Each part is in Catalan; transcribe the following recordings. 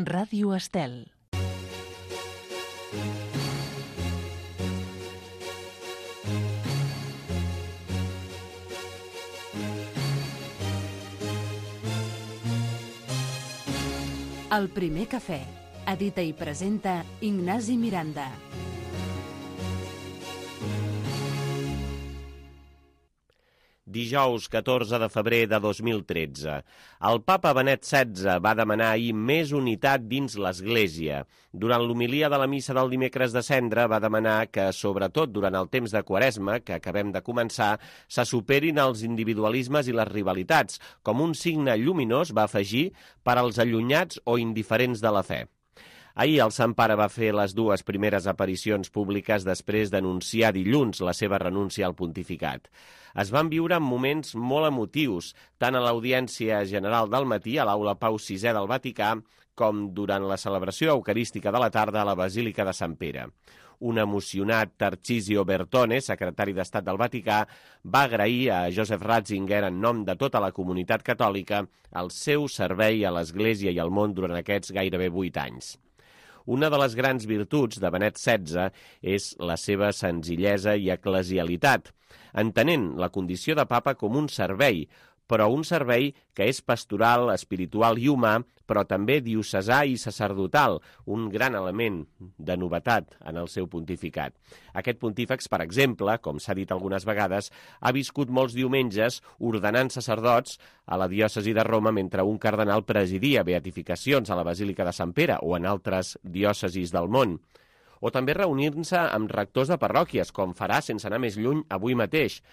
Ràdio Estel. El primer cafè. Edita i presenta Ignasi Miranda. Dijous 14 de febrer de 2013. El papa Benet XVI va demanar ahir més unitat dins l'Església. Durant l'homilia de la missa del dimecres de Cendra va demanar que, sobretot durant el temps de Quaresma, que acabem de començar, se superin els individualismes i les rivalitats, com un signe lluminós, va afegir, per als allunyats o indiferents de la fe. Ahir el Sant Pare va fer les dues primeres aparicions públiques després d'anunciar dilluns la seva renúncia al pontificat. Es van viure moments molt emotius, tant a l'audiència general del matí a l'Aula Pau VI del Vaticà com durant la celebració eucarística de la tarda a la Basílica de Sant Pere. Un emocionat Tarcisio Bertone, secretari d'Estat del Vaticà, va agrair a Joseph Ratzinger, en nom de tota la comunitat catòlica, el seu servei a l'Església i al món durant aquests gairebé 8 anys. Una de les grans virtuts de Benet XVI és la seva senzillesa i eclesialitat, entenent la condició de papa com un servei, però un servei que és pastoral, espiritual i humà, però també diocesà i sacerdotal, un gran element de novetat en el seu pontificat. Aquest pontífex, per exemple, com s'ha dit algunes vegades, ha viscut molts diumenges ordenant sacerdots a la diòcesi de Roma mentre un cardenal presidia beatificacions a la Basílica de Sant Pere o en altres diòcesis del món. O també reunir-se amb rectors de parròquies, com farà, sense anar més lluny, avui mateix,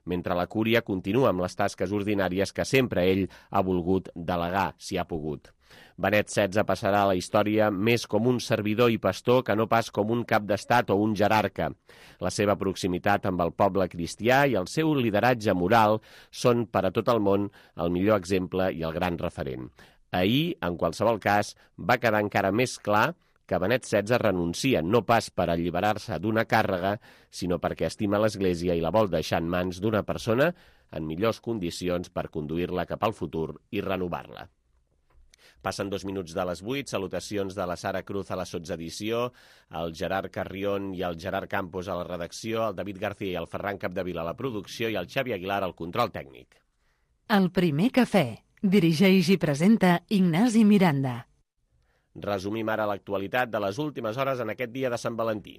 mentre la cúria continua amb les tasques ordinàries que sempre ell ha volgut delegar, si ha pogut. Benet XVI passarà a la història més com un servidor i pastor que no pas com un cap d'estat o un jerarca. La seva proximitat amb el poble cristià i el seu lideratge moral són per a tot el món el millor exemple i el gran referent. Ahir, en qualsevol cas, va quedar encara més clar que Benet XVI renuncia no pas per alliberar-se d'una càrrega, sinó perquè estima l'Església i la vol deixar en mans d'una persona en millors condicions per conduir-la cap al futur i renovar-la. Passen 2 minuts de les 8, salutacions de la Sara Cruz a la sotsedició, el Gerard Carrión i el Gerard Campos a la redacció, el David García i el Ferran Capdevila a la producció i el Xavi Aguilar al control tècnic. El primer cafè. Dirigeix i presenta Ignasi Miranda. Resumim ara l'actualitat de les últimes hores en aquest dia de Sant Valentí.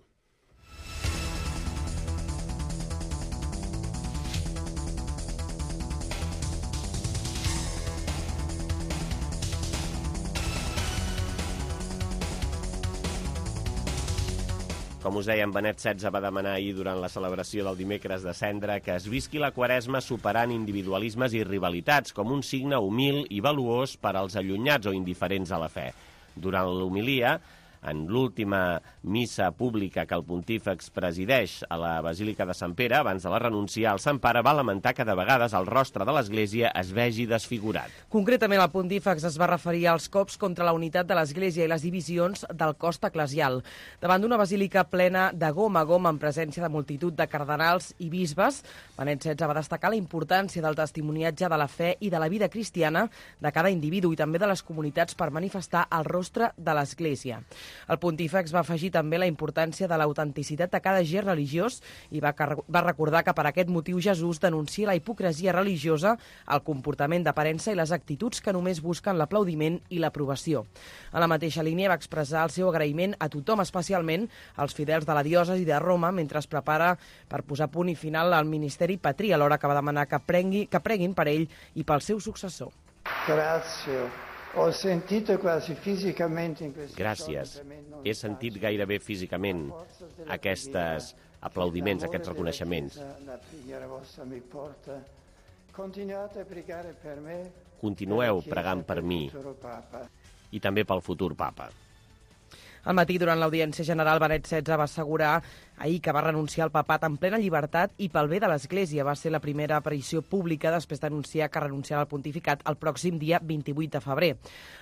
Com us dèiem, Benet XVI va demanar ahir durant la celebració del dimecres de Cendra que es visqui la Quaresma superant individualismes i rivalitats com un signe humil i valuós per als allunyats o indiferents a la fe. Durant l'homilia, en l'última missa pública que el pontífex presideix a la Basílica de Sant Pere, abans de la renúncia, el Sant Pare va lamentar que de vegades el rostre de l'Església es vegi desfigurat. Concretament, el pontífex es va referir als cops contra la unitat de l'Església i les divisions del cos eclesial. Davant d'una basílica plena de gom a gom en presència de multitud de cardenals i bisbes, Benet XVI va destacar la importància del testimoniatge de la fe i de la vida cristiana de cada individu i també de les comunitats per manifestar el rostre de l'Església. El pontífex va afegir també la importància de l'autenticitat de cada gest religiós i va recordar que per aquest motiu Jesús denuncia la hipocresia religiosa, el comportament d'aparença i les actituds que només busquen l'aplaudiment i l'aprovació. En la mateixa línia va expressar el seu agraïment a tothom, especialment als fidels de la diòcesi de Roma, mentre es prepara per posar punt i final al ministeri patrí, alhora que va demanar que preguin per ell i pel seu successor. Gràcies. He sentit gairebé físicament aquests aplaudiments, aquests reconeixements. Continueu pregant per mi i també pel futur papa. Al matí, durant l'audiència general, Benet XVI va assegurar ahir que va renunciar al papat en plena llibertat i pel bé de l'Església. Va ser la primera aparició pública després d'anunciar que renunciarà al pontificat el pròxim dia 28 de febrer.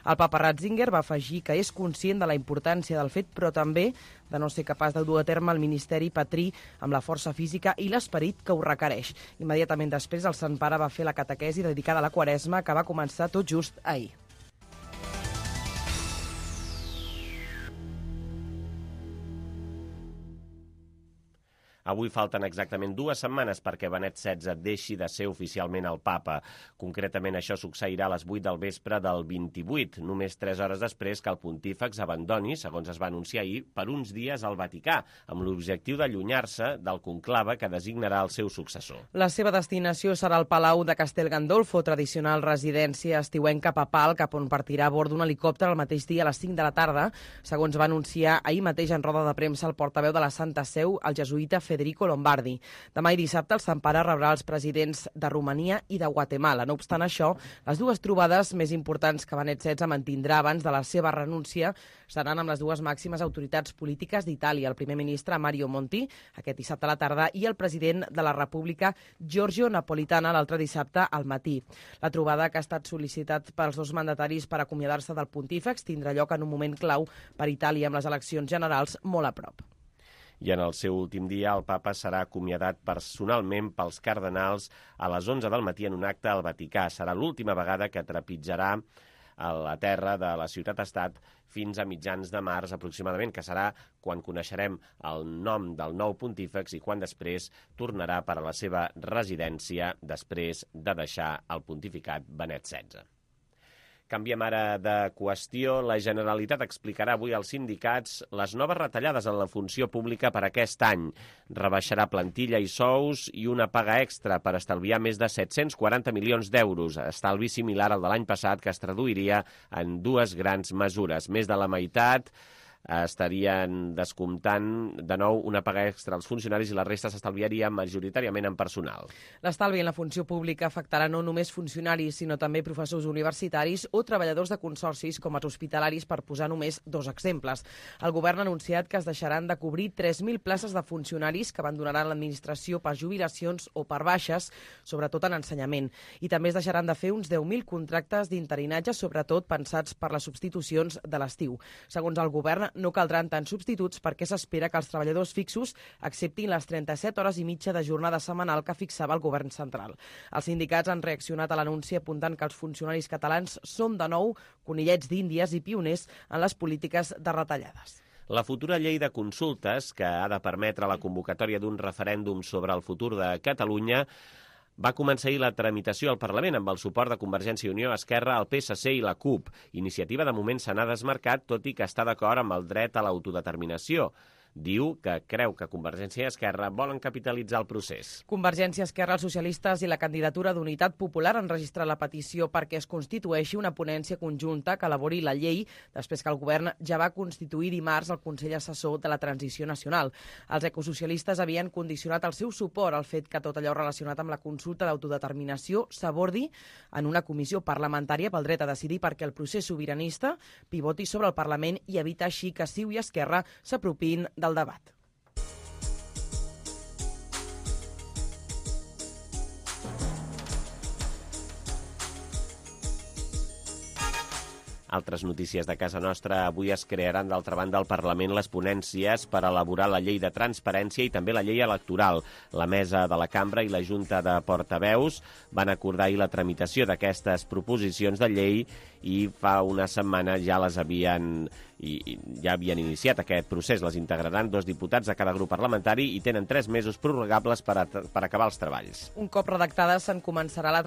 El papa Ratzinger va afegir que és conscient de la importància del fet, però també de no ser capaç de dur a terme el ministeri patrí amb la força física i l'esperit que ho requereix. Immediatament després, el Sant Pare va fer la catequesi dedicada a la Quaresma, que va començar tot just ahir. Avui falten exactament 2 setmanes perquè Benet XVI deixi de ser oficialment el papa. Concretament, això succeirà a les 8 del vespre del 28, només 3 hores després que el pontífex abandoni, segons es va anunciar ahir, per uns dies al Vaticà, amb l'objectiu d'allunyar-se del conclave que designarà el seu successor. La seva destinació serà el Palau de Castel Gandolfo, tradicional residència estiuenca papal, cap on partirà a bord d'un helicòpter el mateix dia a les 5 de la tarda, segons va anunciar ahir mateix en roda de premsa el portaveu de la Santa Seu, el jesuïta Federico Lombardi. Demà i dissabte el Sant Pare rebrà els presidents de Romania i de Guatemala. No obstant això, les 2 trobades més importants que Benet XVI mantindrà abans de la seva renúncia seran amb les 2 màximes autoritats polítiques d'Itàlia, el primer ministre Mario Monti, aquest dissabte a la tarda, i el president de la República, Giorgio Napolitano, l'altre dissabte al matí. La trobada, que ha estat sol·licitat pels 2 mandataris per acomiadar-se del pontífex, tindrà lloc en un moment clau per Itàlia amb les eleccions generals molt a prop. I en el seu últim dia el papa serà acomiadat personalment pels cardenals a les 11 del matí en un acte al Vaticà. Serà l'última vegada que trepitjarà a la terra de la ciutat-estat fins a mitjans de març aproximadament, que serà quan coneixerem el nom del nou pontífex i quan després tornarà per a la seva residència després de deixar el pontificat Benet XVI. Canviem ara de qüestió. La Generalitat explicarà avui als sindicats les noves retallades en la funció pública per aquest any. Rebaixarà plantilla i sous i una paga extra per estalviar més de 740 milions d'euros, estalvi similar al de l'any passat, que es traduiria en 2 grans mesures. Més de la meitat estarien descomptant de nou una paga extra als funcionaris i la resta s'estalviaria majoritàriament en personal. L'estalvi en la funció pública afectarà no només funcionaris, sinó també professors universitaris o treballadors de consorcis com els hospitalaris, per posar només 2 exemples. El govern ha anunciat que es deixaran de cobrir 3.000 places de funcionaris que abandonaran l'administració per jubilacions o per baixes, sobretot en ensenyament. I també es deixaran de fer uns 10.000 contractes d'interinatge, sobretot pensats per les substitucions de l'estiu. Segons el govern, no caldran tants substituts perquè s'espera que els treballadors fixos acceptin les 37 hores i mitja de jornada setmanal que fixava el govern central. Els sindicats han reaccionat a l'anunci apuntant que els funcionaris catalans són de nou conillets d'Índies i pioners en les polítiques de retallades. La futura llei de consultes, que ha de permetre la convocatòria d'un referèndum sobre el futur de Catalunya, va començar ahir la tramitació al Parlament amb el suport de Convergència i Unió, Esquerra, el PSC i la CUP. Iniciativa de moment se n'ha desmarcat, tot i que està d'acord amb el dret a l'autodeterminació. Diu que creu que Convergència i Esquerra volen capitalitzar el procés. Convergència, Esquerra, els socialistes i la candidatura d'Unitat Popular han registrat la petició perquè es constitueixi una ponència conjunta que elabori la llei, després que el govern ja va constituir dimarts el Consell Assessor de la Transició Nacional. Els ecosocialistes havien condicionat el seu suport al fet que tot allò relacionat amb la consulta d'autodeterminació s'abordi en una comissió parlamentària pel dret a decidir, perquè el procés sobiranista pivoti sobre el Parlament i evita així que CiU i Esquerra s'apropin del debat. Altres notícies de casa nostra. Avui es crearan, d'altra banda, al Parlament les ponències per elaborar la llei de transparència i també la llei electoral. La mesa de la Cambra i la Junta de Portaveus van acordar ahir la tramitació d'aquestes proposicions de llei i fa una setmana ja havien iniciat aquest procés. Les integraran 2 diputats de cada grup parlamentari i tenen 3 mesos prorrogables per acabar els treballs. Un cop redactades se'n començarà la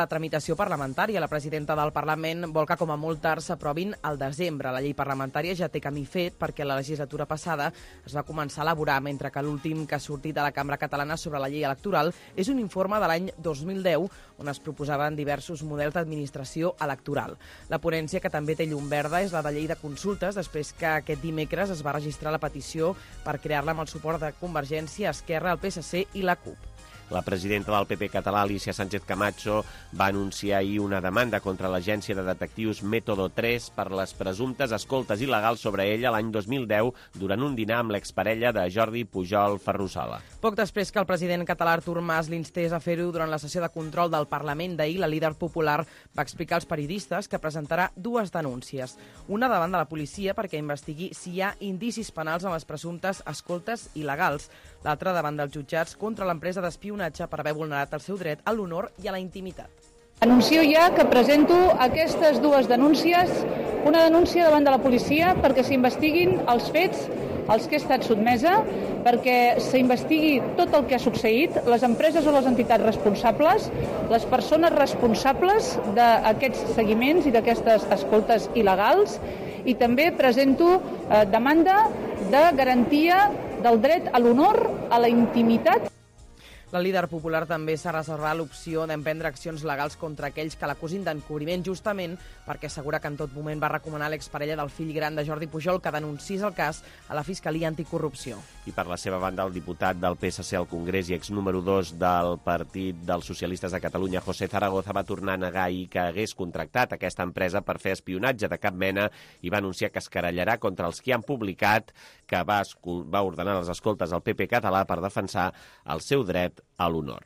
tramitació parlamentària. La presidenta del Parlament vol que com a molt tard s'aprovin al desembre. La llei parlamentària ja té camí fet perquè la legislatura passada es va començar a elaborar, mentre que l'últim que ha sortit de la Cambra Catalana sobre la llei electoral és un informe de l'any 2010 on es proposaven diversos models d'administració electoral. La ponència, que també té llum verda, és la de llei de consultes, després que aquest dimecres es va registrar la petició per crear-la amb el suport de Convergència, Esquerra, el PSC i la CUP. La presidenta del PP català, Alicia Sánchez Camacho, va anunciar ahir una demanda contra l'agència de detectius Método 3 per les presumptes escoltes il·legals sobre ella l'any 2010 durant un dinar amb l'exparella de Jordi Pujol Ferrusola. Poc després que el president català Artur Mas l'instés a fer-ho durant la sessió de control del Parlament d'ahir, la líder popular va explicar als periodistes que presentarà 2 denúncies. Una davant de la policia perquè investigui si hi ha indicis penals en les presumptes escoltes il·legals. L'altra davant dels jutjats contra l'empresa d'espionatge per haver vulnerat el seu dret a l'honor i a la intimitat. Anuncio ja que presento aquestes 2 denúncies una denúncia davant de la policia perquè s'investiguin els fets als que he estat sotmesa, perquè s'investigui tot el que ha succeït, les empreses o les entitats responsables, les persones responsables d'aquests seguiments i d'aquestes escoltes il·legals, i també presento demanda de garantia del dret a l'honor, a la intimitat. La líder popular també s'ha reservat l'opció d'emprendre accions legals contra aquells que l'acusin d'encobriment, justament perquè assegura que en tot moment va recomanar a l'exparella del fill gran de Jordi Pujol que denunciés el cas a la Fiscalia Anticorrupció. I per la seva banda, el diputat del PSC al Congrés i ex número 2 del Partit dels Socialistes de Catalunya, José Zaragoza, va tornar a negar ahir que hagués contractat aquesta empresa per fer espionatge de cap mena i va anunciar que es querellarà contra els que han publicat que va ordenar les escoltes al PP català per defensar el seu dret a l'honor.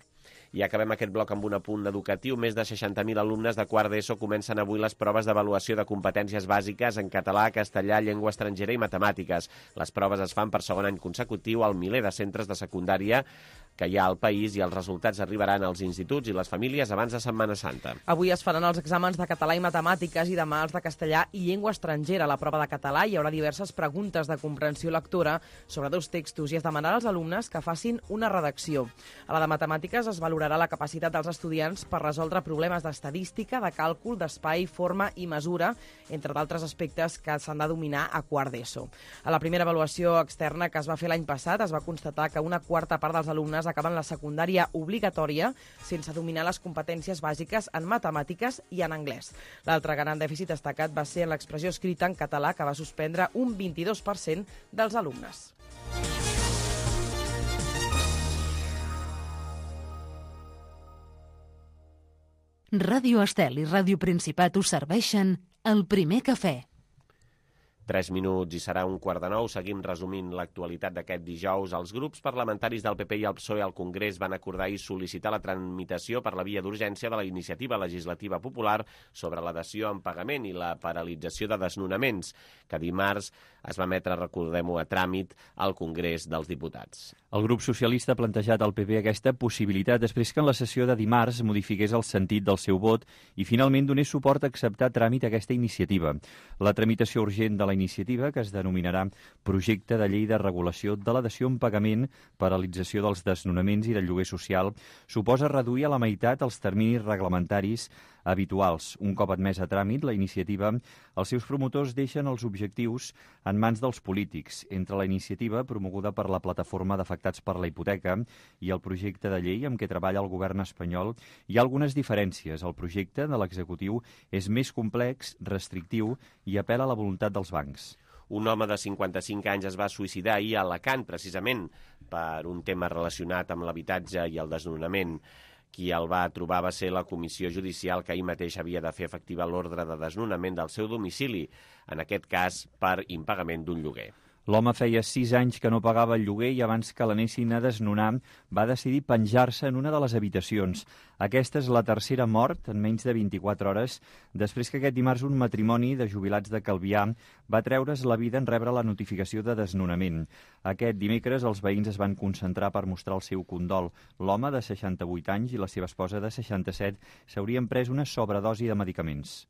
I acabem aquest bloc amb un apunt educatiu. Més de 60.000 alumnes de quart d'ESO comencen avui les proves d'avaluació de competències bàsiques en català, castellà, llengua estrangera i matemàtiques. Les proves es fan per segon any consecutiu al miler de centres de secundària que hi ha al país i els resultats arribaran als instituts i les famílies abans de Setmana Santa. Avui es faran els exàmens de català i matemàtiques i demà els de castellà i llengua estrangera. A la prova de català hi haurà diverses preguntes de comprensió lectora sobre 2 textos i es demanarà als alumnes que facin una redacció. A la de matemàtiques es valorarà la capacitat dels estudiants per resoldre problemes d'estadística, de càlcul, d'espai, forma i mesura, entre d'altres aspectes que s'han de dominar a quart d'ESO. A la primera avaluació externa que es va fer l'any passat es va constatar que una quarta part dels alumnes acaben la secundària obligatòria sense dominar les competències bàsiques en matemàtiques i en anglès. L'altre gran dèficit destacat va ser en l'expressió escrita en català, que va suspendre un 22% dels alumnes. Ràdio Estel i Ràdio Principat us serveixen el primer cafè. 3 minuts i serà 8:45. Seguim resumint l'actualitat d'aquest dijous. Els grups parlamentaris del PP i el PSOE al Congrés van acordar i sol·licitar la tramitació per la via d'urgència de la iniciativa legislativa popular sobre la dació en pagament i la paralització de desnonaments, que dimarts es va emetre, recordem-ho, a tràmit al Congrés dels Diputats. El grup socialista ha plantejat al PP aquesta possibilitat després que en la sessió de dimarts modifiqués el sentit del seu vot i finalment donés suport a acceptar a tràmit aquesta iniciativa. La tramitació urgent de la iniciativa, que es denominarà Projecte de Llei de Regulació de la Dació en Pagament, Paralització dels Desnonaments i del Lloguer Social, suposa reduir a la meitat els terminis reglamentaris habituals. Un cop admès a tràmit, la iniciativa, els seus promotors deixen els objectius en mans dels polítics. Entre la iniciativa, promoguda per la Plataforma d'Afectats per la Hipoteca, i el projecte de llei amb què treballa el govern espanyol, hi ha algunes diferències. El projecte de l'executiu és més complex, restrictiu i apel·la a la voluntat dels bancs. Un home de 55 anys es va suïcidar ahir a Alacant, precisament per un tema relacionat amb l'habitatge i el desnonament. Qui el va trobar va ser la comissió judicial que ahir mateix havia de fer efectiva l'ordre de desnonament del seu domicili, en aquest cas per impagament d'un lloguer. L'home feia 6 anys que no pagava el lloguer i abans que l'anessin a desnonar va decidir penjar-se en una de les habitacions. Aquesta és la tercera mort en menys de 24 hores després que aquest dimarts un matrimoni de jubilats de Calvià va treure's la vida en rebre la notificació de desnonament. Aquest dimecres els veïns es van concentrar per mostrar el seu condol. L'home de 68 anys i la seva esposa de 67 s'haurien pres una sobredosi de medicaments.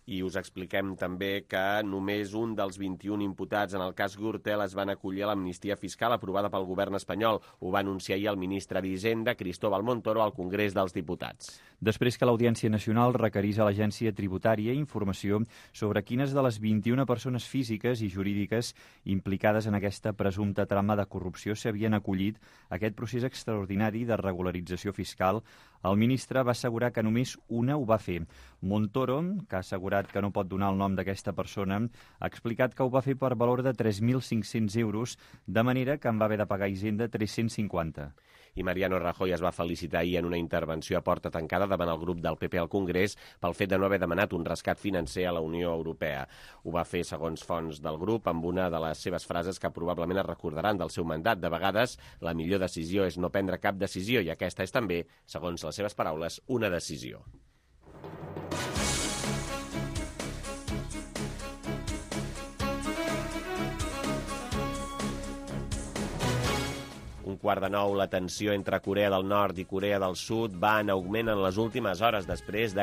I us expliquem també que només un dels 21 imputats en el cas Gürtel es van acollir a l'amnistia fiscal aprovada pel govern espanyol. Ho va anunciar ahir el ministre d'Hisenda, Cristóbal Montoro, al Congrés dels Diputats. Després que l'Audiència Nacional requerís a l'Agència Tributària informació sobre quines de les 21 persones físiques i jurídiques implicades en aquesta presumpta trama de corrupció s'havien acollit a aquest procés extraordinari de regularització fiscal, el ministre va assegurar que només una ho va fer. Montoro, que ha assegurat que no pot donar el nom d'aquesta persona, ha explicat que ho va fer per valor de 3.500 euros, de manera que en va haver de pagar Hisenda 350. I Mariano Rajoy es va felicitar ahir en una intervenció a porta tancada davant el grup del PP al Congrés pel fet de no haver demanat un rescat financer a la Unió Europea. Ho va fer, segons fonts del grup, amb una de les seves frases que probablement es recordaran del seu mandat. De vegades, la millor decisió és no prendre cap decisió i aquesta és també, segons les seves paraules, una decisió. 9:15, la tensió entre Corea del Nord i Corea del Sud va en augment en les últimes hores després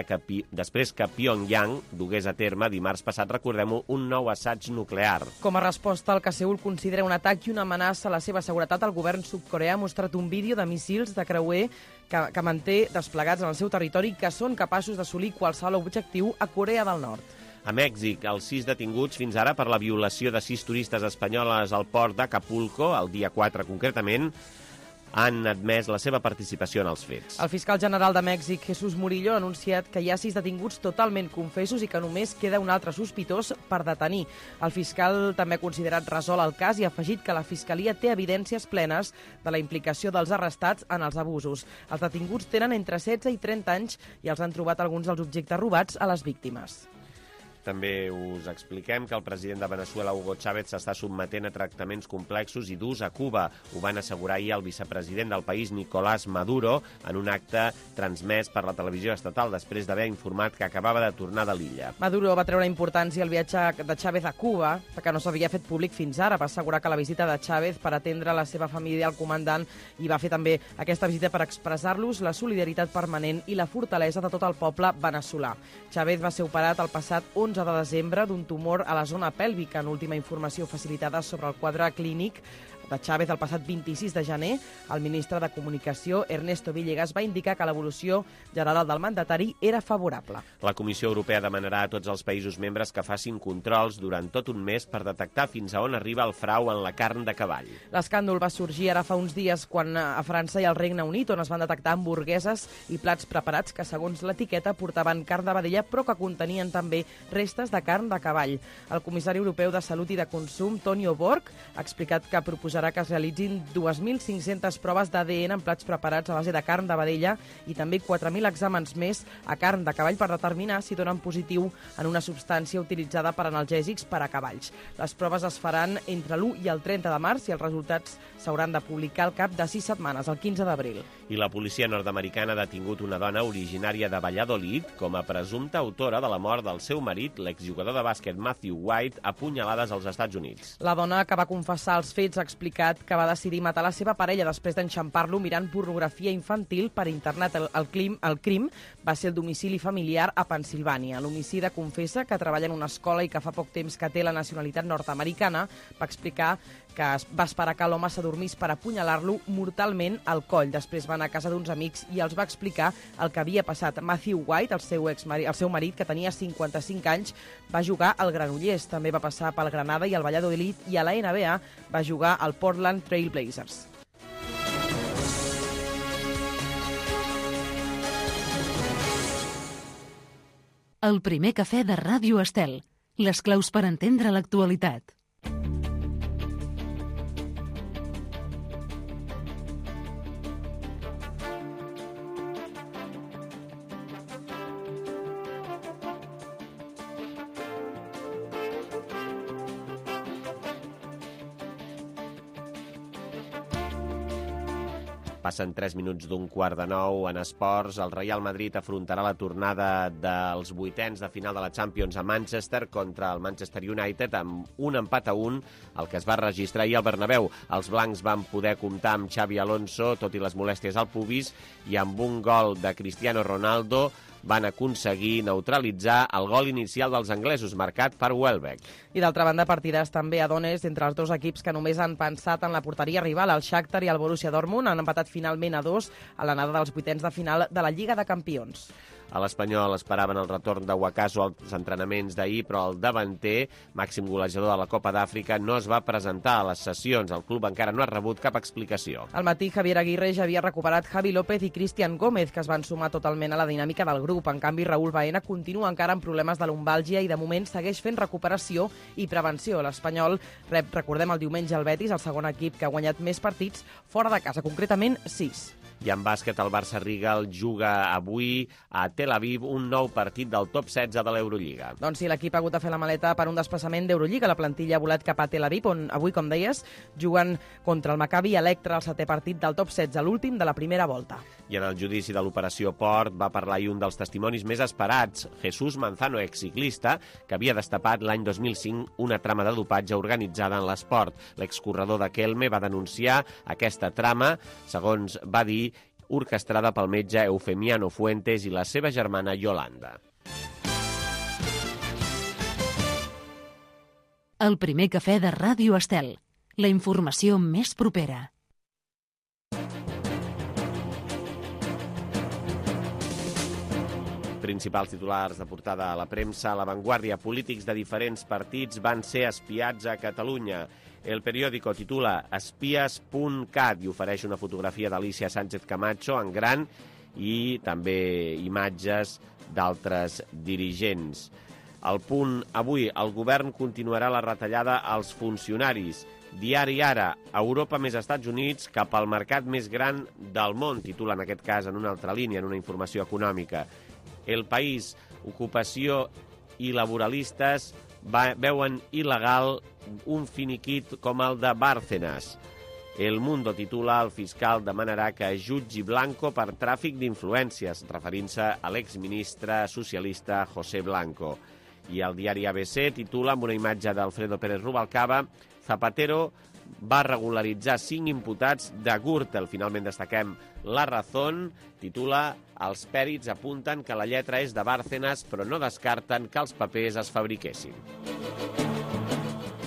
que Pyongyang dugués a terme dimarts passat, recordem-ho, un nou assaig nuclear. Com a resposta al que Seül considera un atac i una amenaça a la seva seguretat, el govern sud-coreà ha mostrat un vídeo de míssils de creuer que manté desplegats en el seu territori que són capaços d'assolir qualsevol objectiu a Corea del Nord. A Mèxic, els 6 detinguts fins ara per la violació de 6 turistes espanyoles al port d'Acapulco, el dia 4 concretament, han admès la seva participació en els fets. El fiscal general de Mèxic, Jesús Murillo, ha anunciat que hi ha 6 detinguts totalment confessos i que només queda un altre sospitós per detenir. El fiscal també ha considerat resolt el cas i ha afegit que la Fiscalia té evidències plenes de la implicació dels arrestats en els abusos. Els detinguts tenen entre 16 i 30 anys i els han trobat alguns dels objectes robats a les víctimes. També us expliquem que el president de Venezuela, Hugo Chávez, s'està sotmetent a tractaments complexos i durs a Cuba. Ho van assegurar ahir el vicepresident del país, Nicolás Maduro, en un acte transmès per la televisió estatal després d'haver informat que acabava de tornar de l'illa. Maduro va treure importància al viatge de Chávez a Cuba, que no s'havia fet públic fins ara. Va assegurar que la visita de Chávez per atendre la seva família al comandant i va fer també aquesta visita per expressar-los la solidaritat permanent i la fortalesa de tot el poble veneçolà. Chávez va ser operat el passat 11 de desembre d'un tumor a la zona pèlvica. En última informació facilitada sobre el quadre clínic de Chávez el passat 26 de gener, el ministre de Comunicació, Ernesto Villegas, va indicar que l'evolució general del mandatari era favorable. La Comissió Europea demanarà a tots els països membres que facin controls durant tot un mes per detectar fins a on arriba el frau en la carn de cavall. L'escàndol va sorgir ara fa uns dies quan a França i al Regne Unit, on es van detectar hamburgueses i plats preparats que, segons l'etiqueta, portaven carn de vedella, però que contenien també restes de carn de cavall. El comissari europeu de Salut i de Consum, Tonio Borg, ha explicat que proposarà que es realitzin 2.500 proves d'ADN en plats preparats a base de carn de vedella i també 4.000 exàmens més a carn de cavall per determinar si donen positiu en una substància utilitzada per analgèsics per a cavalls. Les proves es faran entre l'1 i el 30 de març i els resultats s'hauran de publicar al cap de 6 setmanes, el 15 d'abril. I la policia nord-americana ha detingut una dona originària de Valladolid com a presumpta autora de la mort del seu marit, l'exjugador de bàsquet Matthew White, a punyalades als Estats Units. La dona, que va confessar els fets, ha explicat que va decidir matar la seva parella després d'enxampar-lo mirant pornografia infantil per internet. El crim va ser el domicili familiar a Pensilvània. L'homicida confessa que treballa en una escola i que fa poc temps que té la nacionalitat nord-americana. Va explicar que va esperar que l'home s'adormís per apunyalar-lo mortalment al coll. Després va anar a casa d'uns amics i els va explicar el que havia passat. Matthew White, el seu marit, que tenia 55 anys, va jugar al Granollers. També va passar pel Granada i el Valladolid, i a la NBA va jugar al Portland Trail Blazers. El primer cafè de Ràdio Estel. Les claus per entendre l'actualitat. Passen 3 minuts d'un 8:15 en esports. El Real Madrid afrontarà la tornada dels vuitens de final de la Champions a Manchester contra el Manchester United amb un empat a 1, el que es va registrar ahir al Bernabéu. Els blancs van poder comptar amb Xavi Alonso, tot i les molèsties al pubis, i amb un gol de Cristiano Ronaldo van aconseguir neutralitzar el gol inicial dels anglesos, marcat per Welbeck. I d'altra banda, partidars també a dones entre els dos equips que només han pensat en la porteria rival. El Shakhtar i el Borussia Dortmund han empatat finalment a 2 a l'anada dels vuitens de final de la Lliga de Campions. A l'Espanyol esperaven el retorn de Wakaso als entrenaments d'ahir, però el davanter, màxim golejador de la Copa d'Àfrica, no es va presentar a les sessions. El club encara no ha rebut cap explicació. Al matí, Javier Aguirre ja havia recuperat Javi López i Cristian Gómez, que es van sumar totalment a la dinàmica del grup. En canvi, Raúl Baena continua encara amb problemes de lumbàlgia i de moment segueix fent recuperació i prevenció. L'Espanyol rep, recordem, el diumenge el Betis, el segon equip que ha guanyat més partits fora de casa, concretament 6. I en bàsquet, el Barça Rigal juga avui a Tel Aviv un nou partit del top 16 de l'Eurolliga. Doncs sí, l'equip ha hagut de fer la maleta per un desplaçament d'Eurolliga. La plantilla ha volat cap a Tel Aviv, on avui, com deies, juguen contra el Maccabi Electra, el 7è partit del top 16, l'últim de la primera volta. I en el judici de l'operació Port va parlar ahir un dels testimonis més esperats, Jesús Manzano, exciclista, que havia destapat l'any 2005 una trama de dopatge organitzada en l'esport. L'excorredor de Kelme va denunciar aquesta trama, segons va dir, orquestrada pel metge Eufemiano Fuentes i la seva germana Yolanda. El primer cafè de Ràdio Estel. La informació més propera. Principals titulars de portada a la premsa. A La Vanguardia, polítics de diferents partits van ser espiats a Catalunya. El periòdico titula Espies.cat i ofereix una fotografia d'Alicia Sánchez Camacho en gran i també imatges d'altres dirigents. El Punt avui, el govern continuarà la retallada als funcionaris. Diari Ara, Europa més Estats Units cap al mercat més gran del món, titula en aquest cas en una altra línia, en una informació econòmica. El País, ocupació i laboralistes veuen il·legal un finiquit com el de Bárcenas. El Mundo titula el fiscal demanarà que jutgi Blanco per tràfic d'influències, referint-se a l'exministre socialista José Blanco. I el diari ABC titula amb una imatge d'Alfredo Pérez Rubalcaba: Zapatero va regularitzar 5 imputats de Gürtel. Finalment destaquem La Razón, titula Els pèrits apunten que la lletra és de Bárcenas, però no descarten que els papers es fabriquessin.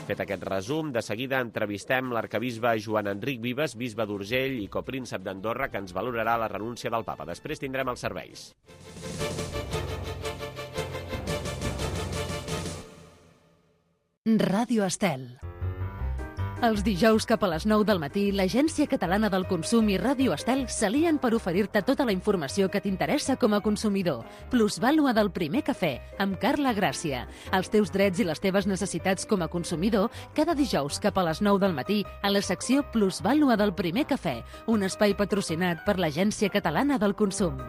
Fet aquest resum, de seguida entrevistem l'arquebisbe Joan Enric Vives, bisbe d'Urgell i copríncep d'Andorra, que ens valorarà la renúncia del papa. Després tindrem els serveis. Ràdio Estel. Els dijous cap a les 9 del matí, l'Agència Catalana del Consum i Ràdio Estel s'alien per oferir-te tota la informació que t'interessa com a consumidor. Plusvàlua del primer cafè, amb Carla Gràcia. Els teus drets i les teves necessitats com a consumidor, cada dijous cap a les 9 del matí, a la secció Plusvàlua del primer cafè, un espai patrocinat per l'Agència Catalana del Consum.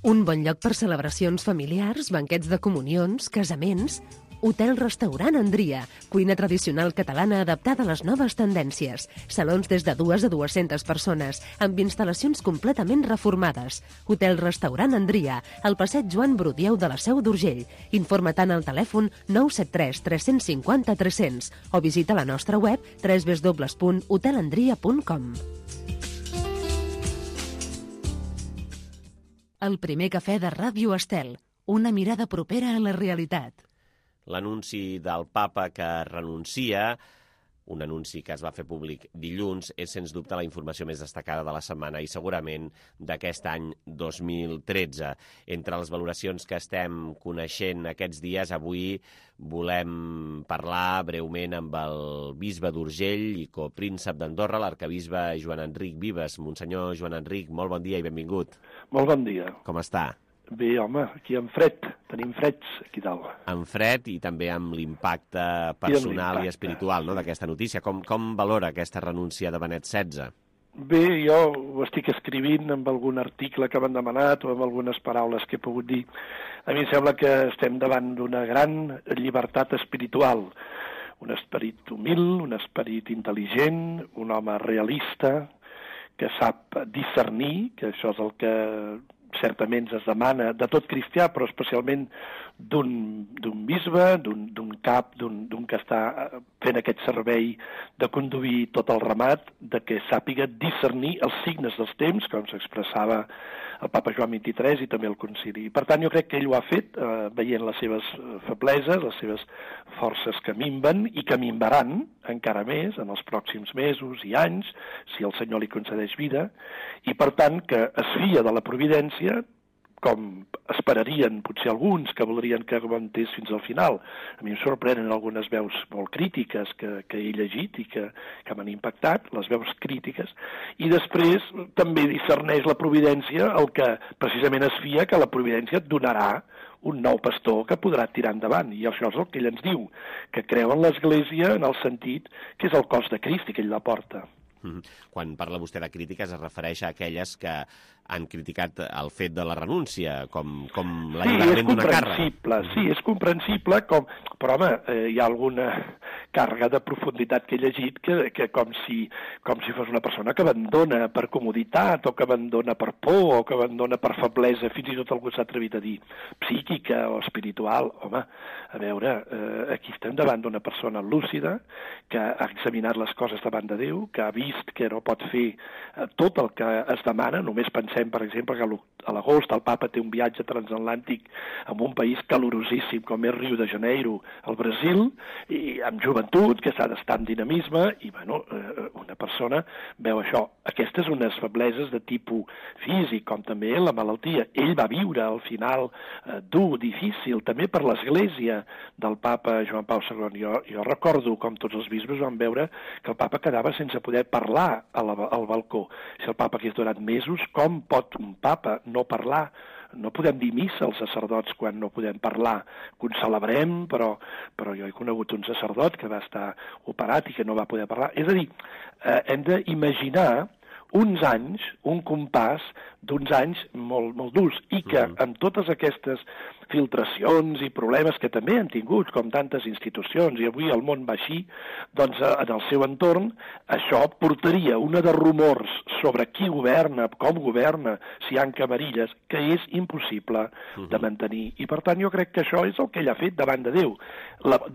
Un bon lloc per celebracions familiars, banquets de comunions, casaments. Hotel-restaurant Andria, cuina tradicional catalana adaptada a les noves tendències. Salons des de 2 a 200 persones, amb instal·lacions completament reformades. Hotel-restaurant Andria, al passeig Joan Brudieu de la Seu d'Urgell. Informa-te'n al telèfon 973 350 300 o visita la nostra web www.hotelandria.com. El primer cafè de Ràdio Estel, una mirada propera a la realitat. L'anunci del papa que renuncia, un anunci que es va fer públic dilluns, és sens dubte la informació més destacada de la setmana i segurament d'aquest any 2013. Entre les valoracions que estem coneixent aquests dies, avui volem parlar breument amb el bisbe d'Urgell i copríncep d'Andorra, l'arquebisbe Joan Enric Vives. Monsenyor Joan Enric, molt bon dia i benvingut. Molt bon dia. Com està? Bé, home, aquí en fred. Tenim freds aquí dalt. En fred i també amb l'impacte personal i espiritual, no, d'aquesta notícia. Com valora aquesta renúncia de Benet XVI? Bé, jo ho estic escrivint amb algun article que m'han demanat o amb algunes paraules que he pogut dir. A mi em sembla que estem davant d'una gran llibertat espiritual. Un esperit humil, un esperit intel·ligent, un home realista que sap discernir, que això és el que certament es demana de tot cristià, però especialment d'un bisbe, d'un cap, d'un que està fent aquest servei de conduir tot el ramat, de que sàpiga discernir els signes dels temps, com s'expressava el papa Joan XXIII i també el concili. Per tant, jo crec que ell ho ha fet veient les seves febleses, les seves forces que minven i que minvaran encara més en els pròxims mesos i anys, si el Senyor li concedeix vida, i per tant que es fia de la providència, com esperarien potser alguns que voldrien que aguantés fins al final. A mi em sorprenen algunes veus molt crítiques que he llegit i que m'han impactat, les veus crítiques, i després també discerneix la providència el que precisament es fia que la providència et donarà un nou pastor que podrà tirar endavant, i això és el que ell ens diu, que creu en l'Església en el sentit que és el cos de Crist i que ell la porta. Quan parla vostè de crítiques es refereix a aquelles que han criticat el fet de la renúncia, com l'alliberament d'una càrrega. Sí, és comprensible, però home, hi ha alguna càrrega de profunditat que he llegit que com si fos una persona que abandona per comoditat, o que abandona per por, o que abandona per feblesa, fins i tot algú s'ha atrevit a dir psíquica o espiritual. Home, a veure, aquí estem davant d'una persona lúcida que ha examinat les coses davant de Déu, que ha vist que no pot fer tot el que es demana. Només pensem, per exemple, que a l'agost el papa té un viatge transatlàntic en un país calorosíssim com és Rio de Janeiro, al Brasil, i amb joventut, que s'ha d'estar amb dinamisme, i bueno, una persona veu això. Aquestes unes febleses de tipus físic, com també la malaltia. Ell va viure al final dur, difícil, també per l'Església del papa Joan Pau II. Jo recordo com tots els bisbes van veure que el papa quedava sense poder parlar al balcó. Si el papa hagués durat mesos, com pot un papa no parlar? No podem dir missa als sacerdots quan no podem parlar. Que ho celebrem, però jo he conegut un sacerdot que va estar operat i que no va poder parlar. És a dir, hem d'imaginar uns anys, un compàs d'uns anys molt, molt durs, i que amb totes aquestes filtracions i problemes que també han tingut, com tantes institucions, i avui el món va així, doncs en el seu entorn això portaria una de rumors sobre qui governa, com governa, si hi ha camarilles, que és impossible de mantenir. I per tant jo crec que això és el que ell ha fet davant de Déu.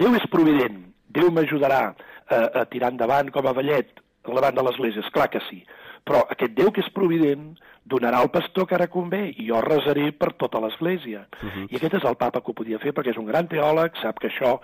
Déu és provident, Déu m'ajudarà a tirar endavant com a vellet davant de l'Església, esclar que sí. Però aquest Déu que és provident donarà el pastor que ara convé, i jo resaré per tota l'Església. I aquest és el papa que ho podia fer, perquè és un gran teòleg, sap que això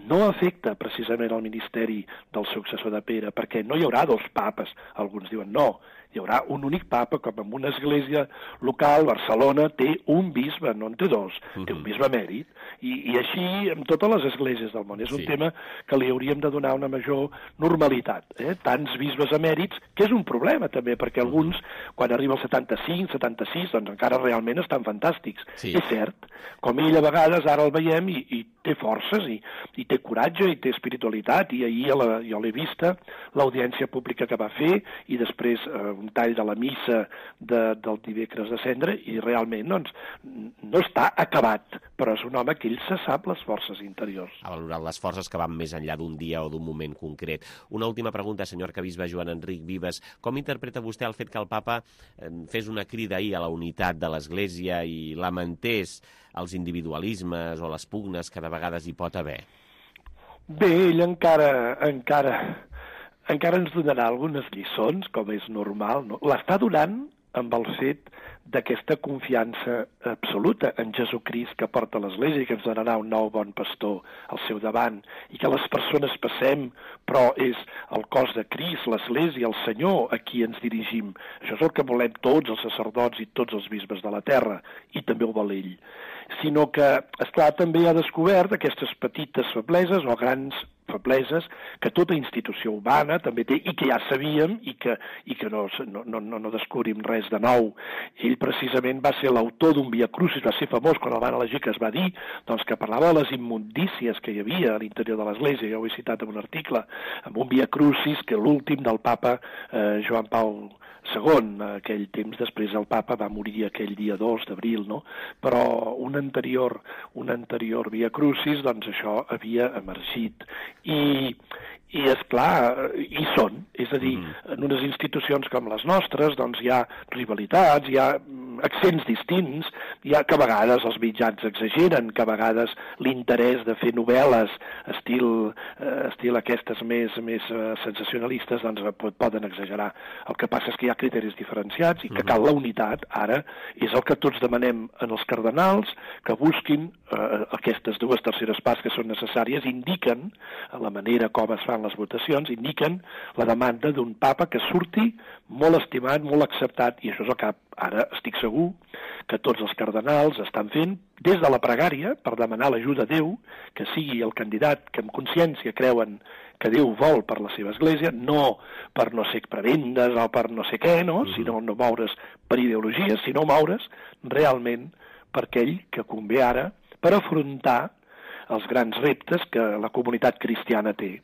no afecta precisament el ministeri del successor de Pere, perquè no hi haurà dos papes. Alguns diuen no, hi haurà un únic papa, com en una església local. Barcelona té un bisbe, no en té dos, té un bisbe emèrit, i així amb totes les esglésies del món. És un tema que li hauríem de donar una major normalitat. Tants bisbes emèrits, que és un problema també, perquè alguns, quan arriba al 75, 76, doncs encara realment estan fantàstics. És cert, com ell a vegades, ara el veiem, i té forces, i té coratge, i té espiritualitat, i ahir jo l'he vista, l'audiència pública que va fer, i després un tall de la missa del dimecres de Cendra, i realment doncs, no està acabat, però és un home que ell se sap les forces interiors. Ha valorat les forces que van més enllà d'un dia o d'un moment concret. Una última pregunta, senyor arquebisbe Joan Enric Vives. Com interpreta vostè el fet que el papa fes una crida ahir a la unitat de l'Església i lamentés els individualismes o les pugnes que de vegades hi pot haver? Bé, ell encara ens donarà algunes lliçons, com és normal, no? L'està donant amb el fet d'aquesta confiança absoluta en Jesucrist que porta l'Església i que ens donarà un nou bon pastor al seu davant, i que les persones passem, però és el cos de Crist, l'Església, el Senyor, a qui ens dirigim. Això és el que volem tots els sacerdots i tots els bisbes de la terra, i també ho vol ell. Sinó que, esclar, també ha descobert aquestes petites febleses o grans febleses que tota institució humana també té, i que ja sabíem, i que no descobrim res de nou. Ell precisament va ser l'autor d'un Via Crucis, va ser famós quan el van elegir, que es va dir doncs, que parlava de les immundícies que hi havia a l'interior de l'Església. Jo ho he citat en un article, amb un Via Crucis, que l'últim del papa Joan Pau II, aquell temps després el papa va morir aquell dia 2 d'abril, no? Però un anterior Via Crucis, doncs això havia emergit. I esclar, hi són. És a dir, en unes institucions com les nostres, doncs hi ha rivalitats, hi ha accents distints, hi ha que a vegades els mitjans exageren, que a vegades l'interès de fer novel·les estil aquestes més sensacionalistes, doncs poden exagerar. El que passa és que hi ha criteris diferenciats i que cal la unitat. Ara és el que tots demanem en els cardenals, que busquin aquestes dues terceres parts que són necessàries, indiquen la manera com es fa fan les votacions, indiquen la demanda d'un papa que surti molt estimat, molt acceptat, i això és el que ara estic segur que tots els cardenals estan fent des de la pregària per demanar l'ajuda a Déu, que sigui el candidat que amb consciència creuen que Déu vol per la seva església, no per no ser prebendes o per no sé què, no? Sinó no moure's per ideologies, sinó moure's realment per aquell que convé ara per afrontar els grans reptes que la comunitat cristiana té.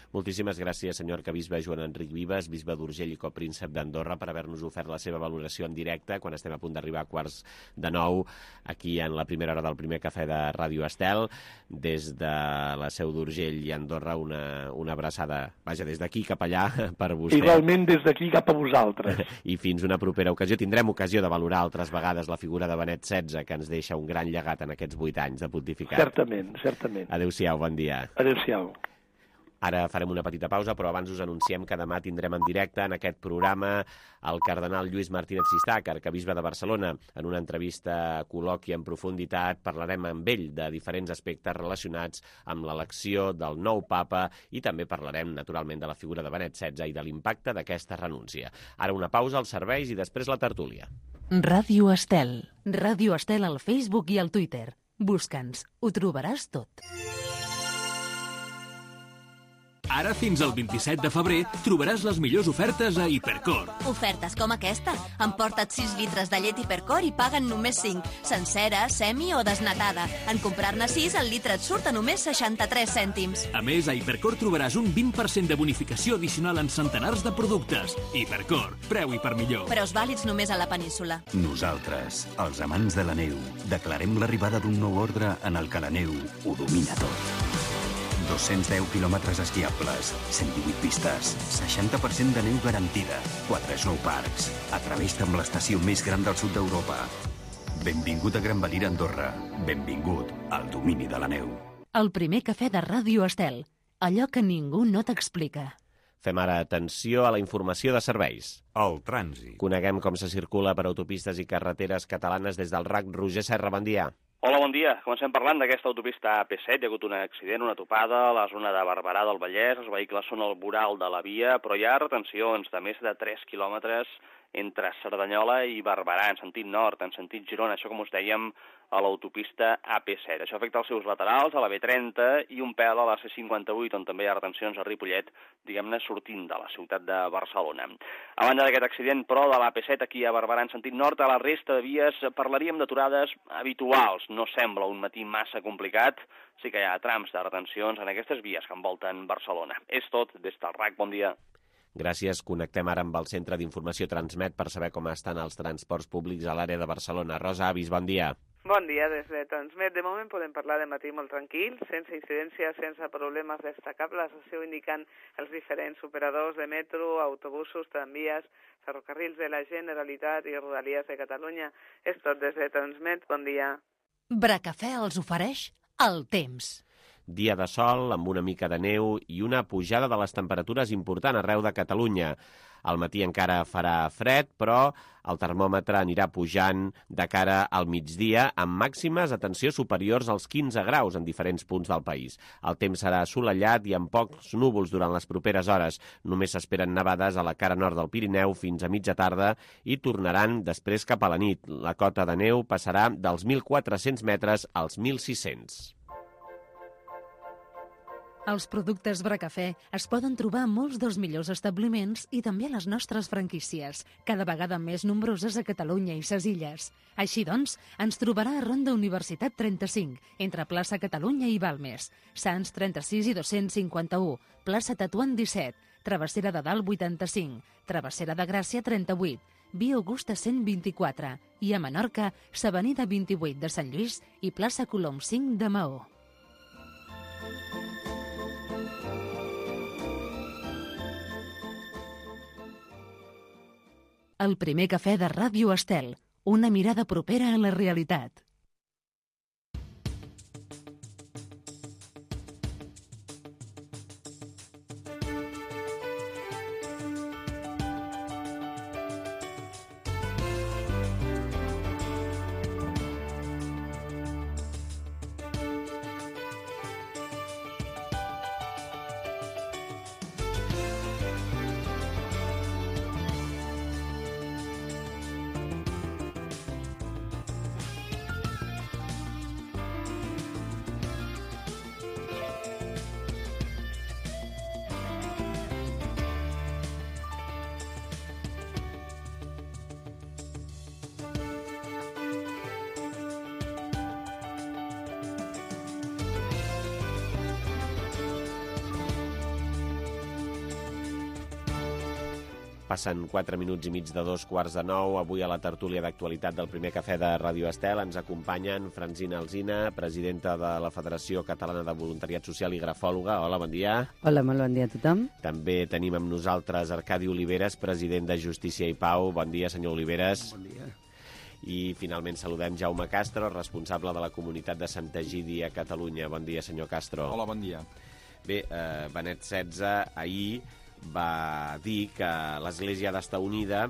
Moltíssimes gràcies, senyor arquebisbe Joan Enric Vives, bisbe d'Urgell i copríncep d'Andorra, per haver-nos ofert la seva valoració en directe quan estem a punt d'arribar a 8:45 aquí en la primera hora del primer cafè de Ràdio Estel. Des de la seu d'Urgell i Andorra, una abraçada, vaja, des d'aquí cap allà per vostè. Igualment des d'aquí cap a vosaltres. I fins una propera ocasió. Tindrem ocasió de valorar altres vegades la figura de Benet XVI, que ens deixa un gran llegat en aquests 8 anys de pontificat. Certament, certament. Adéu-siau, bon dia. Adéu-siau. Ara farem una petita pausa, però abans us anunciem que demà tindrem en directe en aquest programa el cardenal Lluís Martínez Sistac, arquebisbe de Barcelona. En una entrevista col·loqui en profunditat parlarem amb ell de diferents aspectes relacionats amb l'elecció del nou papa i també parlarem, naturalment, de la figura de Benet XVI i de l'impacte d'aquesta renúncia. Ara una pausa als serveis i després la tertúlia. Ràdio Estel. Ràdio Estel al Facebook i al Twitter. Busca'ns, ho trobaràs tot. Ara fins al 27 de febrer trobaràs les millors ofertes a Hipercor. Ofertes com aquesta. Emporta't 6 litres de llet Hipercor i paguen només 5. Sencera, semi o desnatada. En comprar-ne 6, el litre et surt a només 63 cèntims. A més, a Hipercor trobaràs un 20% de bonificació addicional en centenars de productes. Hipercor, preu i per millor. Preus vàlids només a la península. Nosaltres, els amants de la neu, declarem l'arribada d'un nou ordre en el que la neu ho domina tot. 210 quilòmetres esquiables, 118 pistes, 60% de neu garantida, 4 snowparks. Atreveix-te amb l'estació més gran del sud d'Europa. Benvingut a Gran Valira, Andorra. Benvingut al domini de la neu. El primer cafè de Ràdio Estel. Allò que ningú no t'explica. Fem ara atenció a la informació de serveis. El trànsit. Coneguem com se circula per autopistes i carreteres catalanes des del RAC. Roger Serra, bon dia. Hola, bon dia. Comencem parlant d'aquesta autopista AP7. Hi ha hagut un accident, una topada a la zona de Barberà del Vallès. Els vehicles són al voral de la via, però hi ha retencions de més de 3 quilòmetres entre Cerdanyola i Barberà, en sentit nord, en sentit Girona. Això, com us dèiem, a l'autopista AP7. Això afecta els seus laterals, a la B30 i un pèl a la C58, on també hi ha retencions a Ripollet, diguem-ne, sortint de la ciutat de Barcelona. A banda d'aquest accident, però, de l'AP7 aquí a Barberà en sentit nord, a la resta de vies parlaríem d'aturades habituals. No sembla un matí massa complicat, sí que hi ha trams de retencions en aquestes vies que envolten Barcelona. És tot des del RAC. Bon dia. Gràcies. Connectem ara amb el Centre d'Informació Transmet per saber com estan els transports públics a l'àrea de Barcelona. Rosa Avis, bon dia. Bon dia, des de Transmet. De moment podem parlar de matí molt tranquil, sense incidències, sense problemes destacables. Això ho indiquen els diferents operadors de metro, autobusos, tramvies, ferrocarrils de la Generalitat i Rodalies de Catalunya. És tot des de Transmet. Bon dia. Bracafè els ofereix el temps. Dia de sol, amb una mica de neu i una pujada de les temperatures important arreu de Catalunya. Al matí encara farà fred, però el termòmetre anirà pujant de cara al migdia amb màximes, atenció, superiors als 15 graus en diferents punts del país. El temps serà assolellat i amb pocs núvols durant les properes hores. Només s'esperen nevades a la cara nord del Pirineu fins a mitja tarda i tornaran després cap a la nit. La cota de neu passarà dels 1.400 metres als 1.600. Els productes Bracafè es poden trobar a molts dels millors establiments i també a les nostres franquícies, cada vegada més nombroses a Catalunya i ses illes. Així doncs, ens trobarà a Ronda Universitat 35, entre plaça Catalunya i Balmes, Sants 36 i 251, plaça Tatuant 17, Travessera de Dalt 85, Travessera de Gràcia 38, Via Augusta 124 i a Menorca, s'Avenida 28 de Sant Lluís i plaça Colom 5 de Maó. El primer cafè de Ràdio Estel, una mirada propera a la realitat. Passen 4 minuts i mig de 2:45. Avui a la tertúlia d'actualitat del primer cafè de Ràdio Estel ens acompanyen Francina Alsina, presidenta de la Federació Catalana de Voluntariat Social i grafòloga. Hola, bon dia. Hola, molt bon dia a tothom. També tenim amb nosaltres Arcadi Oliveres, president de Justícia i Pau. Bon dia, senyor Oliveres. Bon dia. I finalment saludem Jaume Castro, responsable de la comunitat de Santa Egidi a Catalunya. Bon dia, senyor Castro. Hola, bon dia. Bé, Benet XVI ahir va dir que l'Església ha d'estar unida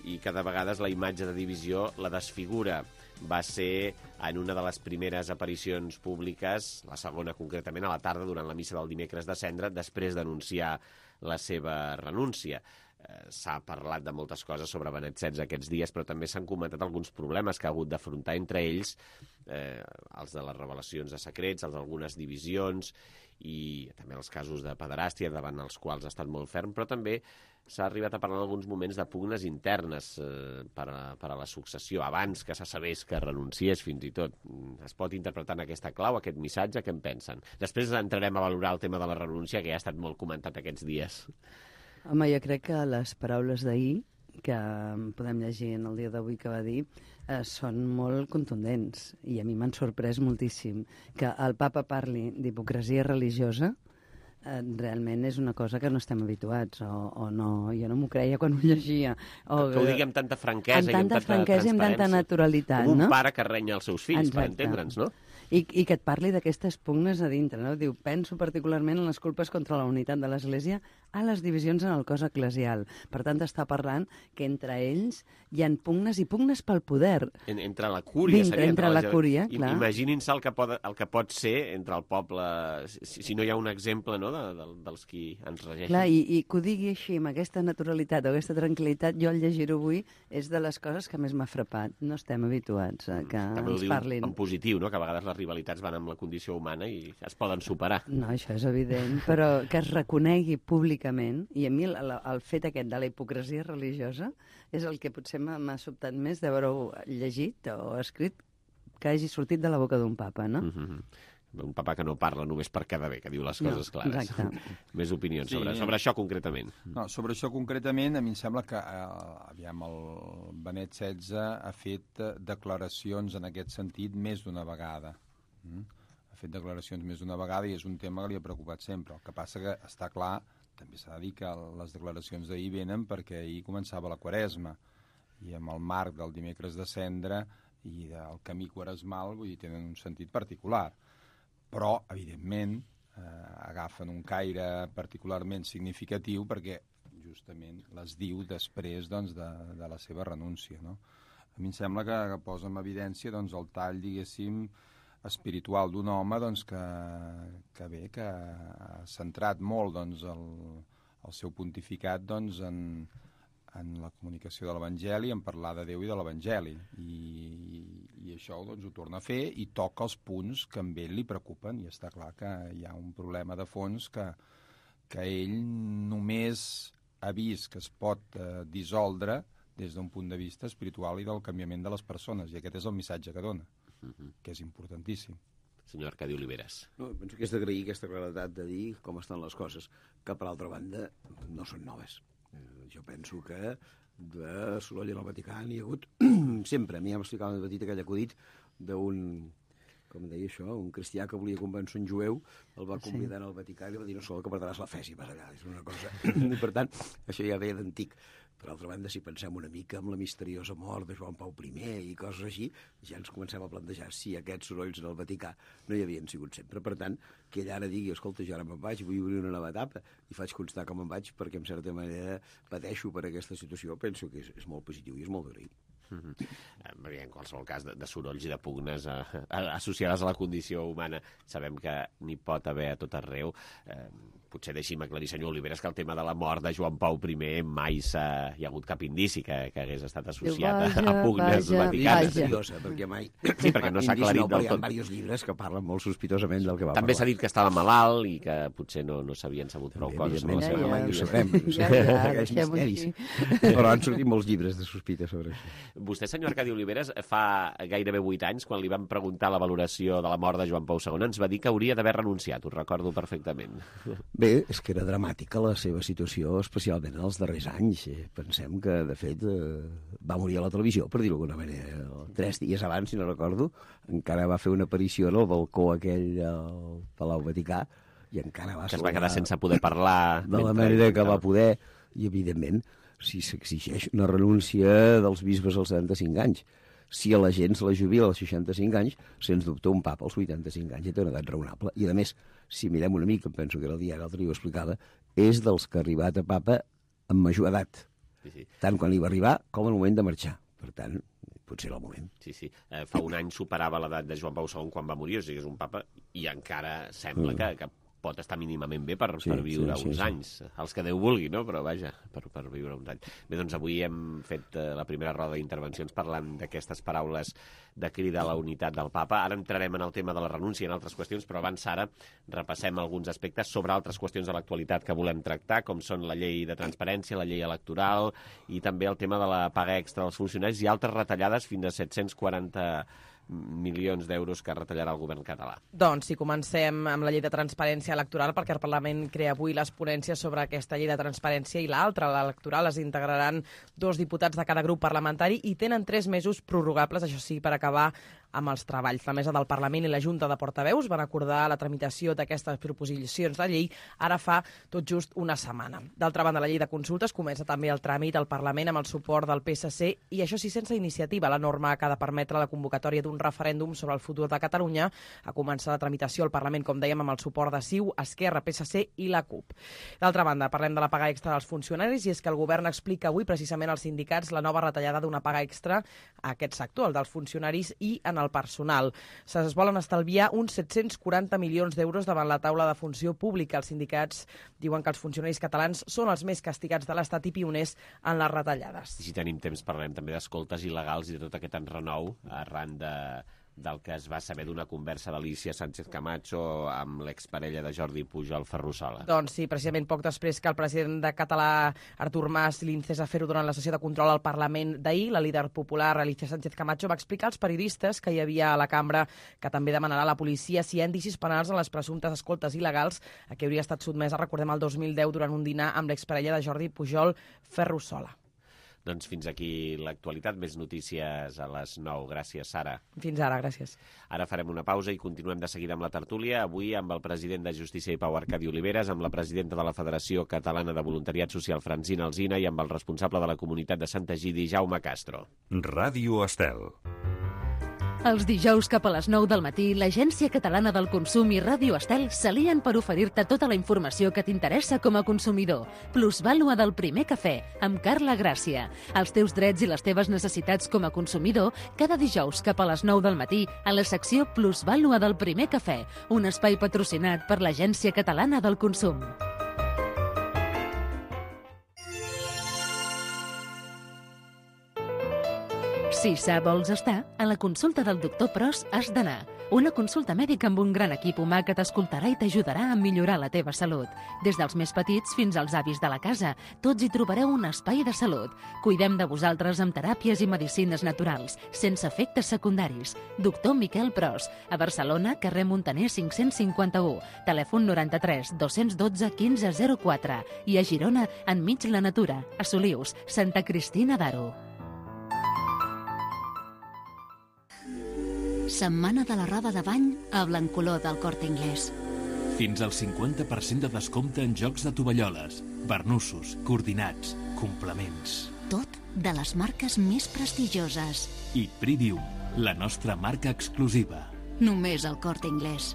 i que de vegades la imatge de divisió la desfigura. Va ser en una de les primeres aparicions públiques, la segona concretament, a la tarda durant la missa del dimecres de Cendra, després d'anunciar la seva renúncia. S'ha parlat de moltes coses sobre Benet XVI aquests dies, però també s'han comentat alguns problemes que ha hagut d'afrontar, entre ells els de les revelacions de secrets, els d'algunes divisions i també els casos de pederàstia, davant els quals ha estat molt ferm, però també s'ha arribat a parlar en alguns moments de pugnes internes per a la successió, abans que se sabés que renunciés fins i tot. Es pot interpretar en aquesta clau, aquest missatge, què en pensen? Després entrarem a valorar el tema de la renúncia, que ja ha estat molt comentat aquests dies. Home, jo crec que les paraules d'ahir, que podem llegir en el dia d'avui que va dir, són molt contundents i a mi m'han sorprès moltíssim. Que el papa parli d'hipocresia religiosa realment és una cosa que no estem habituats o no, jo no m'ho creia quan ho llegia. Que ho digui amb tanta franquesa i amb tanta naturalitat. Com un pare que renya els seus fills, per entendre'ns, no? I que et parli d'aquestes pugnes a dintre, no? Diu, penso particularment en les culpes contra la unitat de l'Església a les divisions en el cos eclesial. Per tant, està parlant que entre ells hi ha pugnes i pugnes pel poder. Entre la cúria, seria. Entre la cúria, clar. Imaginin-se el que pot ser entre el poble, si no hi ha un exemple, no?, dels qui ens regeixen. Clar, i que ho digui així, amb aquesta naturalitat o aquesta tranquil·litat, jo al llegir-ho avui és de les coses que més m'ha frapat. No estem habituats a que ens parlin. En positiu, no?, que a vegades les rivalitats van amb la condició humana i es poden superar. No, això és evident, però que es reconegui públicament, i a mi el fet aquest de la hipocresia religiosa és el que potser m'ha sobtat més d'haver-ho llegit o escrit que hagi sortit de la boca d'un papa, no? Un papa que no parla només per quedar bé, que diu les coses clares. Exacte. Més opinions sobre això concretament. No, sobre això concretament, a mi em sembla que el Benet XVI ha fet declaracions en aquest sentit més d'una vegada. Ha fet declaracions més d'una vegada i és un tema que li ha preocupat sempre. El que passa que està clar, també s'ha de dir que les declaracions d'ahir venen perquè ahir començava la Quaresma i amb el marc del dimecres de Cendra i del camí quaresmal, vull dir, tenen un sentit particular. Però, evidentment, agafen un caire particularment significatiu perquè justament les diu després doncs, de la seva renúncia. No? A mi em sembla que posa en evidència doncs, el tall, diguéssim, espiritual d'un home doncs, que ha centrat molt doncs, el seu pontificat doncs, en la comunicació de l'Evangeli, en parlar de Déu i de l'Evangeli. I això doncs, ho torna a fer i toca els punts que a ell li preocupen. I està clar que hi ha un problema de fons que ell només ha vist que es pot dissoldre des d'un punt de vista espiritual i del canviament de les persones. I aquest és el missatge que dona, que és importantíssim. Senyor Arcadi Oliveres. No, penso que és d'agrair aquesta claredat de dir com estan les coses, que per altra banda no són noves. Jo penso que de soroll en el Vaticà n'hi ha hagut sempre. A mi ja m'explicava de petit aquell acudit d'un, com deia això, un cristià que volia convèncer un jueu, el va convidar al Vaticà i li va dir no sol que perdràs la fe si vas allà. És una cosa... Per tant, això ja ve d'antic. Per altra banda, si pensem una mica en la misteriosa mort de Joan Pau I i coses així, ja ens comencem a plantejar si aquests sorolls en el Vaticà no hi havien sigut sempre. Per tant, que ell ara digui, escolta, jo ara me'n vaig, vull obrir una nova etapa, i faig constar com me'n vaig perquè, en certa manera, pateixo per aquesta situació, penso que és molt positiu i és molt d'agrair. En qualsevol cas, de sorolls i de pugnes associades a la condició humana sabem que n'hi pot haver a tot arreu. Potser deixi'm aclarir, senyor Oliveres, que el tema de la mort de Joan Pau I mai hi ha hagut cap indici que hagués estat associat a pugnes vaticanes. Seriosa, perquè mai... Sí, perquè no s'ha aclarit del tot. Hi ha diversos llibres que parlen molt sospitosament del que va També s'ha dit que estava malalt i que potser no s'havien sabut prou coses. Mai ho sabrem. Aquells misteris. Però han sortit molts llibres de sospita sobre això. Vostè, senyor Arcadi Oliveres, fa gairebé 8 anys, quan li van preguntar la valoració de la mort de Joan Pau II, ens va dir que hauria d'haver renunciat, ho recordo perfectament. Bé, és que era dramàtica la seva situació, especialment en els darrers anys. Pensem que, de fet, va morir a la televisió, per dir-ho d'alguna manera. 3 dies abans, si no recordo, encara va fer una aparició en el balcó aquell al Palau Vaticà, i encara va... Que es va quedar sense poder parlar... De la manera que va poder, i evidentment, si s'exigeix una renúncia dels bisbes als 75 anys, si a la gent se la jubila als 65 anys, sens dubte un papa als 85 anys ja té una edat raonable. I a més, si mirem una mica, em penso que era el diari l'altre dia ho explicava, és dels que ha arribat a papa amb major edat. Sí. Tant quan hi va arribar com al moment de marxar. Per tant, potser era el moment. Sí. Fa un any superava l'edat de Joan Pau II quan va morir, o sigui, és un papa, i encara sembla que pot estar mínimament bé per viure uns anys. Els que Déu vulgui, no? Però vaja, per viure uns anys. Bé, doncs avui hem fet la primera roda d'intervencions parlant d'aquestes paraules de crida a la unitat del papa. Ara entrarem en el tema de la renúncia i en altres qüestions, però abans ara repassem alguns aspectes sobre altres qüestions de l'actualitat que volem tractar, com són la llei de transparència, la llei electoral i també el tema de la paga extra dels funcionaris i altres retallades fins a 740 milions d'euros que retallarà el govern català. Doncs si comencem amb la llei de transparència electoral, perquè el Parlament crea avui les ponències sobre aquesta llei de transparència i l'altra, l'electoral, les integraran 2 diputats de cada grup parlamentari i tenen 3 mesos prorrogables, això sí, per acabar amb els treballs. La Mesa del Parlament i la Junta de Portaveus van acordar la tramitació d'aquestes proposicions de llei ara fa tot just una setmana. D'altra banda, la llei de consultes comença també el tràmit al Parlament amb el suport del PSC i això sí sense iniciativa. La norma que ha de permetre la convocatòria d'un referèndum sobre el futur de Catalunya ha començat la tramitació al Parlament, com dèiem, amb el suport de CiU, Esquerra, PSC i la CUP. D'altra banda, parlem de la paga extra dels funcionaris i és que el govern explica avui precisament als sindicats la nova retallada d'una paga extra a aquest sector, el dels funcionaris i en el personal. Es volen estalviar uns 740 milions d'euros davant la taula de funció pública. Els sindicats diuen que els funcionaris catalans són els més castigats de l'Estat i pioners en les retallades. I si tenim temps parlem també d'escoltes il·legals i de tot aquest enrenou arran del que es va saber d'una conversa d'Alícia Sánchez Camacho amb l'exparella de Jordi Pujol, Ferrusola. Doncs sí, precisament poc després que el president de Català, Artur Mas, l'incés a fer-ho durant la sessió de control al Parlament d'ahir, la líder popular Alícia Sánchez Camacho va explicar als periodistes que hi havia a la cambra que també demanarà a la policia si hi ha indicis penals en les presumptes escoltes il·legals a què hauria estat sotmesa, recordem, el 2010 durant un dinar amb l'exparella de Jordi Pujol, Ferrusola. Doncs fins aquí l'actualitat. Més notícies a les 9. Gràcies, Sara. Fins ara, gràcies. Ara farem una pausa i continuem de seguida amb la tertúlia. Avui amb el president de Justícia i Pau, Arcadi Oliveres, amb la presidenta de la Federació Catalana de Voluntariat Social, Francina Alsina, i amb el responsable de la comunitat de Sant Egidi, Jaume Castro. Ràdio Estel. Els dijous cap a les 9 del matí, l'Agència Catalana del Consum i Ràdio Estel s'alien per oferir-te tota la informació que t'interessa com a consumidor. Plusvàlua del primer cafè, amb Carla Gràcia. Els teus drets i les teves necessitats com a consumidor, cada dijous cap a les 9 del matí, a la secció Plusvàlua del primer cafè, un espai patrocinat per l'Agència Catalana del Consum. Si sa vols estar, a la consulta del doctor Pros has d'anar. Una consulta mèdica amb un gran equip humà que t'escoltarà i t'ajudarà a millorar la teva salut. Des dels més petits fins als avis de la casa, tots hi trobareu un espai de salut. Cuidem de vosaltres amb teràpies i medicines naturals, sense efectes secundaris. Doctor Miquel Pros, a Barcelona, carrer Montaner 551, telèfon 93 212 1504 i a Girona, enmig la natura, a Solius, Santa Cristina d'Aro. Setmana de la roba de bany a Blancolor del Corte Inglés. Fins al 50% de descompte en jocs de tovalloles, barnussos, coordinats, complements. Tot de les marques més prestigioses. I Pridium, la nostra marca exclusiva. Només al Corte Inglés.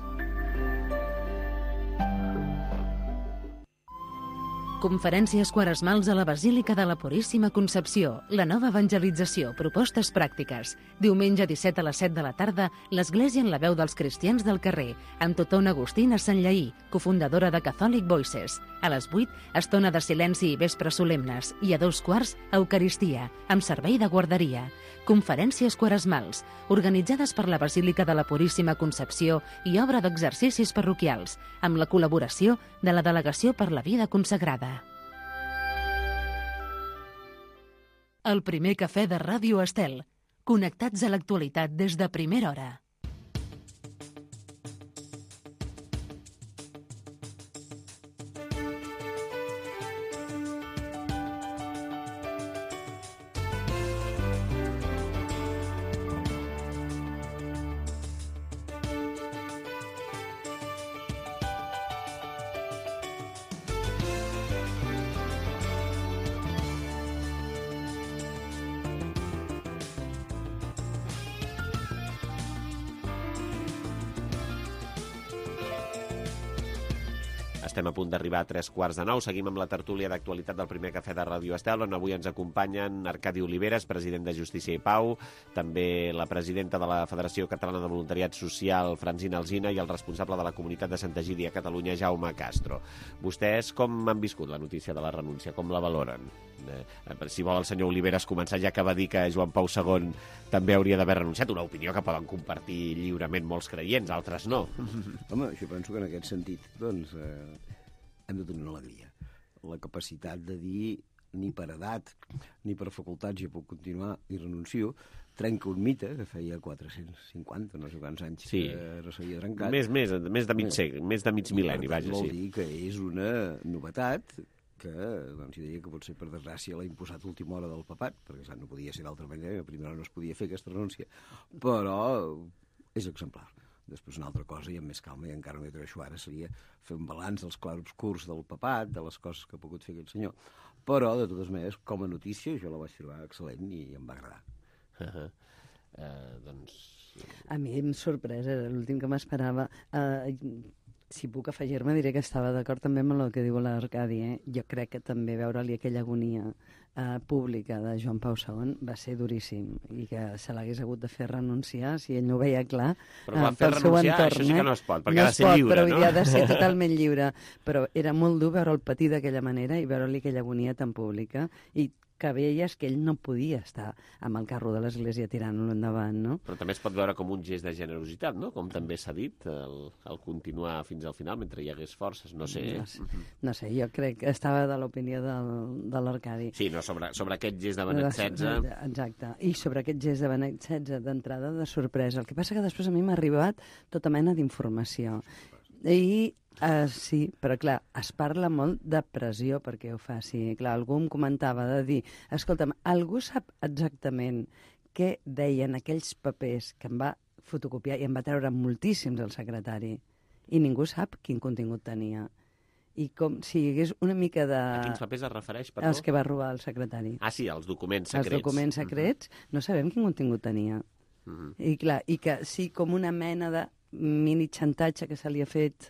Conferències quaresmals a la Basílica de la Puríssima Concepció, la nova evangelització, propostes pràctiques. Diumenge 17 a les 7 de la tarda, l'Església en la veu dels cristians del carrer, amb Totona Agustina Sanllaí, cofundadora de Catholic Voices. A les 8, estona de silenci i vespre solemnes, i a 2:15, Eucaristia, amb servei de guarderia. Conferències quaresmals, organitzades per la Basílica de la Puríssima Concepció i obra d'exercicis parroquials, amb la col·laboració de la Delegació per la Vida Consagrada. El primer cafè de Ràdio Estel. Connectats a l'actualitat des de primera hora. Estem a punt d'arribar a 8:45. Seguim amb la tertúlia d'actualitat del primer cafè de Ràdio Estel, on avui ens acompanyen Arcadi Oliveres, president de Justícia i Pau, també la presidenta de la Federació Catalana de Voluntariat Social, Francina Alsina, i el responsable de la comunitat de Santa Egídia a Catalunya, Jaume Castro. Vostès com han viscut la notícia de la renúncia? Com la valoren? Si vol el senyor Oliveres començar, ja que va dir que Joan Pau II també hauria d'haver renunciat, una opinió que poden compartir lliurement molts creients, altres no. Home, jo penso que en aquest sentit, doncs, hem de tenir una alegria. La capacitat de dir ni per edat ni per facultats ja puc continuar i renuncio, trenca un mite que feia 450, no sé quants anys que no s'havia trencat. Més de mig segle, més de mig mil·lenni, vaja, sí. Vol dir que és una novetat que, doncs, jo diria que potser per desgràcia l'ha imposat a última hora del papat, perquè no podia ser d'altra manera, a primera hora no es podia fer aquesta renúncia, però és exemplar. Després una altra cosa, i amb més calma, i encara no hi atreveixo ara, seria fer un balanç dels clarobscurs del papat, de les coses que ha pogut fer aquest senyor. Però, de totes maneres, com a notícia, jo la vaig trobar excel·lent i em va agradar. A mi em sorprès, era l'últim que m'esperava. Si puc afegir-me, diré que estava d'acord també amb el que diu l'Arcadi. Jo crec que també veure-li aquella agonia pública de Joan Pau II va ser duríssim i que se l'hagués hagut de fer renunciar si ell no ho veia clar pel seu entorn. Això sí que no es pot, perquè ha de ser lliure, però no? Però ha de ser totalment lliure. Però era molt dur veure'l patir d'aquella manera i veure-li aquella agonia tan pública i que veies que ell no podia estar amb el carro de l'Església tirant-lo endavant, no? Però també es pot veure com un gest de generositat, no? Com també s'ha dit, el continuar fins al final mentre hi hagués forces, no sé. No sé, jo crec que estava de l'opinió de l'Arcadi. Sí, no, sobre aquest gest de Benet XVI. Exacte, i sobre aquest gest de Benet XVI d'entrada de sorpresa. El que passa que després a mi m'ha arribat tota mena d'informació. I sí, però clar, es parla molt de pressió perquè ho faci. Clar, algú em comentava de dir, escolta'm, algú sap exactament què deien aquells papers que em va fotocopiar i em va treure moltíssims el secretari i ningú sap quin contingut tenia. I com si hi hagués una mica de... A quins papers es refereix, perdó? Els que va robar el secretari. Ah, sí, els documents secrets. Els documents secrets, no sabem quin contingut tenia. I clar, i que sí, com una mena de mini xantatge que se li ha fet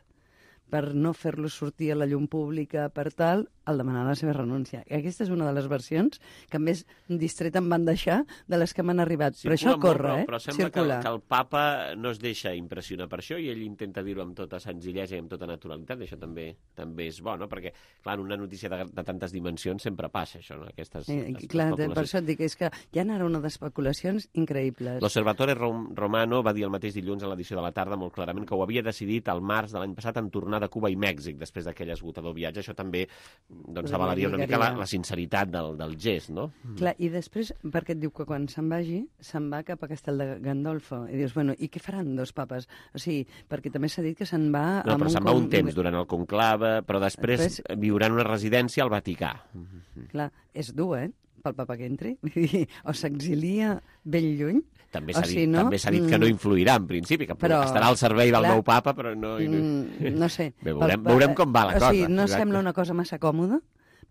per no fer-lo sortir a la llum pública, per tal, al demanar la seva renúncia. I aquesta és una de les versions que més distreta em van deixar de les que m'han arribat. Però això corre, però sembla que el papa no es deixa impressionar per això i ell intenta dir-ho amb tota senzillesa i amb tota naturalitat. Això també és bo, no? Perquè, clar, en una notícia de tantes dimensions sempre passa això, no? Aquestes clar, per això et dic, és que hi ha ara una d'especulacions increïbles. L'Osservatore Romano va dir el mateix dilluns a l'edició de la tarda molt clarament que ho havia decidit al març de l'any passat en tornar de Cuba i Mèxic després d'aquell esgotador viatge. Això també avalaria una mica la sinceritat del gest, no? Clar, i després, perquè et diu que quan se'n vagi, se'n va cap a Castel de Gandolfo. I dius, bueno, i què faran dos papes? O sigui, perquè també s'ha dit que se'n va... No, però se'n va un temps durant el conclave, però després viurà en una residència al Vaticà. Clar, és dur, pel papa que entri. O s'exilia ben lluny. També s'ha dit que no influirà, en principi, que estarà al servei del nou papa, però no... No sé. Veurem com va la cosa. O sigui, no sembla una cosa massa còmoda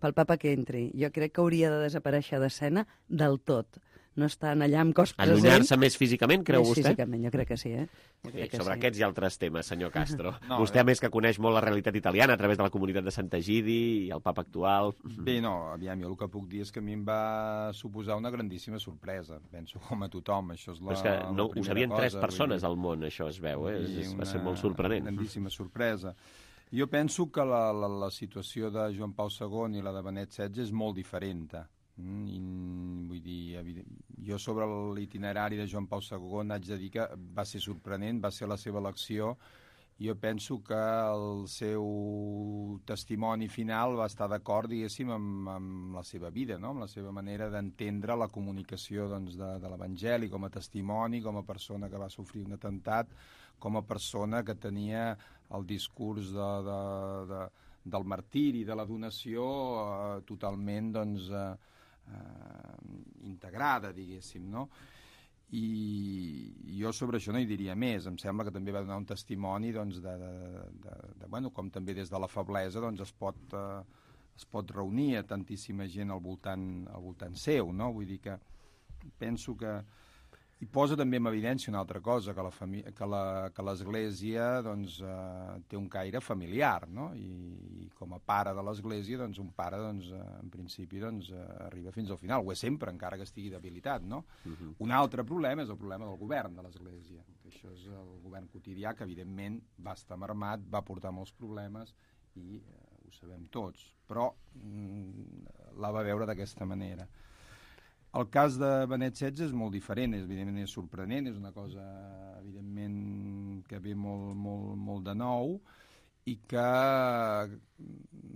pel papa que entri. Jo crec que hauria de desaparèixer d'escena del tot. No estan allà amb cos present. Allunyar-se més físicament, creu vostè? Físicament, jo crec que sí, Sobre aquests i altres temes, senyor Castro. Vostè, a més, que coneix molt la realitat italiana a través de la comunitat de Santa Egidi i el papa actual. Bé, no, aviam, jo el que puc dir és que a mi em va suposar una grandíssima sorpresa. Penso com a tothom, això és la primera cosa. Però és que ho sabien 3 persones al món, això es veu, va ser molt sorprenent. Una grandíssima sorpresa. Jo penso que la situació de Joan Pau II i la de Benet XVI és molt diferent. Vull dir, jo sobre l'itinerari de Joan Pau II haig de dir que va ser sorprenent, va ser la seva elecció Jo penso que el seu testimoni final va estar d'acord, diguéssim, amb la seva vida, no? Amb la seva manera d'entendre la comunicació doncs, de l'Evangeli com a testimoni, com a persona que va sofrir un atemptat, com a persona que tenia el discurs del martiri, de la donació totalment doncs, integrada, diguéssim, no? I jo sobre això no hi diria més. Em sembla que també va donar un testimoni doncs, bueno, com també des de la feblesa doncs, es pot reunir a tantíssima gent al voltant seu, no? Vull dir que penso que i posa també en evidència una altra cosa, que l'Església doncs, té un caire familiar, no? I com a pare de l'Església, doncs, un pare, doncs, en principi, doncs, arriba fins al final. Ho és sempre, encara que estigui debilitat, no? Un altre problema és el problema del govern de l'Església, que això és el govern quotidià, que evidentment va estar marmat, va portar molts problemes i ho sabem tots, però la va veure d'aquesta manera. El cas de Benet XVI és molt diferent, evidentment és sorprenent, és una cosa evidentment que ve molt de nou i que,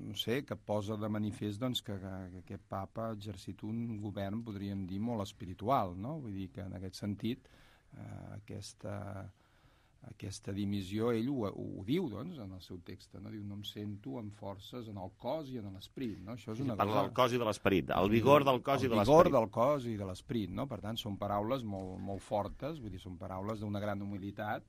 no sé, que posa de manifest doncs, que aquest papa ha exercit un govern, podríem dir, molt espiritual, no? Vull dir que en aquest sentit aquesta dimissió, ell ho diu, doncs, en el seu text, no? Diu, no em sento amb forces en el cos i en l'esperit, no? Això és una Parla del cos i de l'esperit, el vigor del cos i de l'esperit. El vigor del cos i de l'esperit, no? Per tant, són paraules molt fortes, vull dir, són paraules d'una gran humilitat,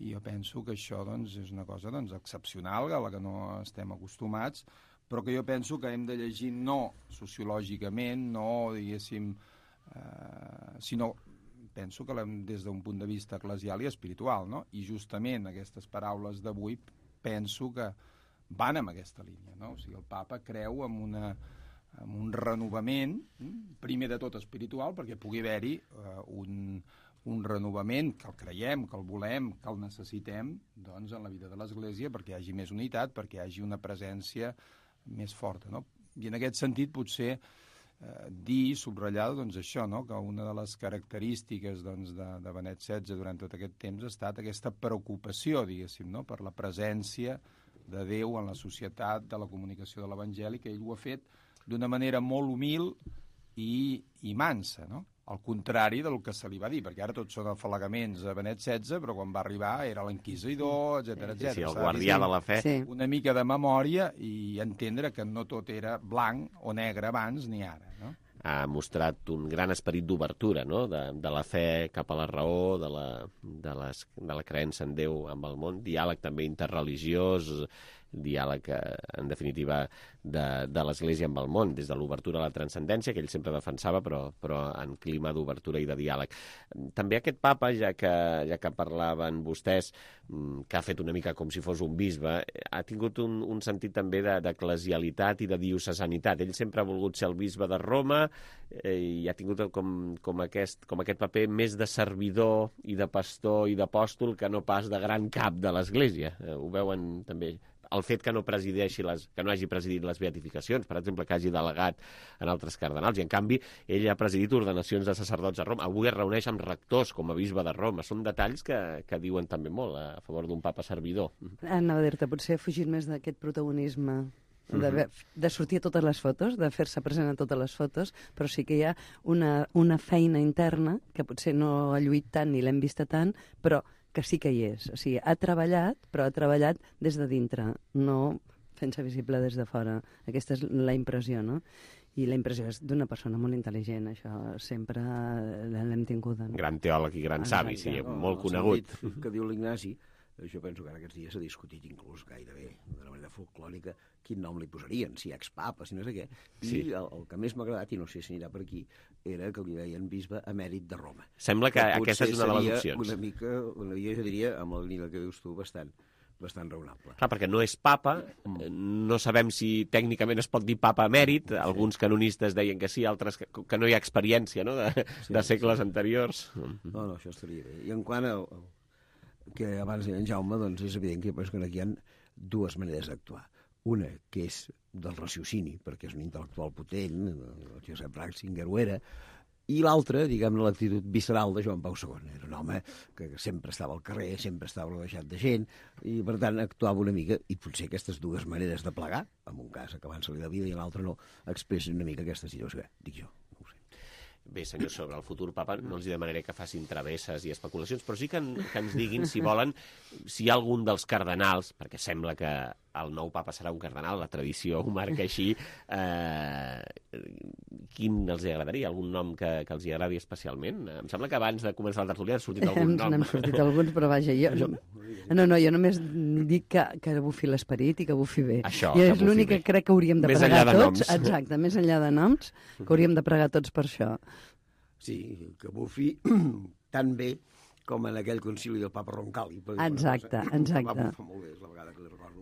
i jo penso que això, doncs, és una cosa, doncs, excepcional, a la que no estem acostumats, però que jo penso que hem de llegir no sociològicament, no, diguéssim, sinó penso que des d'un punt de vista eclesial i espiritual, no? I justament aquestes paraules d'avui penso que van en aquesta línia, no? O sigui, el papa creu en un renovament, primer de tot espiritual, perquè pugui haver-hi un renovament, que el creiem, que el volem, que el necessitem, doncs, en la vida de l'Església, perquè hi hagi més unitat, perquè hi hagi una presència més forta, no? I en aquest sentit, potser subratllar doncs, això, no? Que una de les característiques doncs, de Benet XVI durant tot aquest temps ha estat aquesta preocupació, diguéssim, no? Per la presència de Déu en la societat, de la comunicació de l'Evangeli, que ell ho ha fet d'una manera molt humil i mansa, no? Al contrari del que se li va dir, perquè ara tots són afalagaments a Benet XVI, però quan va arribar era l'inquisidor, etc. Sí, el guardià de la fe. Una mica de memòria i entendre que no tot era blanc o negre abans ni ara, no? Ha mostrat un gran esperit d'obertura, no? De la fe cap a la raó, de la creença en Déu amb el món, diàleg també interreligiós, diàleg, en definitiva, de l'Església amb el món, des de l'obertura a la transcendència, que ell sempre defensava, però en clima d'obertura i de diàleg. També aquest papa, ja que parlaven vostès, que ha fet una mica com si fos un bisbe, ha tingut un sentit també d'eclesialitat i de diocesanitat. Ell sempre ha volgut ser el bisbe de Roma i ha tingut com aquest paper més de servidor i de pastor i d'apòstol que no pas de gran cap de l'Església. Ho veuen també. El fet que no hagi presidit les beatificacions, per exemple, que hagi delegat en altres cardenals, i en canvi ell ha presidit ordenacions de sacerdots a Roma. Avui es reuneix amb rectors com a bisbe de Roma. Són detalls que diuen també molt a favor d'un papa servidor. Anava a dir-te, potser ha fugit més d'aquest protagonisme de sortir a totes les fotos, de fer-se present a totes les fotos, però sí que hi ha una feina interna que potser no ha lluit tant ni l'hem vista tant, però que sí que hi és. O sigui, ha treballat, però ha treballat des de dintre, no fent-se visible des de fora. Aquesta és la impressió, no? I la impressió és d'una persona molt intel·ligent, això sempre l'hem tingut. Gran teòleg i gran savi, sí, molt conegut. Que diu l'Ignasi, jo penso que ara aquests dies s'ha discutit inclús gairebé d'una manera folclòrica quin nom li posarien, si expapa, si no sé què. I el que més m'ha agradat, i no sé si anirà per aquí, era que li deien bisbe emèrit de Roma. Sembla que aquesta és una de les opcions. Una mica, jo diria, amb la línia que dius tu, bastant raonable. Clar, perquè no és papa, no sabem si tècnicament es pot dir papa emèrit, alguns canonistes deien que sí, altres que no hi ha experiència, no?, de segles anteriors. No, això estaria bé. I en quant a que abans deia en Jaume, doncs és evident que aquí hi ha dues maneres d'actuar. Una, que és del raciocini, perquè és un intel·lectual potent, el Josep Ratzinger ho era, I l'altre, diguem-ne, l'actitud visceral de Joan Pau II. Era un home que sempre estava al carrer, sempre estava rodejat de gent, i per tant actuava una mica, i potser aquestes dues maneres de plegar, en un cas acabant-se-li la vida i en l'altre no, expressen una mica aquesta situació, dic jo. Bé, senyor, sobre el futur papa no els demanaré que facin travesses i especulacions, però sí que ens diguin, si volen, si hi ha algun dels cardenals, perquè sembla que el nou papa serà un cardenal, la tradició ho marca així, quin els agradaria? Algun nom que els agradi especialment? Em sembla que abans de començar la tertúlia ha sortit algun nom. N'han sortit alguns, però vaja, jo només dic que bufi l'esperit i que bufi bé. Això, I és l'únic que crec que hauríem de pregar tots. Exacte, més enllà de noms, que hauríem de pregar tots per això. Sí, que bufi tan bé com en aquell concili del papa Roncalli. Exacte. Va bufar molt bé, és la vegada que li recordo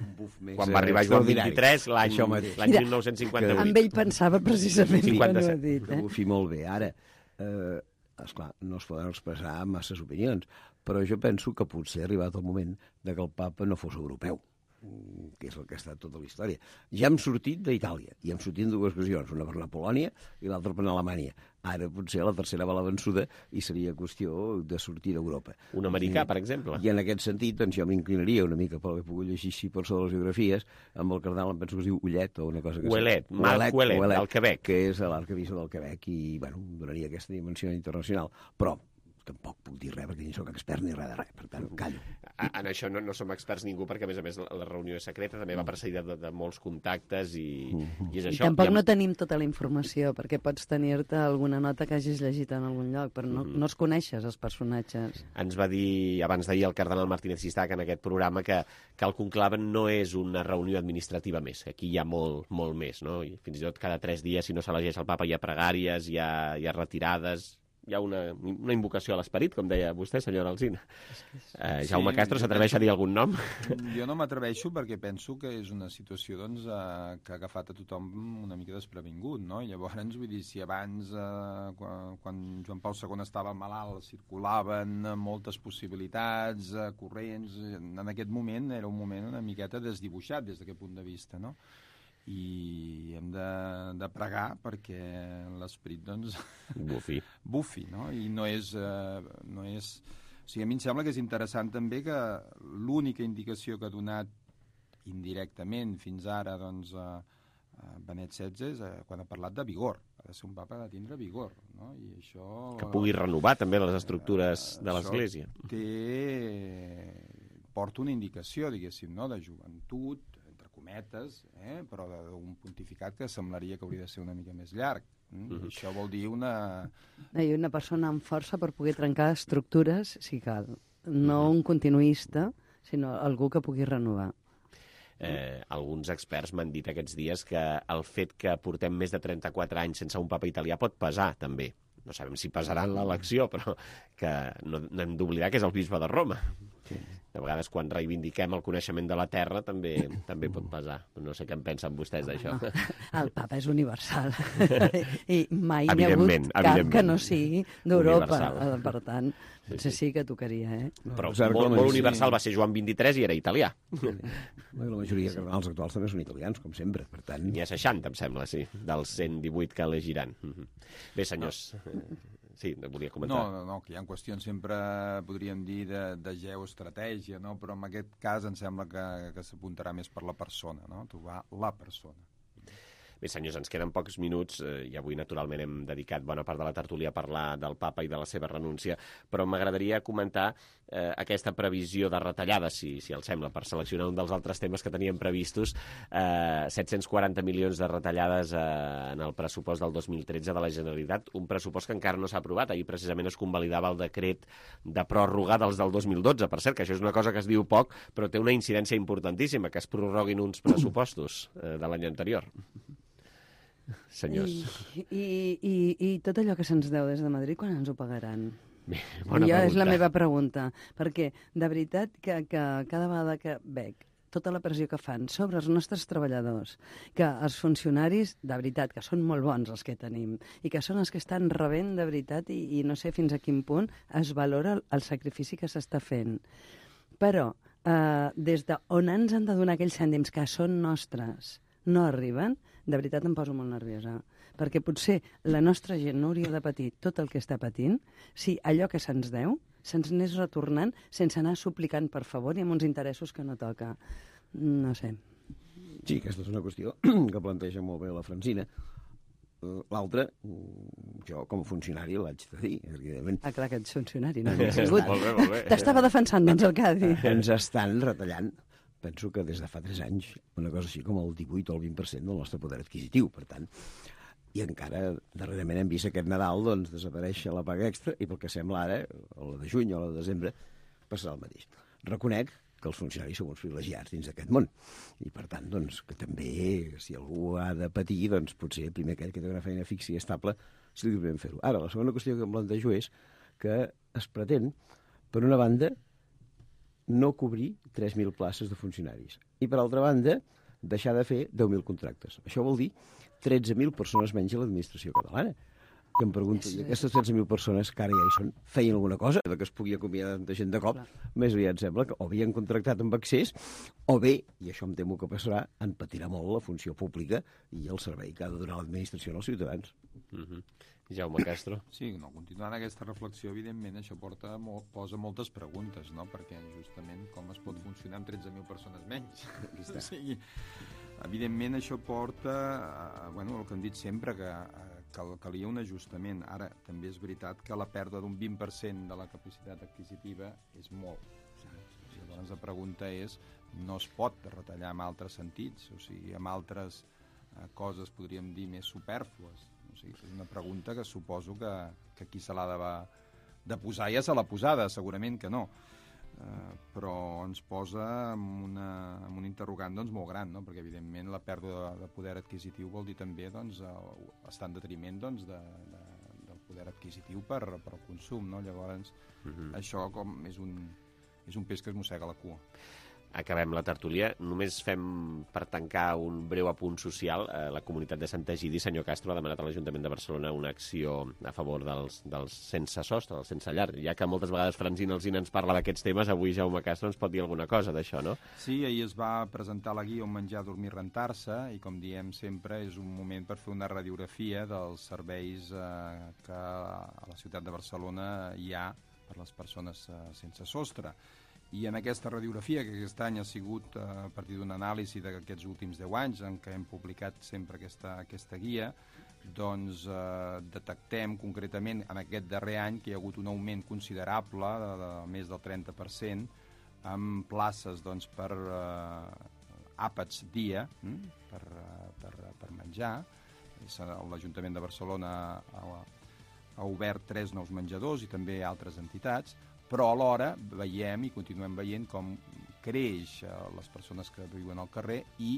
un buf més... Quan va arribar Joan XXIII, l'any 1958. Amb ell pensava precisament quan ho ha dit. Que bufi molt bé. Ara, esclar, no es poden expressar masses opinions, però jo penso que potser ha arribat el moment de que el papa no fos europeu, que és el que ha estat tota la història. Ja hem sortit d'Itàlia, i hem sortit en dues ocasions, una per anar a Polònia i l'altra per anar a Alemanya. Ara potser la tercera va la vençuda i seria qüestió de sortir d'Europa. Un americà, per exemple. I en aquest sentit, doncs, jo m'inclinaria una mica pel que he pogut llegir així per sobre les biografies, amb el cardenal, em penso que es diu Ullet o una cosa que... Marc Ouellet, del Quebec. Que és l'arquebisbe del Quebec i, bueno, donaria aquesta dimensió internacional. Però tampoc puc dir res perquè ni sóc expert ni res de res, per tant, callo. En això no som experts ningú perquè, a més, la reunió és secreta, també va precedida de molts contactes i és això. I tampoc no tenim tota la informació, perquè pots tenir-te alguna nota que hagis llegit en algun lloc, però no els coneixes, els personatges. Ens va dir, abans d'ahir, el cardenal Martínez Sistac en aquest programa que el conclave no és una reunió administrativa més, aquí hi ha molt més, no? I fins i tot cada 3 dies, si no s'elegeix el papa, hi ha pregàries, hi ha retirades... Hi ha una invocació a l'esperit, com deia vostè, senyora Alsina. Jaume Castro, s'atreveix a dir algun nom? Jo no m'atreveixo perquè penso que és una situació doncs, que ha agafat a tothom una mica desprevingut, no? I llavors, vull dir, si abans, quan Joan Pau II estava malalt, circulaven moltes possibilitats, corrents, en aquest moment era un moment una miqueta desdibuixat des d'aquest punt de vista, no? I hem de pregar perquè l'esperit doncs bufi, no? I no és o sigui, a mi em sembla que és interessant també que l'única indicació que ha donat indirectament fins ara doncs Benet XVI és quan ha parlat de vigor. Ha de ser un papa de tindre vigor, no? I això... Que pugui renovar també les estructures de l'Església. Porta una indicació, diguéssim, no? De joventut, cometes, però d'un pontificat que semblaria que hauria de ser una mica més llarg. Això vol dir una persona amb força per poder trencar estructures, si cal. No un continuista, sinó algú que pugui renovar. Alguns experts m'han dit aquests dies que el fet que portem més de 34 anys sense un papa italià pot pesar, també. No sabem si pesarà en l'elecció, però que no hem d'oblidar que és el bisbe de Roma. De vegades, quan reivindiquem el coneixement de la Terra, també pot pesar. No sé què en pensen vostès d'això. No, el papa és universal. I mai n'hi ha hagut cap que no sigui d'Europa. Per tant, potser sí que tocaria, Però molt universal va ser Joan XXIII i era italià. La majoria de cardenals actuals també són italians, com sempre. Per tant... N'hi ha 60, em sembla, sí, dels 118 que elegiran. Bé, senyors... Sí, volia comentar. No, que hi ha qüestions sempre, podríem dir, de geoestratègia, no? Però en aquest cas em sembla que s'apuntarà més per la persona, no? Trobar la persona. Bé, senyors, ens queden pocs minuts i avui, naturalment, hem dedicat bona part de la tertúlia a parlar del papa i de la seva renúncia, però m'agradaria comentar aquesta previsió de retallades, si els sembla, per seleccionar un dels altres temes que teníem previstos, 740 milions de retallades en el pressupost del 2013 de la Generalitat, un pressupost que encara no s'ha aprovat. Ahir precisament es convalidava el decret de pròrroga dels del 2012, per cert, que això és una cosa que es diu poc, però té una incidència importantíssima, que es prorroguin uns pressupostos de l'any anterior. Senyors. I tot allò que se'ns deu des de Madrid, quan ens ho pagaran? Bé, bona pregunta. És la meva pregunta, perquè de veritat que cada vegada que veig tota la pressió que fan sobre els nostres treballadors, que els funcionaris, de veritat, que són molt bons els que tenim, i que són els que estan rebent de veritat, i no sé fins a quin punt es valora el sacrifici que s'està fent. Però, des d'on ens han de donar aquells cèntims que són nostres, no arriben, de veritat em poso molt nerviosa, perquè potser la nostra gent no hauria de patir tot el que està patint si allò que se'ns deu se'ns anés retornant sense anar suplicant per favor i amb uns interessos que no toca. No sé. Sí, aquesta és una qüestió que planteja molt bé la Francina. L'altra, jo com a funcionari l'haig de dir, evidentment. Ah, clar, que ets funcionari, no? Molt bé. T'estava defensant, doncs, el Cadi. Ens estan retallant, penso que des de fa 3 anys, una cosa així com el 18 o el 20% del nostre poder adquisitiu, per tant. I encara, darrerament, hem vist aquest Nadal, doncs, desaparèixer la paga extra, i pel que sembla ara, o la de juny o la de desembre, passarà el mateix. Reconec que els funcionaris som uns privilegiats dins d'aquest món. I, per tant, doncs, que també, si algú ha de patir, doncs, potser primer aquell que té una feina fixa i estable, si li podem fer-ho. Ara, la segona qüestió que em plantejo és que es pretén, per una banda, no cobrir 3.000 places de funcionaris. I, per altra banda, deixar de fer 10.000 contractes. Això vol dir 13.000 persones menys a l'administració catalana. Que em pregunto, i aquestes 13.000 persones que ara ja hi són, feien alguna cosa de que es pugui acomiadar tanta gent de cop? Més aviat sembla que o havien contractat amb accés, o bé, i això em temo que passarà, en patirà molt la funció pública i el servei que ha de donar l'administració als ciutadans. Jaume Castro. Sí, no, continuant aquesta reflexió, evidentment, això posa moltes preguntes, no? Perquè justament com es pot funcionar amb 13.000 persones menys? O sigui, evidentment, això porta, el que hem dit sempre, que calia un ajustament. Ara, també és veritat que la pèrdua d'un 20% de la capacitat adquisitiva és molt. Llavors, la pregunta és, no es pot retallar en altres sentits, o sigui, en altres coses, podríem dir, més supèrflues. O sigui, és una pregunta que suposo que qui se l'ha de posar ja se l'ha posada, segurament que no. Però ens posa amb un interrogant doncs, molt gran, no? Perquè evidentment la pèrdua de poder adquisitiu vol dir també estar en detriment doncs, del poder adquisitiu per al consum, no? Llavors això com és un peix que es mossega la cua. Acabem la tertúlia. Només fem, per tancar, un breu apunt social. La comunitat de Sant Egidi, senyor Castro, ha demanat a l'Ajuntament de Barcelona una acció a favor dels sense sostre, dels sense llar. Ja que moltes vegades Francina Alsina ens parla d'aquests temes, avui Jaume Castro ens pot dir alguna cosa d'això, no? Sí, ahir es va presentar la guia On menjar, dormir, rentar-se, i com diem sempre, és un moment per fer una radiografia dels serveis que a la ciutat de Barcelona hi ha per les persones sense sostre. I en aquesta radiografia, que aquest any ha sigut a partir d'una anàlisi d'aquests últims 10 anys, en què hem publicat sempre aquesta guia, doncs detectem concretament en aquest darrer any que hi ha hagut un augment considerable de més del 30% amb places doncs, per àpats dia, per menjar. L'Ajuntament de Barcelona ha obert 3 nous menjadors i també altres entitats, però alhora veiem i continuem veient com creix les persones que viuen al carrer i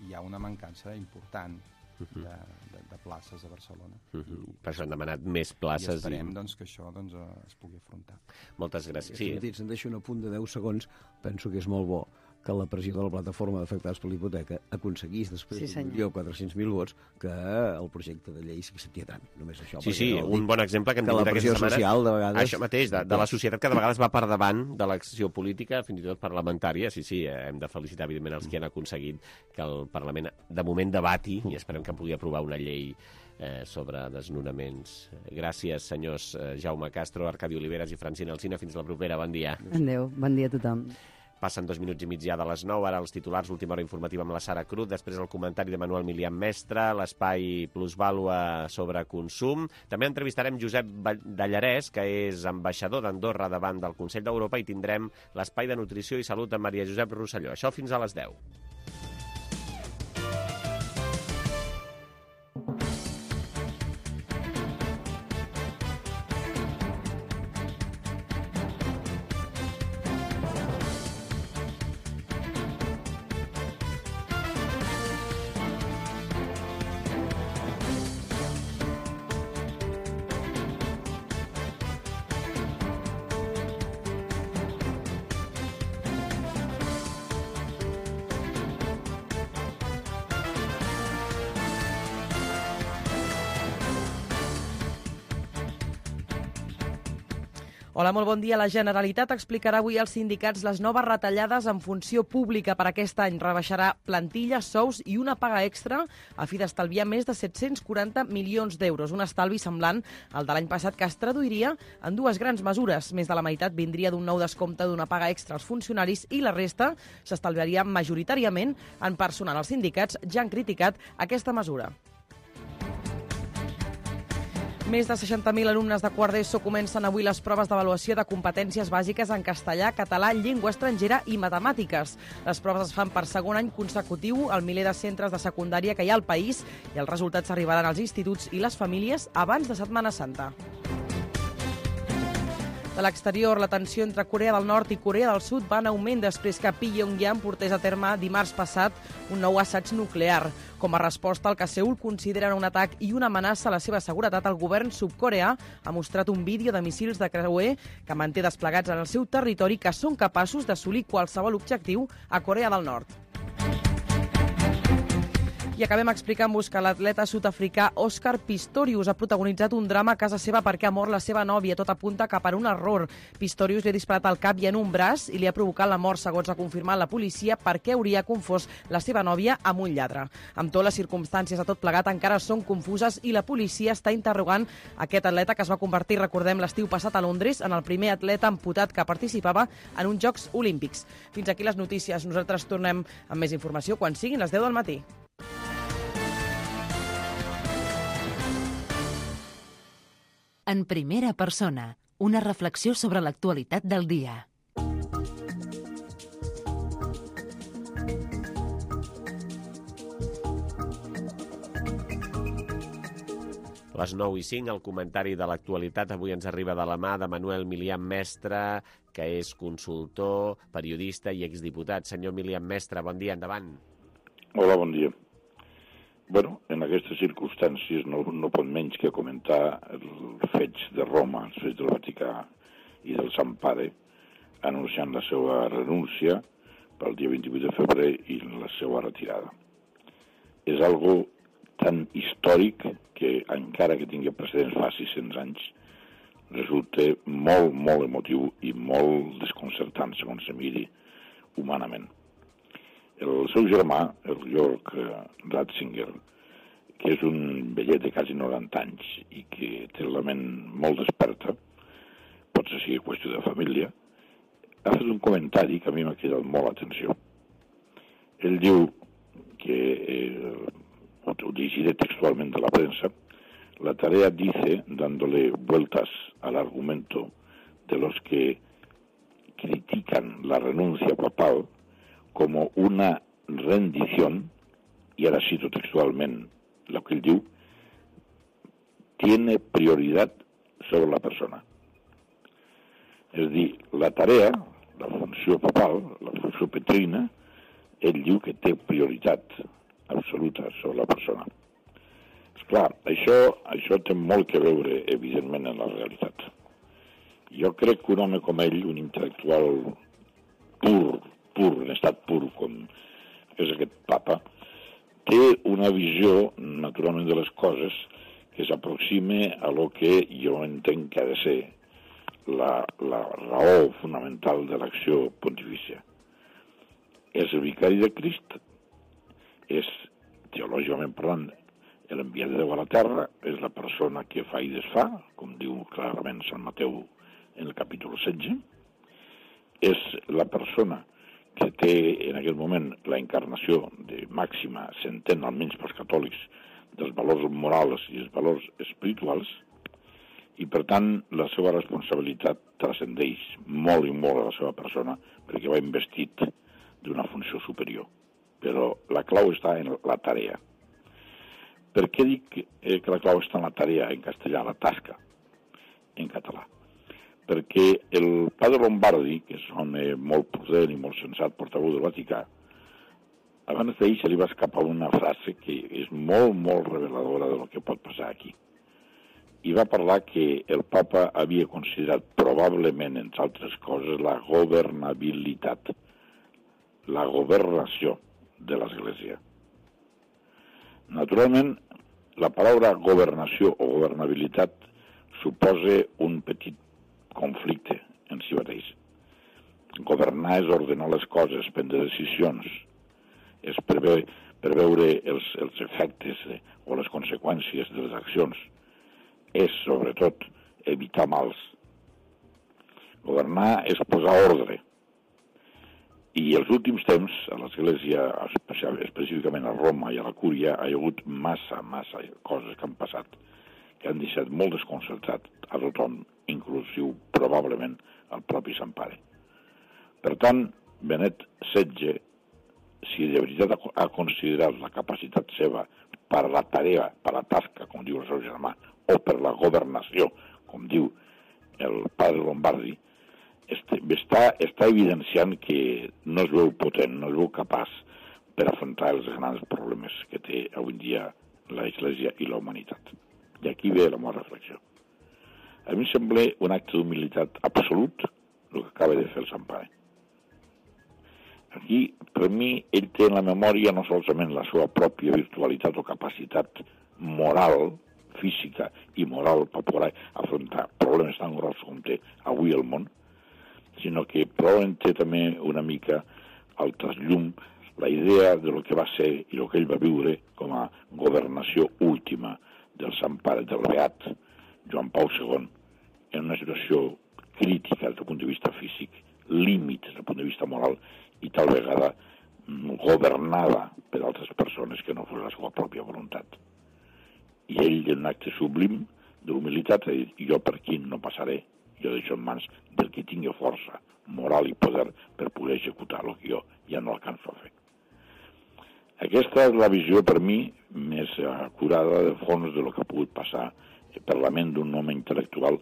hi ha una mancança important de places a Barcelona. Per això han demanat més places. I esperem doncs, que això es pugui afrontar. Moltes gràcies. Sí. Si em deixo un apunt de 10 segons, penso que és molt bo que la pressió de la plataforma d'afectats per l'hipoteca aconseguís després de 400.000 vots que el projecte de llei s'accepti a tràmit. Només això. Sí, un bon exemple que hem tingut aquesta setmana. Social, de vegades... Això mateix, de la societat que de vegades va per davant de l'acció política, fins i tot parlamentària. Sí, hem de felicitar, evidentment, els que han aconseguit que el Parlament, de moment, debati, i esperem que pugui aprovar una llei sobre desnonaments. Gràcies, senyors Jaume Castro, Arcadi Oliveres i Francina Alsina. Fins la propera. Bon dia. Adéu. Bon dia a tothom. Passen 2 minuts i mig ja de les 9, ara els titulars, l'última hora informativa amb la Sara Cruz, després el comentari de Manuel Milian Mestre, l'espai Plusvàlua sobre consum. També entrevistarem Josep Dallarès, que és ambaixador d'Andorra davant del Consell d'Europa, i tindrem l'espai de nutrició i salut amb Maria Josep Rosselló. Això fins a les 10. Hola, molt bon dia. La Generalitat explicarà avui als sindicats les noves retallades en funció pública per aquest any. Rebaixarà plantilles, sous i una paga extra a fi d'estalviar més de 740 milions d'euros. Un estalvi semblant al de l'any passat que es traduiria en dues grans mesures. Més de la meitat vindria d'un nou descompte d'una paga extra als funcionaris i la resta s'estalviaria majoritàriament en personal. Els sindicats ja han criticat aquesta mesura. Més de 60.000 alumnes de quart d'ESO comencen avui les proves d'avaluació de competències bàsiques en castellà, català, llengua estrangera i matemàtiques. Les proves es fan per segon any consecutiu al miler de centres de secundària que hi ha al país i els resultats arribaran als instituts i les famílies abans de Setmana Santa. De l'exterior, la tensió entre Corea del Nord i Corea del Sud va en augment després que Pyongyang portés a terme dimarts passat un nou assaig nuclear. Com a resposta al que Seül considera un atac i una amenaça a la seva seguretat, el govern sud-coreà ha mostrat un vídeo de míssils de creuer que manté desplegats en el seu territori que són capaços d'assolir qualsevol objectiu a Corea del Nord. I acabem explicant-vos que l'atleta sud-africà Oscar Pistorius ha protagonitzat un drama a casa seva perquè ha mort la seva nòvia. Tot apunta que per un error. Pistorius li ha disparat al cap i en un braç i li ha provocat la mort, segons ha confirmat la policia, perquè hauria confós la seva nòvia amb un lladre. Amb tot, les circumstàncies de tot plegat encara són confuses i la policia està interrogant aquest atleta que es va convertir, recordem, l'estiu passat a Londres, en el primer atleta amputat que participava en uns Jocs Olímpics. Fins aquí les notícies. Nosaltres tornem amb més informació quan siguin les 10 del matí. En primera persona, una reflexió sobre l'actualitat del dia. Les 9:05, el comentari de l'actualitat avui ens arriba de la mà de Manuel Milian Mestre, que és consultor, periodista i exdiputat. Senyor Milian Mestre, bon dia, endavant. Hola, bon dia. Bueno, en aquestes circumstàncies no pot menys que comentar els fets de Roma, els fets del Vaticà i del Sant Pare, anunciant la seva renúncia pel dia 28 de febrer i la seva retirada. És algo tan històric que, encara que tingui precedents fa 600 anys, resulta molt, molt emotiu i molt desconcertant, segons se miri, humanament. El seu germà, el Jörg Ratzinger, que és un vellet de quasi 90 anys i que té la ment molt desperta, potser sigui qüestió de família, ha fet un comentari que a mi m'ha cridat molt l'atenció. Ell diu que, ho dirigiré textualmente a la prensa, la tarea dice, dándole vueltas al argumento de los que critican la renuncia papal, como una rendición, y ahora cito textualmente lo que él diu, tiene prioridad sobre la persona. És a dir, la tarea, la funció papal, la funció petrina, ell diu que té prioritat absoluta sobre la persona. Esclar, això té molt que veure, evidentment, en la realitat. Jo crec que un home com ell, un intel·lectual pur, en estat pur, com és aquest papa, té una visió, naturalment, de les coses que s'aproxima a lo que jo entenc que ha de ser la raó fonamental de l'acció pontifícia. És el vicari de Crist, és, teològicament parlant, l'enviat de Déu a la terra, és la persona que fa i desfà, com diu clarament Sant Mateu en el capítol 16, és la persona que té en aquest moment la encarnació de màxima, s'entén almenys pels catòlics, dels valors morals i els valors espirituals, i per tant la seva responsabilitat transcendeix molt i molt a la seva persona perquè va investit d'una funció superior. Però la clau està en la tarea. Per què dic que la clau està en la tarea en castellà, la tasca, en català? Perquè el padre Lombardi, que és un home molt prudent i molt sensat, portaveu del Vaticà, abans d'ahir se li va escapar una frase que és molt, molt reveladora de lo que pot passar aquí. I va parlar que el papa havia considerat probablement, entre altres coses, la governabilitat, la governació de l'Església. Naturalment, la paraula governació o governabilitat suposa un petit conflicte en si mateix. Governar és ordenar les coses, prendre decisions, és preveure els efectes o les conseqüències de les accions, és, sobretot, evitar mals. Governar és posar ordre. I els últims temps, a l'Església, específicament a Roma i a la Cúria, hi ha hagut massa coses que han passat, que han deixat molt desconcertat a tothom, inclusiu probablement al propi Sant Pare. Per tant, Benet XVI, si de veritat ha considerat la capacitat seva per la tarea, per la tasca, com diu el seu germà, o per la governació, com diu el padre Lombardi, està evidenciant que no es veu potent, no es veu capaç per afrontar els grans problemes que té avui dia l'Església i la humanitat. I aquí ve la meva reflexió. A mi em sembla un acte d'humilitat absolut el que acaba de fer el Sant Pare. Aquí, per mi, ell té en la memòria no solament la seva pròpia virtualitat o capacitat moral, física i moral per poder afrontar problemes tan grossos com té avui el món, sinó que probablement té també una mica al trasllum la idea de lo que va ser i el que ell va viure com a governació última del Sant Pare, del Beat Joan Pau II, en una situació crítica des del punt de vista físic, límit des del punt de vista moral i tal vegada governada per altres persones que no fos la seva pròpia voluntat. I ell, en un acte sublim de l'humilitat, ha dit, jo per aquí no passaré, jo deixo en mans del que tingui força moral i poder per poder executar el que jo ja no alcanço a fer. Aquesta és la visió, per mi, més acurada de fons de lo que ha pogut passar per la ment d'un home intel·lectual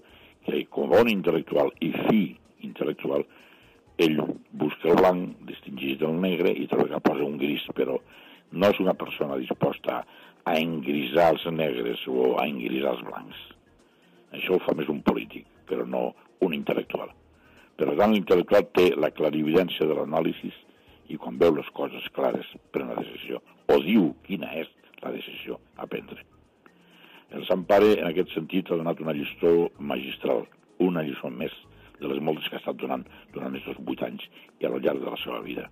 que, com bon intel·lectual i fi intel·lectual, ell busca el blanc, distingeix del negre i tal vegada posa un gris, però no és una persona disposta a engrisar els negres o a engrisar els blancs. Això ho fa més un polític, però no un intel·lectual. Per tant, l'intel·lectual té la clarividència de l'anàlisi i quan veu les coses clares pren la decisió, o diu quina és la decisió a prendre. El Sant Pare, en aquest sentit, ha donat una lliçó magistral, una lliçó més de les moltes que ha estat donant durant aquests 8 anys i al llarg de la seva vida.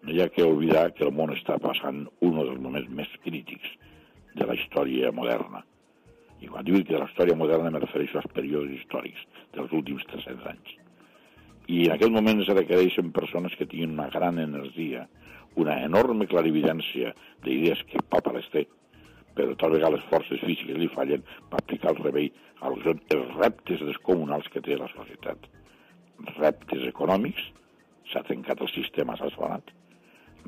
No hi ha que oblidar que el món està passant un dels moments més crítics de la història moderna. I quan dic que de la història moderna me refereixo als períodes històrics dels últims 300 anys. I en aquest moment es requereixen persones que tinguin una gran energia, una enorme clarividència d'idees que el Papa les té, però tal vegada les forces físiques li fallen per aplicar el remei als reptes descomunals que té la societat. Reptes econòmics, s'ha trencat el sistema, s'ha esfonat.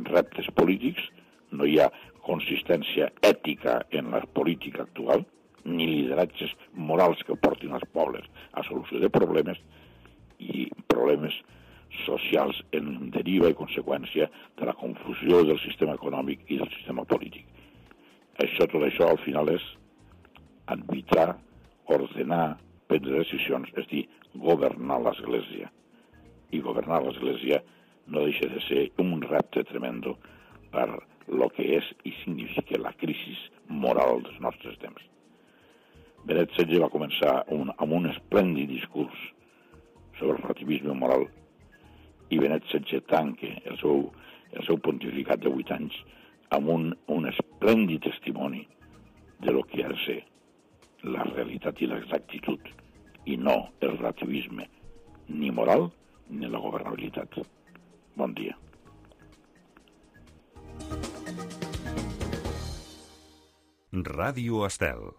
Reptes polítics, no hi ha consistència ètica en la política actual, ni lideratges morals que portin els pobles a solució de problemes i problemes socials en deriva i conseqüència de la confusió del sistema econòmic i del sistema polític. Tot això al final és arbitrar, ordenar, prendre decisions, és dir, governar l'Església. I governar l'Església no deixa de ser un repte tremendo per lo que és i significa la crisi moral dels nostres temps. Benet XVI va començar amb un esplèndid discurs sobre el relativisme moral i Benet XVI tanca el seu pontificat de 8 anys amb un esplèndid testimoni de lo que ha de ser la realitat i l'exactitud i no el relativisme ni moral ni la governabilitat. Bon dia. Ràdio Estel.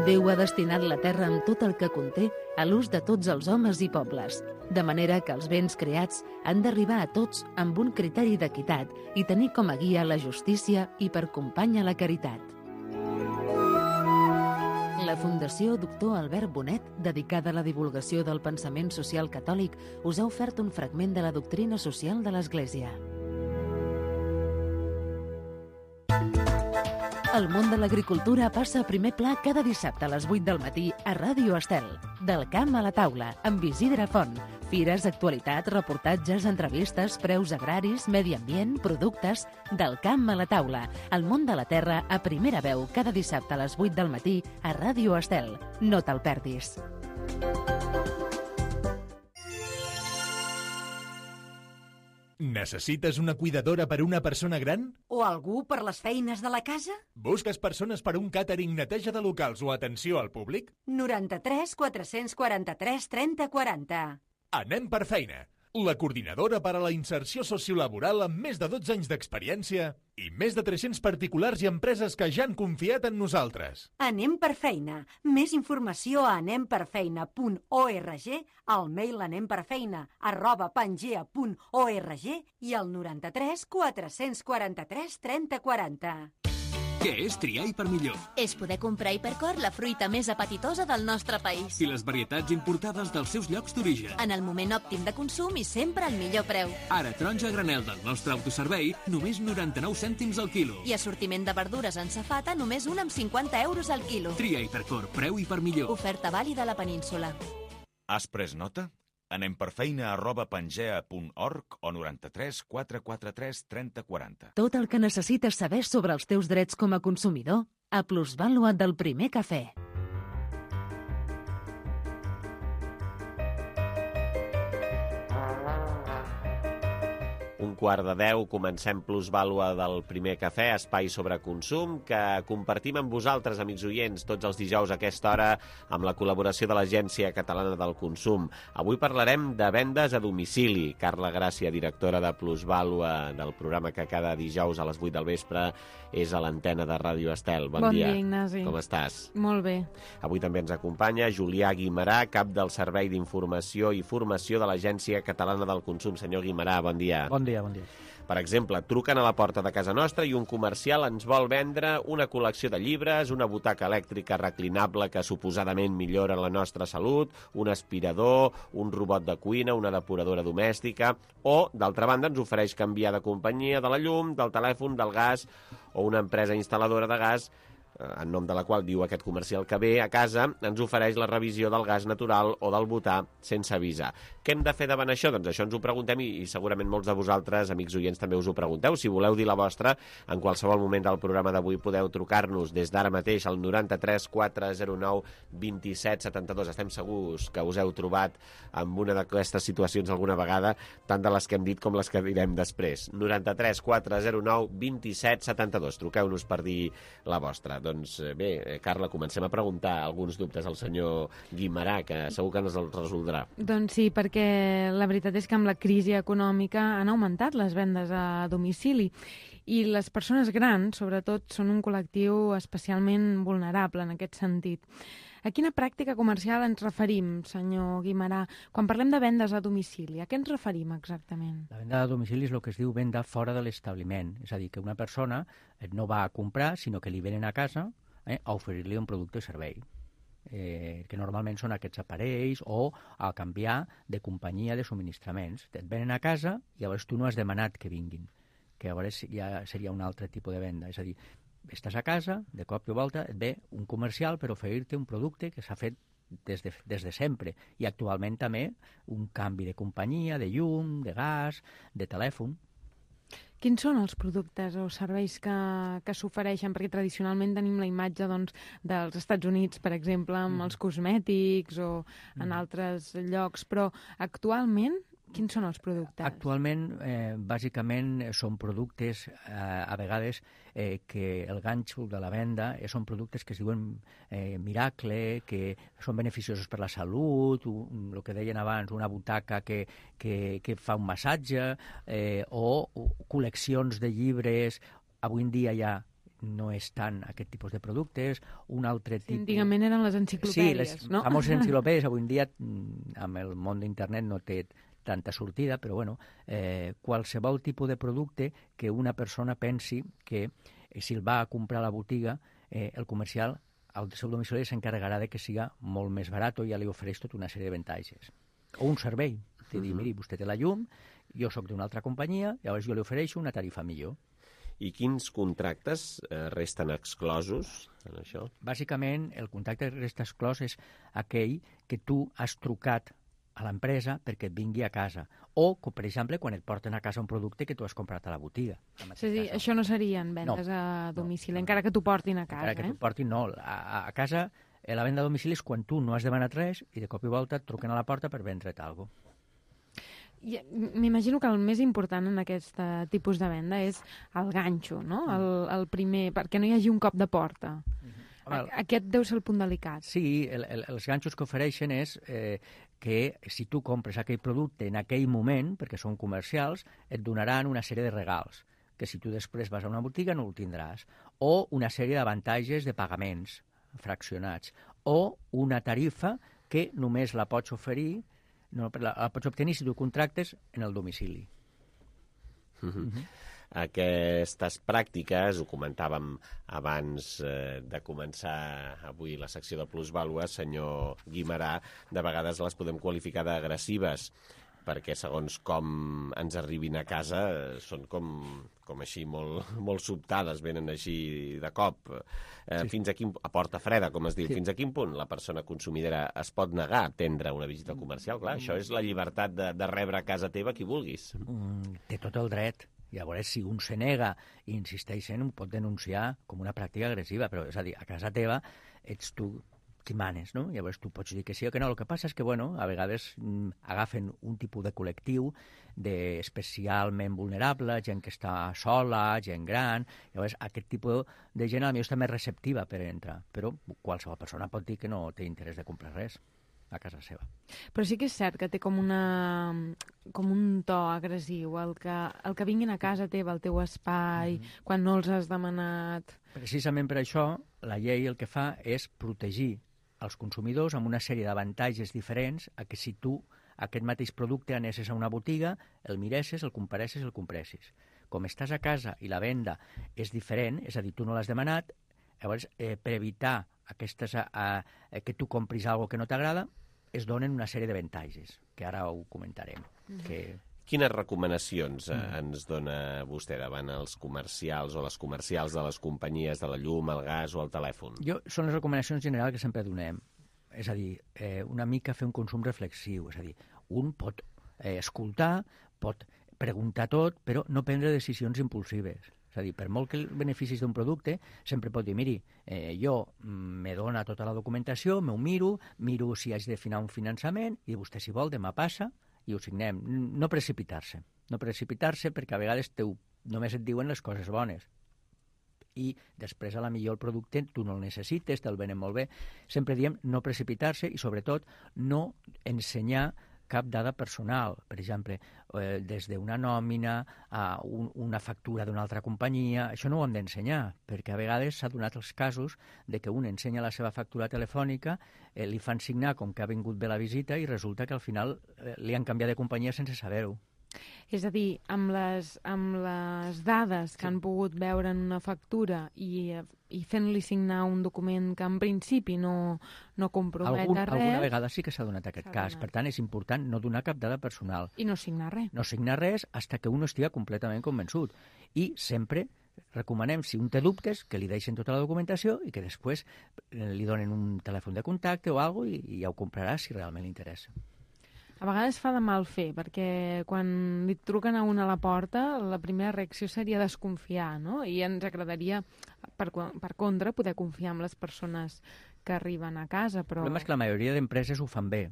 Déu ha destinat la terra amb tot el que conté a l'ús de tots els homes i pobles, de manera que els béns creats han d'arribar a tots amb un criteri d'equitat i tenir com a guia la justícia i per companya la caritat. La Fundació Doctor Albert Bonet, dedicada a la divulgació del pensament social catòlic, us ha ofert un fragment de la doctrina social de l'Església. El món de l'agricultura passa a primer pla cada dissabte a les 8 del matí a Ràdio Estel. Del camp a la taula, amb Isidre Font. Fires, actualitat, reportatges, entrevistes, preus agraris, medi ambient, productes... Del camp a la taula. El món de la terra a primera veu cada dissabte a les 8 del matí a Ràdio Estel. No te'l perdis. Necessites una cuidadora per a una persona gran? O algú per les feines de la casa? Busques persones per a un càtering, neteja de locals o atenció al públic? 93 443 30 40. Anem per feina. La coordinadora per a la inserció sociolaboral amb més de 12 anys d'experiència i més de 300 particulars i empreses que ja han confiat en nosaltres. Anem per feina. Més informació a anemperfeina.org, al mail anemperfeina@pangea.org i al 93 443 30 40. Què és triar i per millor? És poder comprar Hipercor la fruita més apetitosa del nostre país. I les varietats importades dels seus llocs d'origen. En el moment òptim de consum i sempre al millor preu. Ara, taronja a granel del nostre autoservei, només 99 cèntims al quilo. I assortiment de verdures en safata, només un amb 50 euros al quilo. Tria Hipercor, preu i per millor. Oferta vàlida a la península. Has pres nota? Anem per feina@pangea.org o 93 443 30 40. Tot el que necessites saber sobre els teus drets com a consumidor a Plusvàlua del Primer Cafè. Un quart de 10, comencem Plusvàlua del Primer Cafè, espai sobre consum, que compartim amb vosaltres, amics oients, tots els dijous a aquesta hora, amb la col·laboració de l'Agència Catalana del Consum. Avui parlarem de vendes a domicili. Carla Gràcia, directora de Plusvàlua, del programa que cada dijous a les 8 del vespre és a l'antena de Ràdio Estel. Bon dia, Ignasi. Com estàs? Molt bé. Avui també ens acompanya Julià Guimarà, cap del Servei d'Informació i Formació de l'Agència Catalana del Consum. Senyor Guimarà, bon dia. Bon dia, bon dia. Per exemple, truquen a la porta de casa nostra i un comercial ens vol vendre una col·lecció de llibres, una butaca elèctrica reclinable que suposadament millora la nostra salut, un aspirador, un robot de cuina, una depuradora domèstica, o, d'altra banda, ens ofereix canviar de companyia de la llum, del telèfon, del gas, o una empresa instal·ladora de gas, en nom de la qual diu aquest comercial que ve a casa, ens ofereix la revisió del gas natural o del butà sense avisar. Què hem de fer davant això? Doncs això ens ho preguntem i segurament molts de vosaltres, amics oients, també us ho pregunteu. Si voleu dir la vostra, en qualsevol moment del programa d'avui podeu trucar-nos des d'ara mateix al 93 409 27 72. Estem segurs que us heu trobat amb una d'aquestes situacions alguna vegada, tant de les que hem dit com les que direm després. 93 409 27 72. Truqueu-nos per dir la vostra. Doncs bé, Carla, comencem a preguntar alguns dubtes al senyor Guimarà, que segur que ens els resoldrà. Doncs sí, perquè la veritat és que amb la crisi econòmica han augmentat les vendes a domicili i les persones grans, sobretot, són un col·lectiu especialment vulnerable en aquest sentit. A quina pràctica comercial ens referim, senyor Guimarà? Quan parlem de vendes a domicili, a què ens referim exactament? La venda a domicili és el que es diu venda fora de l'establiment. És a dir, que una persona no va a comprar, sinó que li venen a casa a oferir-li un producte o servei. Que normalment són aquests aparells o a canviar de companyia de subministraments. Et venen a casa i llavors tu no has demanat que vinguin, que llavors ja seria un altre tipus de venda. És a dir, estàs a casa, de cop i volta et ve un comercial per oferir-te un producte que s'ha fet des de sempre i actualment també un canvi de companyia, de llum, de gas, de telèfon. Quins són els productes o serveis que s'ofereixen? Perquè tradicionalment tenim la imatge dels Estats Units, per exemple, amb els cosmètics o en altres llocs, però actualment quins són els productes? Actualment, bàsicament, són productes, a vegades, que el ganxo de la venda són productes que es diuen miracle, que són beneficiosos per la salut, el que deien abans, una butaca que fa un massatge, o col·leccions de llibres. Avui en dia ja no és tant aquest tipus de productes, un altre tipus... Antigament eren les enciclopèdies, sí, no? Sí, les famoses enciclopèdies, avui en dia, amb el món d'internet no té tanta sortida, però bueno, qualsevol tipus de producte que una persona pensi que si el va a comprar a la botiga, el comercial al seu domicili s'encarregarà de que siga molt més barat o ja li ofereix tota una sèrie d'avantatges. O un servei, de dir, miri, vostè té la llum, jo sóc d'una altra companyia, llavors jo li ofereixo una tarifa millor. I quins contractes resten exclosos en això? Bàsicament, el contracte que resta exclòs és aquell que tu has trucat a l'empresa perquè et vingui a casa. O, per exemple, quan et porten a casa un producte que tu has comprat a la botiga. És a dir, això no serien vendes a domicili, encara que t'ho portin a casa. Encara que t'ho portin, no. A casa, la venda a domicili és quan tu no has demanat res i de cop i volta et truquen a la porta per vendre't alguna cosa. M'imagino que el més important en aquest tipus de venda és el ganxo, no? El primer, perquè no hi hagi un cop de porta. Aquest deu ser el punt delicat. Sí, els ganxos que ofereixen és que si tu compres aquell producte en aquell moment, perquè són comercials, et donaran una sèrie de regals, que si tu després vas a una botiga no ho tindràs, o una sèrie d'avantatges de pagaments fraccionats, o una tarifa que només la pots oferir, la pots obtenir si tu contractes en el domicili. Aquestes pràctiques, ho comentàvem abans de començar avui la secció de plusvàlua, senyor Guimerà, de vegades les podem qualificar d'agressives, perquè segons com ens arribin a casa són com així molt sobtades, venen així de cop. Fins a porta freda, com es diu, fins a quin punt la persona consumidora es pot negar a atendre una visita comercial? Clar, això és la llibertat de rebre a casa teva qui vulguis. Té tot el dret. Llavors, si un se nega i insisteix ho pot denunciar com una pràctica agressiva, però és a dir, a casa teva ets tu qui manes, no? Llavors tu pots dir que sí o que no. El que passa és que, a vegades agafen un tipus de col·lectiu especialment vulnerable, gent que està sola, gent gran. Llavors aquest tipus de gent potser està més receptiva per entrar, però qualsevol persona pot dir que no té interès de comprar res a casa seva. Però sí que és cert que té com un to agressiu, el que vinguin a casa teva, al teu espai, quan no els has demanat. Precisament per això, la llei el que fa és protegir els consumidors amb una sèrie d'avantatges diferents a que si tu aquest mateix producte anessis a una botiga, el miressis, el comparessis, el compressis. Com estàs a casa i la venda és diferent, és a dir, tu no l'has demanat, llavors per evitar que tu compris alguna que no t'agrada, es donen una sèrie d'avantatges, que ara ho comentarem. Quines recomanacions ens dona vostè davant els comercials o les comercials de les companyies de la llum, el gas o el telèfon? Són les recomanacions generals que sempre donem. És a dir, una mica fer un consum reflexiu. És a dir, un pot escoltar, pot preguntar tot, però no prendre decisions impulsives. És a dir, per molt que beneficis d'un producte, sempre pot dir, miri, jo me dona tota la documentació, m'ho miro si haig de finar un finançament, i vostè, si vol, demà passa i ho signem. No precipitar-se. No precipitar-se perquè a vegades només et diuen les coses bones. I després, a la millor, el producte tu no el necessites, te'l venen molt bé. Sempre diem no precipitar-se i, sobretot, no ensenyar cap dada personal, per exemple, des d'una nòmina a una factura d'una altra companyia. Això no ho hem d'ensenyar, perquè a vegades s'ha donat els casos de que un ensenya la seva factura telefònica, li fan signar com que ha vingut bé la visita i resulta que al final li han canviat de companyia sense saber-ho. És a dir, amb les dades que han pogut veure en una factura i fent-li signar un document que en principi no compromet res... Alguna vegada sí que s'ha donat aquest cas. Per tant, és important no donar cap dada personal. I no signar res. No signar res fins que un estigui completament convençut. I sempre recomanem, si un té dubtes, que li deixen tota la documentació i que després li donen un telèfon de contacte o alguna cosa i ja ho comprarà si realment li interessa. A vegades fa de mal fer, perquè quan li truquen a una a la porta, la primera reacció seria desconfiar, no? I ens agradaria, per contra, poder confiar en les persones que arriben a casa, però... El problema és que la majoria d'empreses ho fan bé.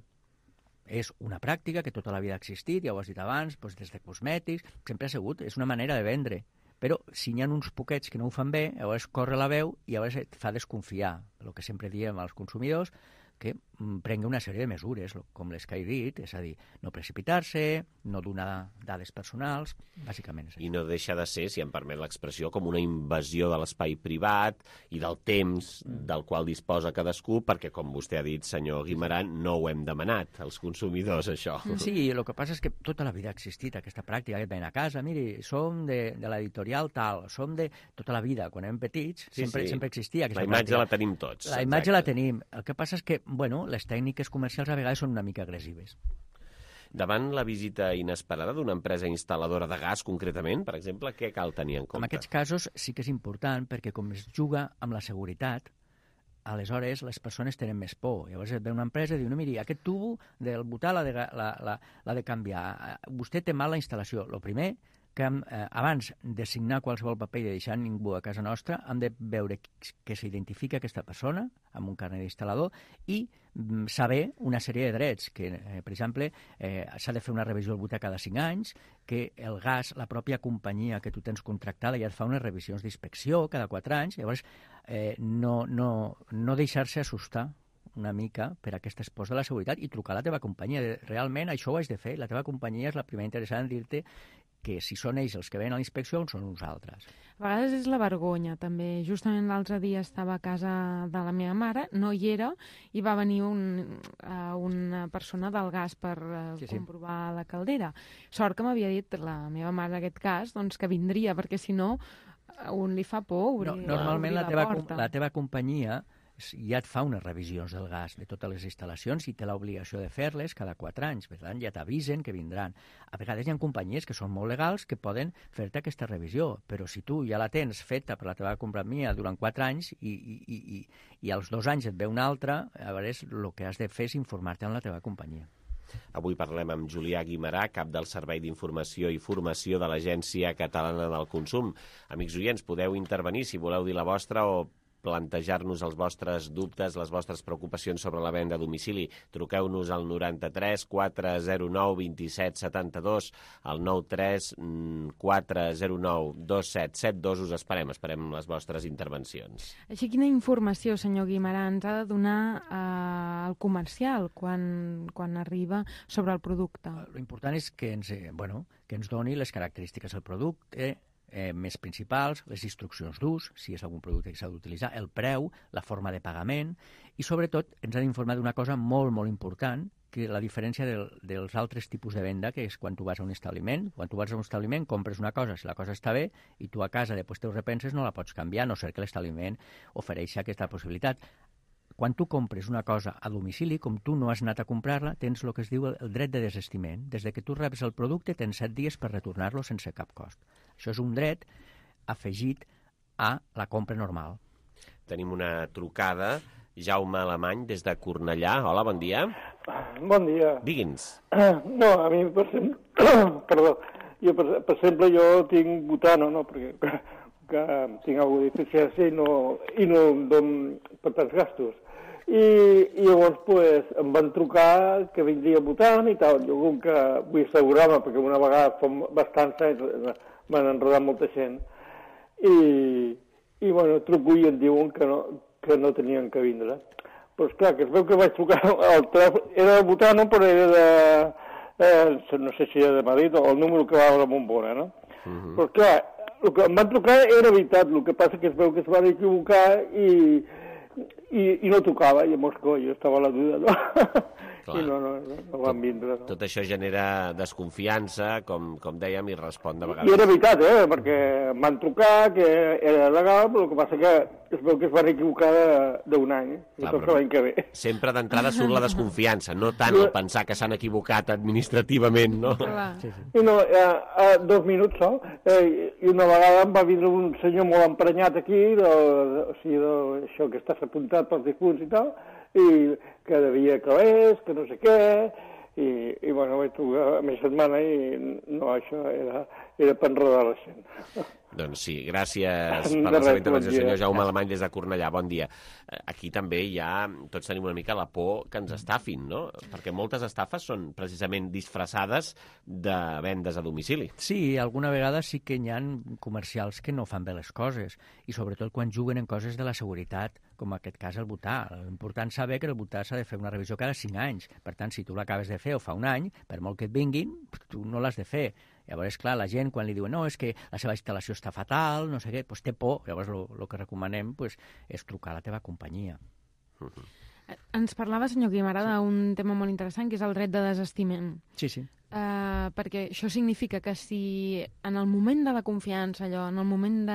És una pràctica que tota la vida ha existit, ja ho has dit abans, des de cosmètics, sempre ha sigut, és una manera de vendre. Però si n'hi ha uns poquets que no ho fan bé, llavors corre la veu i llavors et fa desconfiar. El que sempre diem als consumidors, que prengui una sèrie de mesures, com les que he dit, és a dir, no precipitar-se, no donar dades personals, bàsicament és això. I no deixa de ser, si em permet l'expressió, com una invasió de l'espai privat i del temps del qual disposa cadascú, perquè, com vostè ha dit, senyor Guimerà, no ho hem demanat, els consumidors, això. Sí, el que passa és que tota la vida ha existit aquesta pràctica, que ven a casa, miri, som de l'editorial tal, som de tota la vida, quan érem petits, sempre existia aquesta pràctica. La imatge la tenim tots. La imatge la tenim. El que passa és que les tècniques comercials a vegades són una mica agressives. Davant la visita inesperada d'una empresa instal·ladora de gas, concretament, per exemple, què cal tenir en compte? En aquests casos sí que és important, perquè com es juga amb la seguretat, aleshores les persones tenen més por. Llavors et ve una empresa i diu, no, miri, aquest tubo del butà l'ha de canviar. Vostè té mal la instal·lació. El primer, que abans de signar qualsevol paper i de deixar ningú a casa nostra, hem de veure que s'identifica aquesta persona amb un carnet d'instal·lador i saber una sèrie de drets, que, per exemple, s'ha de fer una revisió del butà cada 5 anys, que el gas, la pròpia companyia que tu tens contractada ja et fa unes revisions d'inspecció cada 4 anys, llavors no deixar-se assustar una mica per aquest espòs de la seguretat i trucar a la teva companyia. Realment això ho has de fer, la teva companyia és la primera interessada en dir-te que si són ells els que venen a la inspecció són uns altres. A vegades és la vergonya, també. Justament l'altre dia estava a casa de la meva mare, no hi era, i va venir una persona del gas per comprovar la caldera. Sort que m'havia dit la meva mare en aquest cas doncs, que vindria, perquè si no un li fa por obrir normalment la porta. La teva companyia ja et fa unes revisions del gas de totes les instal·lacions i té l'obligació de fer-les cada 4 anys. Per tant, ja t'avisen que vindran. A vegades hi ha companyies que són molt legals que poden fer-te aquesta revisió, però si tu ja la tens feta per la teva companyia durant 4 anys i als 2 anys et ve una altra, llavors el que has de fer és informar-te amb la teva companyia. Avui parlem amb Julià Guimerà, cap del Servei d'Informació i Formació de l'Agència Catalana del Consum. Amics oients, podeu intervenir si voleu dir la vostra o plantejar-nos els vostres dubtes, les vostres preocupacions sobre la venda a domicili. Truqueu-nos al 93 409 27 72, al 93 409 2772. Us esperem les vostres intervencions. Així, quina informació, senyor Guimerà, ens ha de donar el comercial quan arriba sobre el producte? L'important és que ens doni les característiques del producte, més principals, les instruccions d'ús, si és algun producte que s'ha d'utilitzar, el preu, la forma de pagament i, sobretot, ens ha d'informar d'una cosa molt, molt important, que la diferència dels altres tipus de venda, que és quan tu vas a un establiment. Quan tu vas a un establiment, compres una cosa, si la cosa està bé, i tu a casa després te ho repenses, no la pots canviar, a no ser que l'establiment ofereixi aquesta possibilitat. Quan tu compres una cosa a domicili, com tu no has anat a comprar-la, tens el que es diu el dret de desestiment. Des que tu reps el producte, tens 7 dies per retornar-lo sense cap cost. Això és un dret afegit a la compra normal. Tenim una trucada. Jaume Alemany, des de Cornellà. Hola, bon dia. Bon dia. Digui'ns. No, a mi, per exemple, jo tinc butano, no? Perquè que tinc alguna deficiència i no em dono per tants gastos. I llavors pues, em van trucar que vindria votant i tal. Jo com que vull assegurar-me, perquè una vegada fa bastants anys m'han enredat molta gent. I bueno, truco i em diuen que no tenien que vindre. Però esclar, que es veu que vaig trucar al telèfon, era de Butano, però era de, no sé si era de Madrid o el número que va a la Bombona, no? Però esclar, el que em van trucar era veritat, el que passa que es veu que es van equivocar i no tocava, i llavors jo estava a la duda, no? I no van vindre. No. Tot això genera desconfiança, com dèiem, i respon de vegades. I era veritat, perquè em van trucar, que era legal, però el que passa que es veu que es van equivocar d'un any, i tot l'any que ve. Sempre d'entrada surt la desconfiança, no tant el pensar que s'han equivocat administrativament, no? I no, 2 minuts sol, i una vegada em va vindre un senyor molt emprenyat aquí, això que estàs apuntat pels difunts i tal, i que devia calés, que no sé què, i bueno, vaig trucar a mi setmana i no, això era per enredar la gent. Doncs sí, gràcies per la seva intervenció, senyor Jaume Alemany, des de Cornellà. Bon dia. Aquí també tots tenim una mica la por que ens estafin, no? Perquè moltes estafes són precisament disfressades de vendes a domicili. Sí, alguna vegada sí que hi ha comercials que no fan bé les coses, i sobretot quan juguen en coses de la seguretat, com en aquest cas el butà. L'important saber que el butà s'ha de fer una revisió cada 5 anys. Per tant, si tu l'acabes de fer o fa un any, per molt que et vinguin, tu no l'has de fer. Llavors, clar, la gent, quan li diuen no, és que la seva instal·lació està fatal, no sé què, doncs té por. Llavors, el que recomanem és trucar a la teva companyia. Ens parlava, senyor Guimerà, d'un tema molt interessant, que és el dret de desestiment. Sí, sí. Perquè això significa que si en el moment de la confiança, en el moment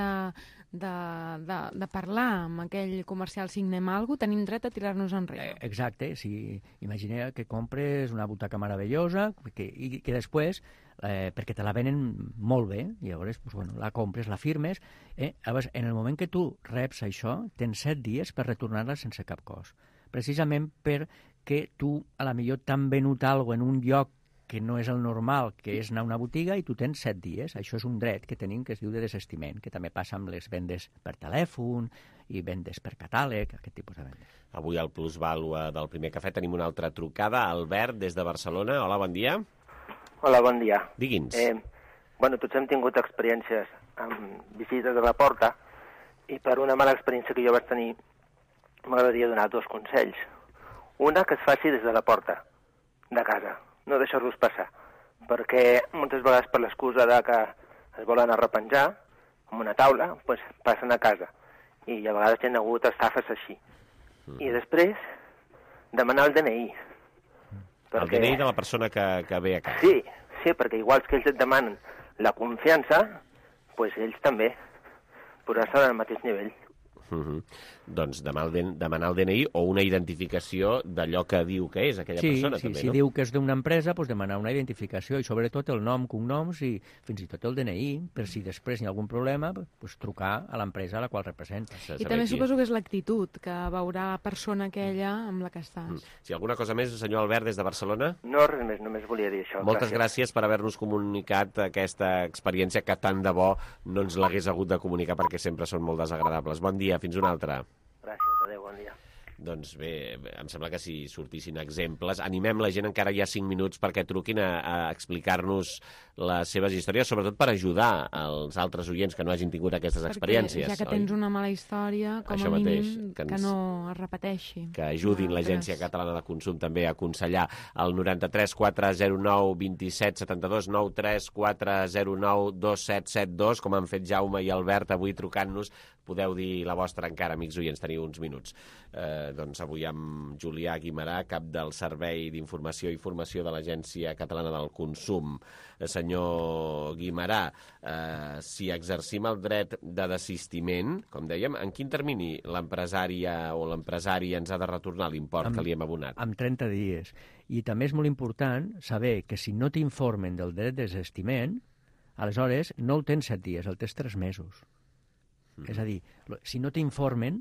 de parlar amb aquell comercial, signem alguna cosa, tenim dret a tirar-nos enrere. Exacte, si imagina que compres una butaca meravellosa i que després, perquè te la venen molt bé, i llavors la compres, la firmes, llavors en el moment que tu reps això, tens 7 dies per retornar-la sense cap cost. Precisament perquè tu a la millor t'han venut alguna cosa en un lloc que no és el normal, que és anar a una botiga, i tu tens 7 dies. Això és un dret que tenim que es diu de desestiment, que també passa amb les vendes per telèfon i vendes per catàleg, aquest tipus de vendes. Avui al Plusvàlua del Primer Cafè tenim una altra trucada. Albert, des de Barcelona. Hola, bon dia. Hola, bon dia. Digui'ns. Tots hem tingut experiències amb visites a la porta, i per una mala experiència que jo vaig tenir m'agradaria donar 2 consells. Una, que es faci des de la porta de casa, no deixar-los passar, perquè moltes vegades per l'excusa de que es volen arrepenjar amb una taula, doncs passen a casa, i a vegades hi ha hagut estafes així. I després, demanar el DNI. El DNI de la persona que ve a casa. Sí, perquè igual que ells et demanen la confiança, doncs ells també, posar-se al mateix nivell. Doncs demanar el DNI o una identificació d'allò que diu que és aquella persona. Sí, també, si no? diu que és d'una empresa, doncs demanar una identificació, i sobretot el nom, cognoms i fins i tot el DNI, per si després hi ha algun problema, doncs trucar a l'empresa a la qual representa. I també suposo que és l'actitud que veurà la persona aquella amb la que estàs. Si alguna cosa més, senyor Albert, des de Barcelona? No, res més, només volia dir això. Moltes gràcies per haver-nos comunicat aquesta experiència que tant de bo no ens l'hagués hagut de comunicar, perquè sempre són molt desagradables. Bon dia, fins una altra. Gràcies, adéu, bon dia. Doncs bé, em sembla que si sortissin exemples, animem la gent, encara hi ha 5 minuts perquè truquin a explicar-nos les seves històries, sobretot per ajudar els altres oients que no hagin tingut aquestes experiències. Ja que tens una mala història, com a mínim, que no es repeteixi. Que ajudin l'Agència Catalana de Consum també a aconsellar el 93 409 27 72 93 409 2772, com han fet Jaume i Albert avui trucant-nos. Podeu dir la vostra encara, amics oients, teniu uns minuts. Doncs avui amb Julià Guimarà, cap del Servei d'Informació i Formació de l'Agència Catalana del Consum. Senyor Guimarà, si exercim el dret de desistiment, com dèiem, en quin termini l'empresària o l'empresari ens ha de retornar l'import que li hem abonat? Amb 30 dies. I també és molt important saber que si no t'informen del dret de desistiment, aleshores no el tens 7 dies, el tens 3 mesos. És a dir, si no t'informen,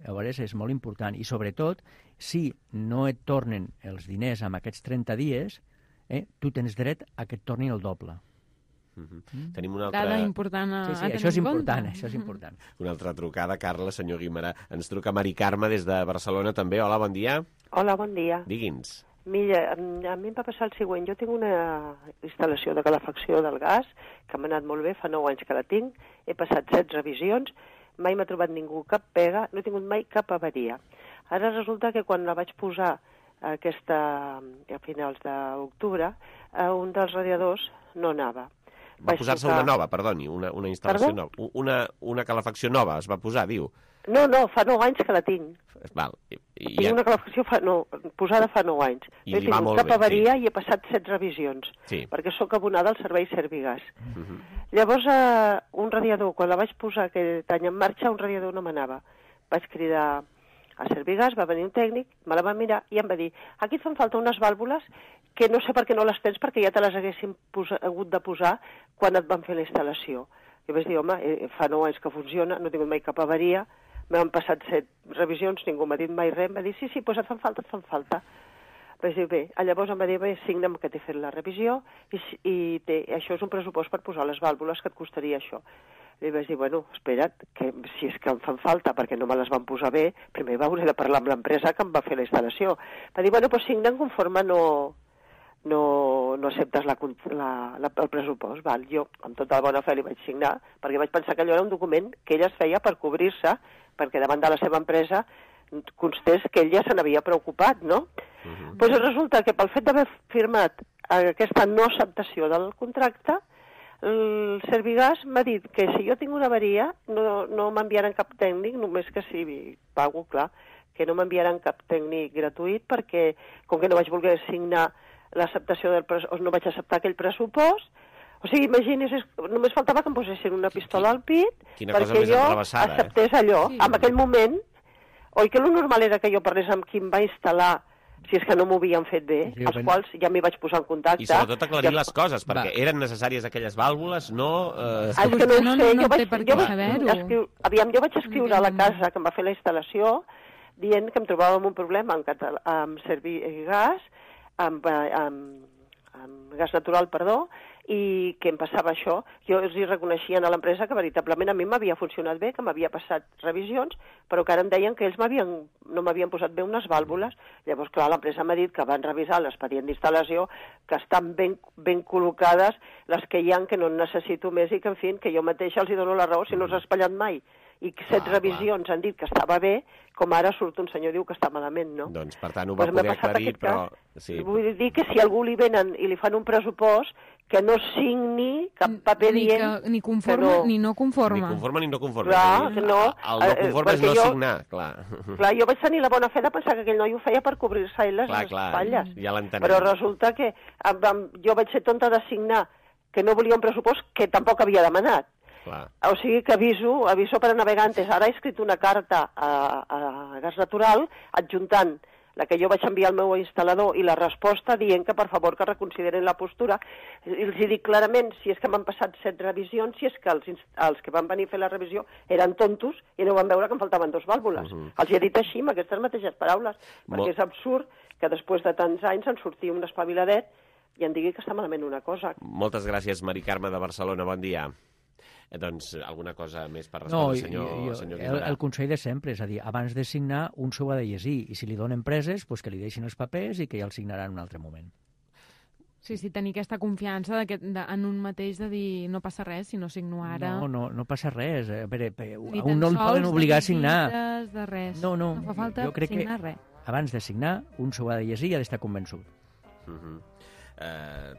llavors és molt important. I sobretot, si no et tornen els diners amb aquests 30 dies, tu tens dret a que et tornin el doble. Tenim una altra... Dada important a tenir això és important, això és important. Una altra trucada, Carla, senyor Guimarà. Ens truca Mari Carme des de Barcelona també. Hola, bon dia. Hola, bon dia. Digui'ns. Mira, a mi em va passar el següent. Jo tinc una instal·lació de calefacció del gas que m'ha anat molt bé, fa 9 anys que la tinc, he passat 7 revisions, mai m'ha trobat ningú cap pega, no he tingut mai cap avaria. Ara resulta que quan la vaig posar a finals d'octubre, un dels radiadors no anava. Va posar-se una nova, perdoni, una instal·lació nova. Una calefacció nova es va posar, diu. No, fa 9 anys que la tinc. Val. Tinc una calefacció posada fa 9 anys. I no he tingut cap avaria i he passat 7 revisions, perquè sóc abonada al servei Servigas. Llavors, un radiador, quan la vaig posar aquest any en marxa, un radiador no m'anava. Vaig cridar a Servigas, va venir un tècnic, me la va mirar i em va dir: aquí et fan falta unes vàlvules que no sé per què no les tens, perquè ja te les haguéssim hagut de posar quan et van fer la instal·lació. Jo vaig dir: home, fa 9 anys que funciona, no he tingut mai cap avaria, m'han passat 7 revisions, ningú m'ha dit mai res, em va dir: sí, doncs et fan falta. Vaig dir: bé, llavors em va dir: bé, signa'm que t'he fet la revisió i això és un pressupost per posar les vàlvules, que et costaria això. Li vaig dir: bueno, espera't, que si és que em fan falta perquè no me les van posar bé, primer hauré de parlar amb l'empresa que em va fer la instal·lació. Va dir: bueno, doncs signen conforme no acceptes el pressupost. Val, jo, amb tota la bona fe, li vaig signar, perquè vaig pensar que allò era un document que ella es feia per cobrir-se, perquè davant de la seva empresa constés que ell ja se n'havia preocupat, no? Doncs resulta que pel fet d'haver firmat aquesta no acceptació del contracte, el Servigas m'ha dit que si jo tinc una avaria no m'enviaran cap tècnic, només que si pago, clar, que no m'enviaran cap tècnic gratuït, perquè com que no vaig voler signar l'acceptació del pressupost, no vaig acceptar aquell pressupost, O sigui, imagini's, només faltava que em posessin una pistola al pit perquè jo acceptés allò. Sí. En aquell moment, oi que el normal era que jo parlés amb qui em va instal·lar, si és que no m'ho havien fet bé, els quals ja m'hi vaig posar en contacte. I sobretot aclarir les coses, perquè eren necessàries aquelles vàlvules, no... És que no ho sé, jo vaig escriure a la casa que em va fer la instal·lació dient que em trobava amb un problema amb Servigas, amb gas natural, i que em passava això. Jo els hi reconeixien a l'empresa que veritablement a mi m'havia funcionat bé, que m'havia passat revisions, però que ara em deien que ells no m'havien posat bé unes vàlvules. Llavors, clar, l'empresa m'ha dit que van revisar l'expedient d'instal·lació, que estan ben col·locades les que hi ha, que no en necessito més i que, en fi, que jo mateixa els hi dono la raó si no s'ha espatllat mai. I 7 revisions han dit que estava bé, com ara surt un senyor diu que està malament, no? Doncs, per tant, ho va poder aclarir, però... Vull dir que si a algú li venen i li fan un pressupost, que no signi cap paper dient... Ni conforme ni no conforme. Ni conforme ni no conforme. Clar, que no. El no conforme és no signar, clar. Clar, jo vaig tenir la bona fe de pensar que aquell noi ho feia per cobrir-se ell les espatlles. Ja l'entenem. Però resulta que jo vaig ser tonta de signar que no volia un pressupost que tampoc havia demanat. Clar. O sigui que aviso para navegantes. Ara he escrit una carta a Gas Natural adjuntant la que jo vaig enviar al meu instal·lador i la resposta dient que per favor que reconsiderin la postura. I els dic clarament, si és que m'han passat 7 revisions, si és que els que van venir a fer la revisió eren tontos i no van veure que em faltaven 2 vàlvules. Els he dit així, amb aquestes mateixes paraules, perquè és absurd que després de tants anys en surti un espaviladet i em digui que està malament una cosa. Moltes gràcies, Mari Carme de Barcelona, bon dia. Doncs alguna cosa més per respondre, senyor Guimarà? El consell de sempre, és a dir, abans de signar, un s'ho ha de llegir, i si li donen preses, doncs que li deixin els papers i que ja el signaran en un altre moment. Sí, tenir aquesta confiança en un mateix de dir no passa res si no signo ara. No passa res. A veure, a un no el poden obligar a signar. De res. No fa falta jo crec signar res. Abans de signar, un s'ho ha de llegir i ha d'estar convençut.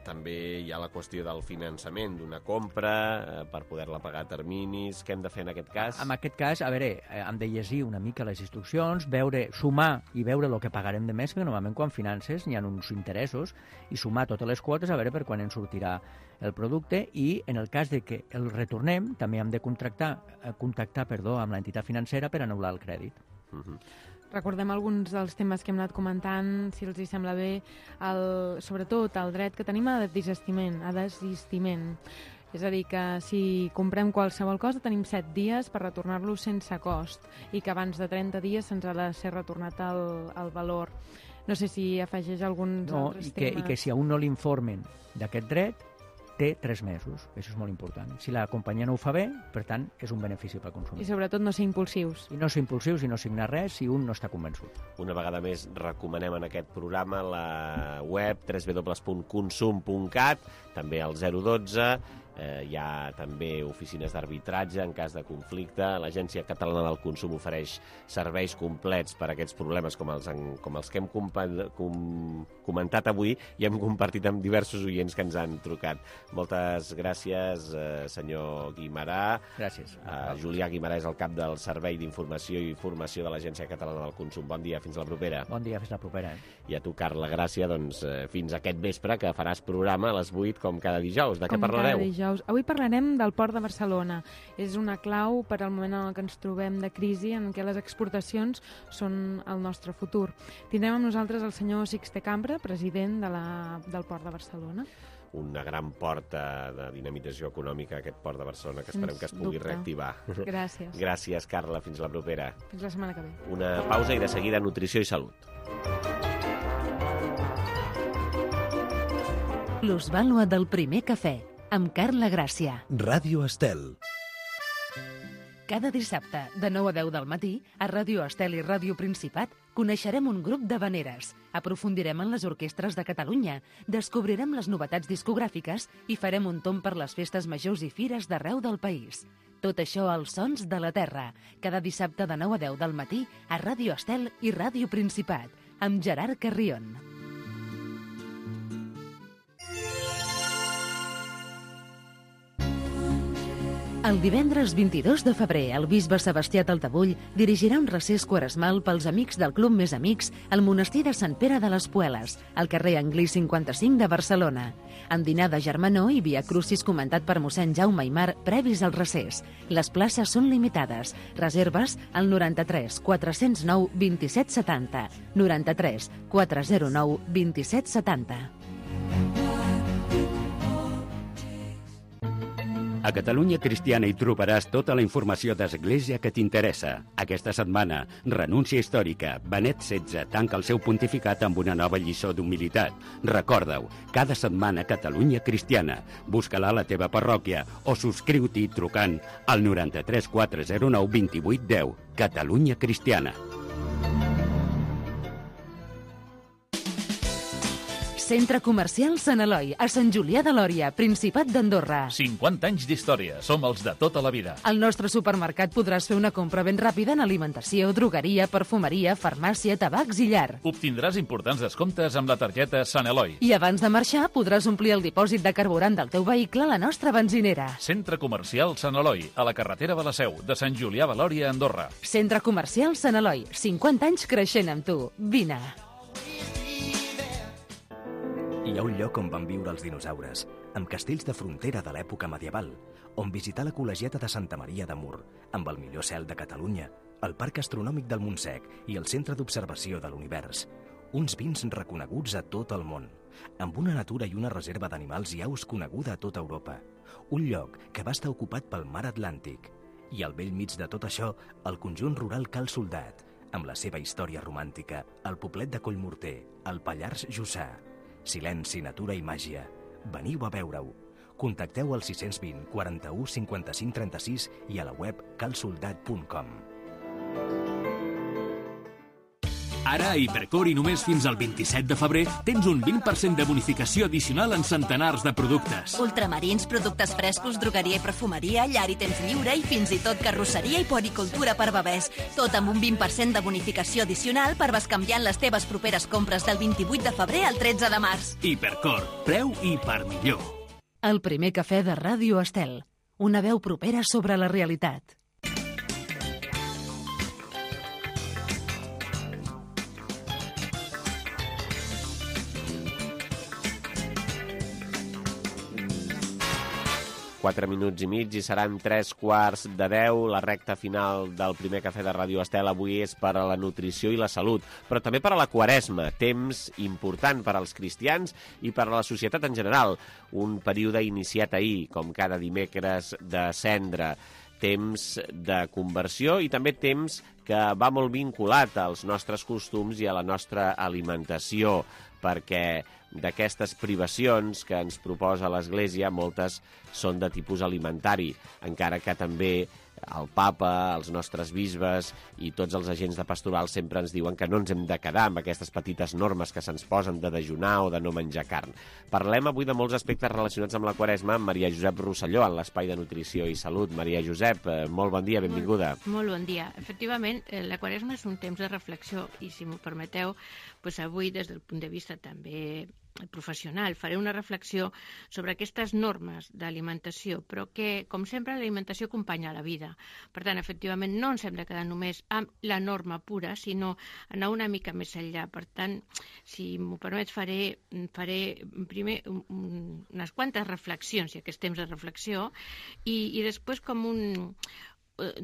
També hi ha la qüestió del finançament d'una compra per poder-la pagar a terminis. Què hem de fer en aquest cas? En aquest cas, a veure, hem de llegir una mica les instruccions, sumar i veure el que pagarem de mes, perquè normalment quan finances hi ha uns interessos, i sumar totes les quotes a veure per quan ens sortirà el producte, i en el cas de que el retornem també hem de contactar amb l'entitat financera per anul·lar el crèdit. Recordem alguns dels temes que hem anat comentant, si els hi sembla bé, sobretot el dret que tenim a desistiment. És a dir, que si comprem qualsevol cosa tenim 7 dies per retornar-lo sense cost i que abans de 30 dies se'ns ha de ser retornat el valor. No sé si afegeix alguns altres temes. I que si a un no l'informen d'aquest dret, té 3 mesos. Això és molt important. Si la companyia no ho fa bé, per tant, és un benefici pel consumidor. I sobretot no ser impulsius. I no ser impulsius i no signar res si un no està convençut. Una vegada més recomanem en aquest programa la web www.consum.cat, també el 012, hi ha també oficines d'arbitratge en cas de conflicte. L'Agència Catalana del Consum ofereix serveis complets per a aquests problemes com els que hem comentat avui i hem compartit amb diversos oients que ens han trucat. Moltes gràcies, senyor Guimarà. Gràcies. Julià Guimarà és el cap del Servei d'Informació i Formació de l'Agència Catalana del Consum. Bon dia, fins la propera. Bon dia, fins la propera. I a tu, Carla Gràcia, doncs fins aquest vespre, que faràs programa a les 8 com cada dijous. De què parlareu? Avui parlarem del Port de Barcelona. És una clau per al moment en què ens trobem de crisi, en què les exportacions són el nostre futur. Tindrem amb nosaltres el senyor Sixte Cambra, president del Port de Barcelona. Una gran porta de dinamització econòmica, aquest Port de Barcelona, que esperem que es pugui reactivar. Gràcies. Gràcies, Carla. Fins la propera. Fins la setmana que ve. Una pausa i de seguida nutrició i salut. Plusvàlua del primer cafè, amb Carla Gràcia. Ràdio Estel. Cada dissabte, de 9 a 10 del matí, a Ràdio Estel i Ràdio Principat, coneixerem un grup d'havaneres, aprofundirem en les orquestres de Catalunya, descobrirem les novetats discogràfiques i farem un tomb per les festes majors i fires d'arreu del país. Tot això als Sons de la Terra, cada dissabte de 9 a 10 del matí, a Ràdio Estel i Ràdio Principat, amb Gerard Carrion. El divendres 22 de febrer, el bisbe Sebastià Taltabull dirigirà un recés quaresmal pels amics del Club Més Amics al monestir de Sant Pere de les Pueles, al carrer Anglí 55 de Barcelona. En dinar de germanor i via crucis comentat per mossèn Jaume Aimar previs al recés. Les places són limitades. Reserves al 93 409 27 70. 93 409 27 70. A Catalunya Cristiana hi trobaràs tota la informació d'Església que t'interessa. Aquesta setmana, renúncia històrica. Benet XVI tanca el seu pontificat amb una nova lliçó d'humilitat. Recorda-ho, cada setmana Catalunya Cristiana. Busca-la a la teva parròquia o subscriu-t'hi trucant al 93 409 28 10. Catalunya Cristiana. Centre Comercial Sant Eloi, a Sant Julià de Lòria, Principat d'Andorra. 50 anys d'història. Som els de tota la vida. Al nostre supermercat podràs fer una compra ben ràpida en alimentació, drogueria, perfumeria, farmàcia, tabacs i llar. Obtindràs importants descomptes amb la targeta Sant Eloi. I abans de marxar podràs omplir el dipòsit de carburant del teu vehicle a la nostra benzinera. Centre Comercial Sant Eloi, a la carretera de la Seu, de Sant Julià de Lòria, Andorra. Centre Comercial Sant Eloi, 50 anys creixent amb tu. Vine. Hi ha un lloc on van viure els dinosaures, amb castells de frontera de l'època medieval, on visitar la col·legiata de Santa Maria de Mur, amb el millor cel de Catalunya, el Parc Astronòmic del Montsec i el Centre d'Observació de l'Univers. Uns vins reconeguts a tot el món, amb una natura i una reserva d'animals i aus coneguda a tota Europa. Un lloc que va estar ocupat pel mar Atlàntic. I al bell mig de tot això, el conjunt rural Cal Soldat, amb la seva història romàntica, el poblet de Collmorter, el Pallars Jussà. Silenci, natura i màgia. Veniu a veure-ho. Contacteu al 620 41 55 36 i a la web calsoldat.com. Ara a Hipercor i només fins al 27 de febrer tens un 20% de bonificació addicional en centenars de productes. Ultramarins, productes frescos, drogueria i perfumeria, llar i temps lliure i fins i tot carrosseria i puericultura per bebès. Tot amb un 20% de bonificació addicional per bescanviar les teves properes compres del 28 de febrer al 13 de març. Hipercor, preu i per millor. El primer cafè de Ràdio Estel. Una veu propera sobre la realitat. Quatre minuts i mig i seran 9:45, la recta final del primer cafè de Ràdio Estel avui és per a la nutrició i la salut, però també per a la Quaresma, temps important per als cristians i per a la societat en general. Un període iniciat ahir, com cada dimecres de Cendra, temps de conversió i també temps que va molt vinculat als nostres costums i a la nostra alimentació, perquè d'aquestes privacions que ens proposa l'Església, moltes són de tipus alimentari, encara que també el papa, els nostres bisbes i tots els agents de pastoral sempre ens diuen que no ens hem de quedar amb aquestes petites normes que se'ns posen de dejunar o de no menjar carn. Parlem avui de molts aspectes relacionats amb la Quaresma amb Maria Josep Rosselló, en l'Espai de Nutrició i Salut. Maria Josep, molt bon dia, benvinguda. Molt bon dia. Efectivament, la Quaresma és un temps de reflexió i, si m'ho permeteu, doncs avui, des del punt de vista també professional, faré una reflexió sobre aquestes normes d'alimentació, però que, com sempre, l'alimentació acompanya la vida. Per tant, efectivament, no ens hem de quedar només amb la norma pura, sinó anar una mica més enllà. Per tant, si m'ho permets, faré primer unes quantes reflexions, ja que és temps de reflexió, i després com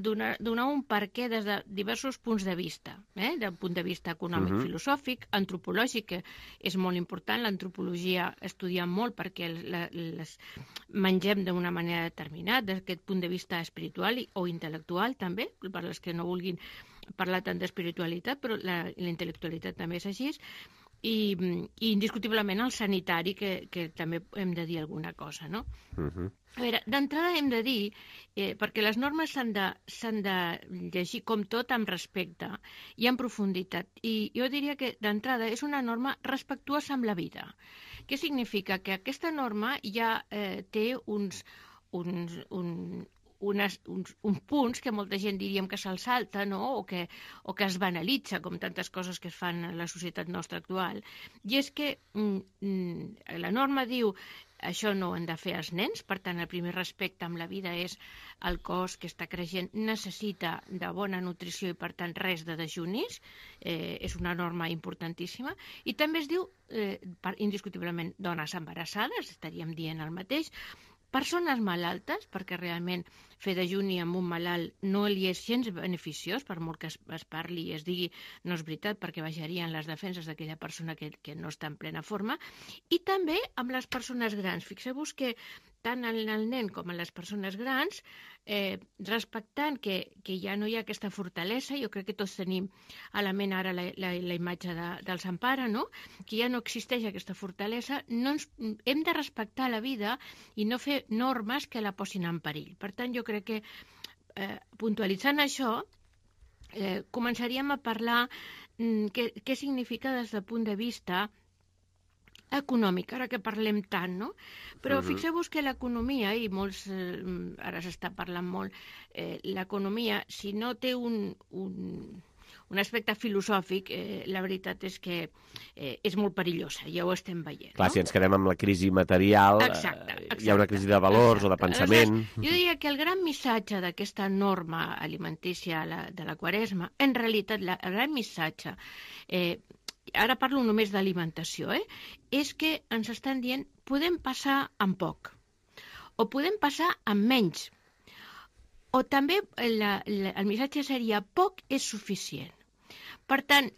donar un perquè des de diversos punts de vista, del punt de vista econòmic, filosòfic, antropològic, que és molt important. L'antropologia estudia molt perquè les mengem d'una manera determinada, des d'aquest punt de vista espiritual o intel·lectual també, per les que no vulguin parlar tant d'espiritualitat, però la intel·lectualitat també és així, i indiscutiblement el sanitari, que també hem de dir alguna cosa, no? A veure, d'entrada hem de dir, perquè les normes s'han de llegir com tot amb respecte i amb profunditat, i jo diria que d'entrada és una norma respectuosa amb la vida. Què significa? Que aquesta norma ja té uns punts que molta gent diríem que se'ls salta, no? o que es banalitza, com tantes coses que es fan a la societat nostra actual. I és que la norma diu això no ho han de fer els nens, per tant, el primer respecte amb la vida és el cos que està creixent necessita de bona nutrició i, per tant, res de dejunis, és una norma importantíssima, i també es diu, indiscutiblement, dones embarassades, estaríem dient el mateix, persones malaltes, perquè realment fer dejuni amb un malalt no li és gens beneficiós, per molt que es parli i es digui, no és veritat, perquè baixarien les defenses d'aquella persona que no està en plena forma, i també amb les persones grans. Fixeu-vos que tant el nen com les persones grans, respectant que ja no hi ha aquesta fortalesa, jo crec que tots tenim a la ment ara la imatge del Sant Pare, no? Que ja no existeix aquesta fortalesa, hem de respectar la vida i no fer normes que la posin en perill. Per tant, jo crec que puntualitzant això, començaríem a parlar què significa des del punt de vista econòmic, ara que parlem tant, no? Però fixeu-vos que l'economia, i molts, ara s'està parlant molt, l'economia, si no té un aspecte filosòfic, la veritat és que és molt perillosa, ja ho estem veient. Clar, si ens quedem amb la crisi material, hi ha una crisi de valors o de pensament. Jo diria que el gran missatge d'aquesta norma alimentícia de la Quaresma, en realitat, el gran missatge, ara parlo només d'alimentació, és que ens estan dient podem passar amb poc, o podem passar amb menys, o també el missatge seria poc és suficient. Per tant,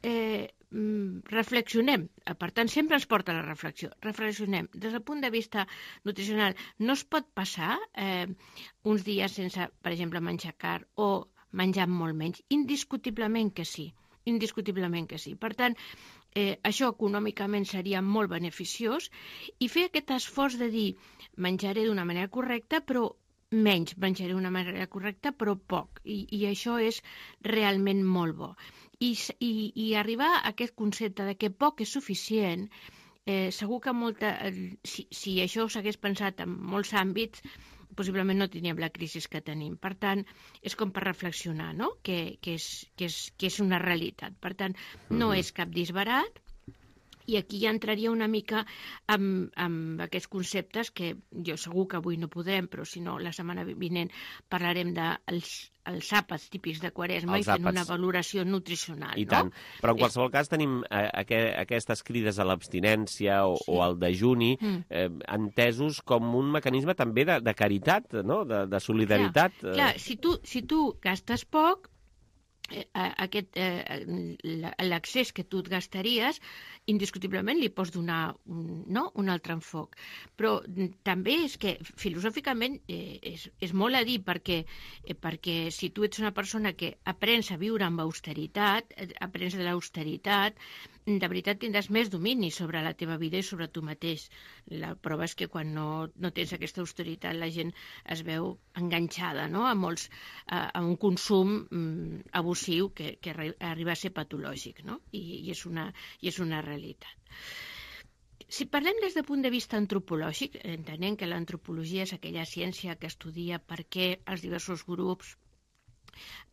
reflexionem, per tant sempre ens porta a la reflexió, reflexionem. Des del punt de vista nutricional no es pot passar uns dies sense, per exemple, menjar carn o menjar molt menys, indiscutiblement que sí. Indiscutiblement que sí. Per tant, això econòmicament seria molt beneficiós i fer aquest esforç de dir menjaré d'una manera correcta però menys, menjaré d'una manera correcta però poc, i això és realment molt bo. I arribar a aquest concepte de que poc és suficient, segur que si això s'hagués pensat en molts àmbits, possiblement no tindríem la crisi que tenim. Per tant, és com per reflexionar, no? Que és una realitat. Per tant, no és cap disbarat, i aquí ja entraria una mica amb aquests conceptes que jo segur que avui no podrem, però si no, la setmana vinent parlarem dels àpats típics de Quaresma i fent una valoració nutricional. I tant. Però en qualsevol cas tenim aquestes crides a l'abstinència o al dejuni entesos com un mecanisme també de caritat, no? De solidaritat. Clar, si tu gastes poc, l'accés que tu et gastaries, indiscutiblement li pots donar un altre enfoc. Però també és que filosòficament és molt a dir, perquè si tu ets una persona que aprens a viure amb austeritat, aprens de l'austeritat, de veritat tindràs més domini sobre la teva vida i sobre tu mateix. La prova és que quan no tens aquesta austeritat la gent es veu enganxada, no? A un consum abusiu que arriba a ser patològic, no? I és una realitat. Si parlem des del punt de vista antropològic, entenem que l'antropologia és aquella ciència que estudia per què els diversos grups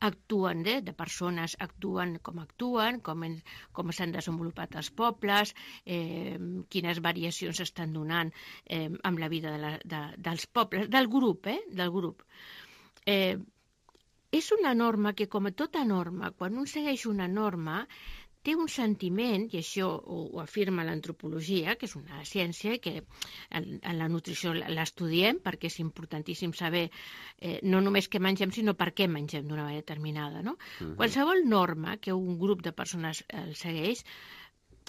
actuen, de persones actuen, com s'han desenvolupat els pobles, quines variacions s'estan donant amb la vida dels pobles, del grup. És una norma que, com a tota norma, quan un segueix una norma, té un sentiment, i això ho afirma l'antropologia, que és una ciència que en la nutrició l'estudiem perquè és importantíssim saber no només què mengem, sinó per què mengem d'una manera determinada, no? Qualsevol norma que un grup de persones segueix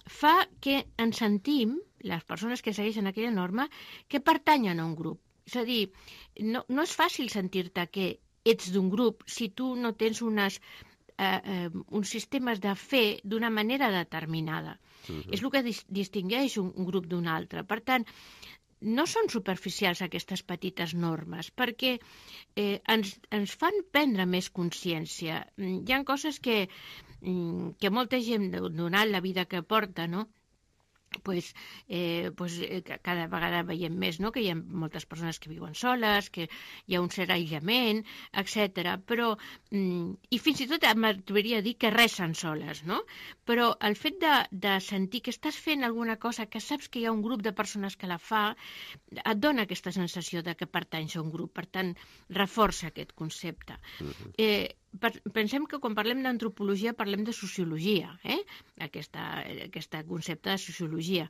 fa que ens sentim, les persones que segueixen aquella norma, que pertanyen a un grup. És a dir, no és fàcil sentir-te que ets d'un grup si tu no tens uns sistemes de fer d'una manera determinada. És el que distingeix un grup d'un altre. Per tant, no són superficials aquestes petites normes, perquè ens fan prendre més consciència. Hi ha coses que molta gent, donant la vida que porta, no? cada vegada veiem més, no?, que hi ha moltes persones que viuen soles, que hi ha un cert aïllament, etc. Però, i fins i tot m'atreviria a dir que resten soles, no? Però el fet de sentir que estàs fent alguna cosa, que saps que hi ha un grup de persones que la fa, et dona aquesta sensació de que pertanys a un grup, per tant, reforça aquest concepte. Pensem que quan parlem d'antropologia parlem de sociologia, aquest concepte de sociologia,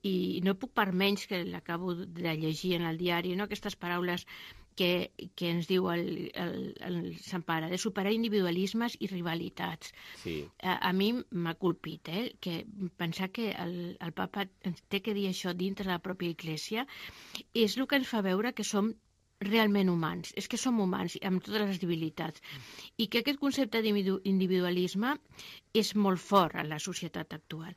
i no puc per menys que l'acabo de llegir en el diari, no?, aquestes paraules que ens diu el Sant Pare, de superar individualismes i rivalitats. Sí. A mi m'ha colpit, que pensar que el papa ens té que dir això dintre de la pròpia Iglésia és el que ens fa veure que som realment humans, és que som humans amb totes les debilitats, i que aquest concepte d'individualisme és molt fort en la societat actual,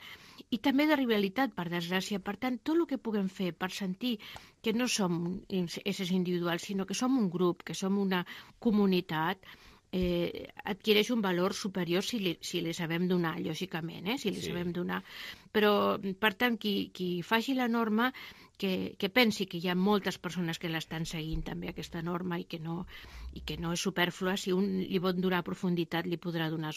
i també de rivalitat, per desgràcia. Per tant, tot el que puguem fer per sentir que no som éssers individuals, sinó que som un grup, que som una comunitat, adquireix un valor superior si li sabem donar, lògicament, si li sabem donar. Però, per tant, qui faci la norma, que pensi que hi ha moltes persones que l'estan seguint també aquesta norma i que no és superflua. Si un li pot donar profunditat, li podrà donar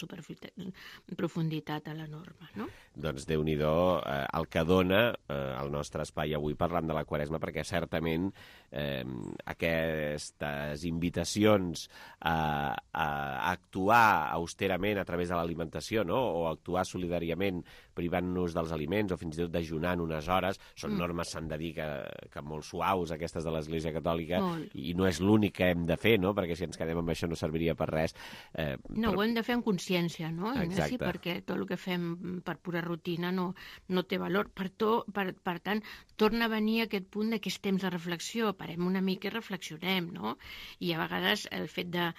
profunditat a la norma, no? Doncs Déu-n'hi-do el que dona el nostre espai avui parlant de la Quaresma, perquè certament aquestes invitacions a actuar austerament a través de l'alimentació, no?, o actuar solidàriament privant-nos dels aliments o fins i tot dejunant unes hores, són normes, s'han de dir, que molt suaus, aquestes de l'Església Catòlica, i no és l'únic que hem de fer, no?, perquè si ens quedem amb això no serviria per res. No, ho hem de fer amb consciència, no? Exacte. Perquè tot el que fem per pura rutina no té valor. Per tant, torna a venir aquest punt que és temps de reflexió, parem una mica i reflexionem, no? I a vegades el fet de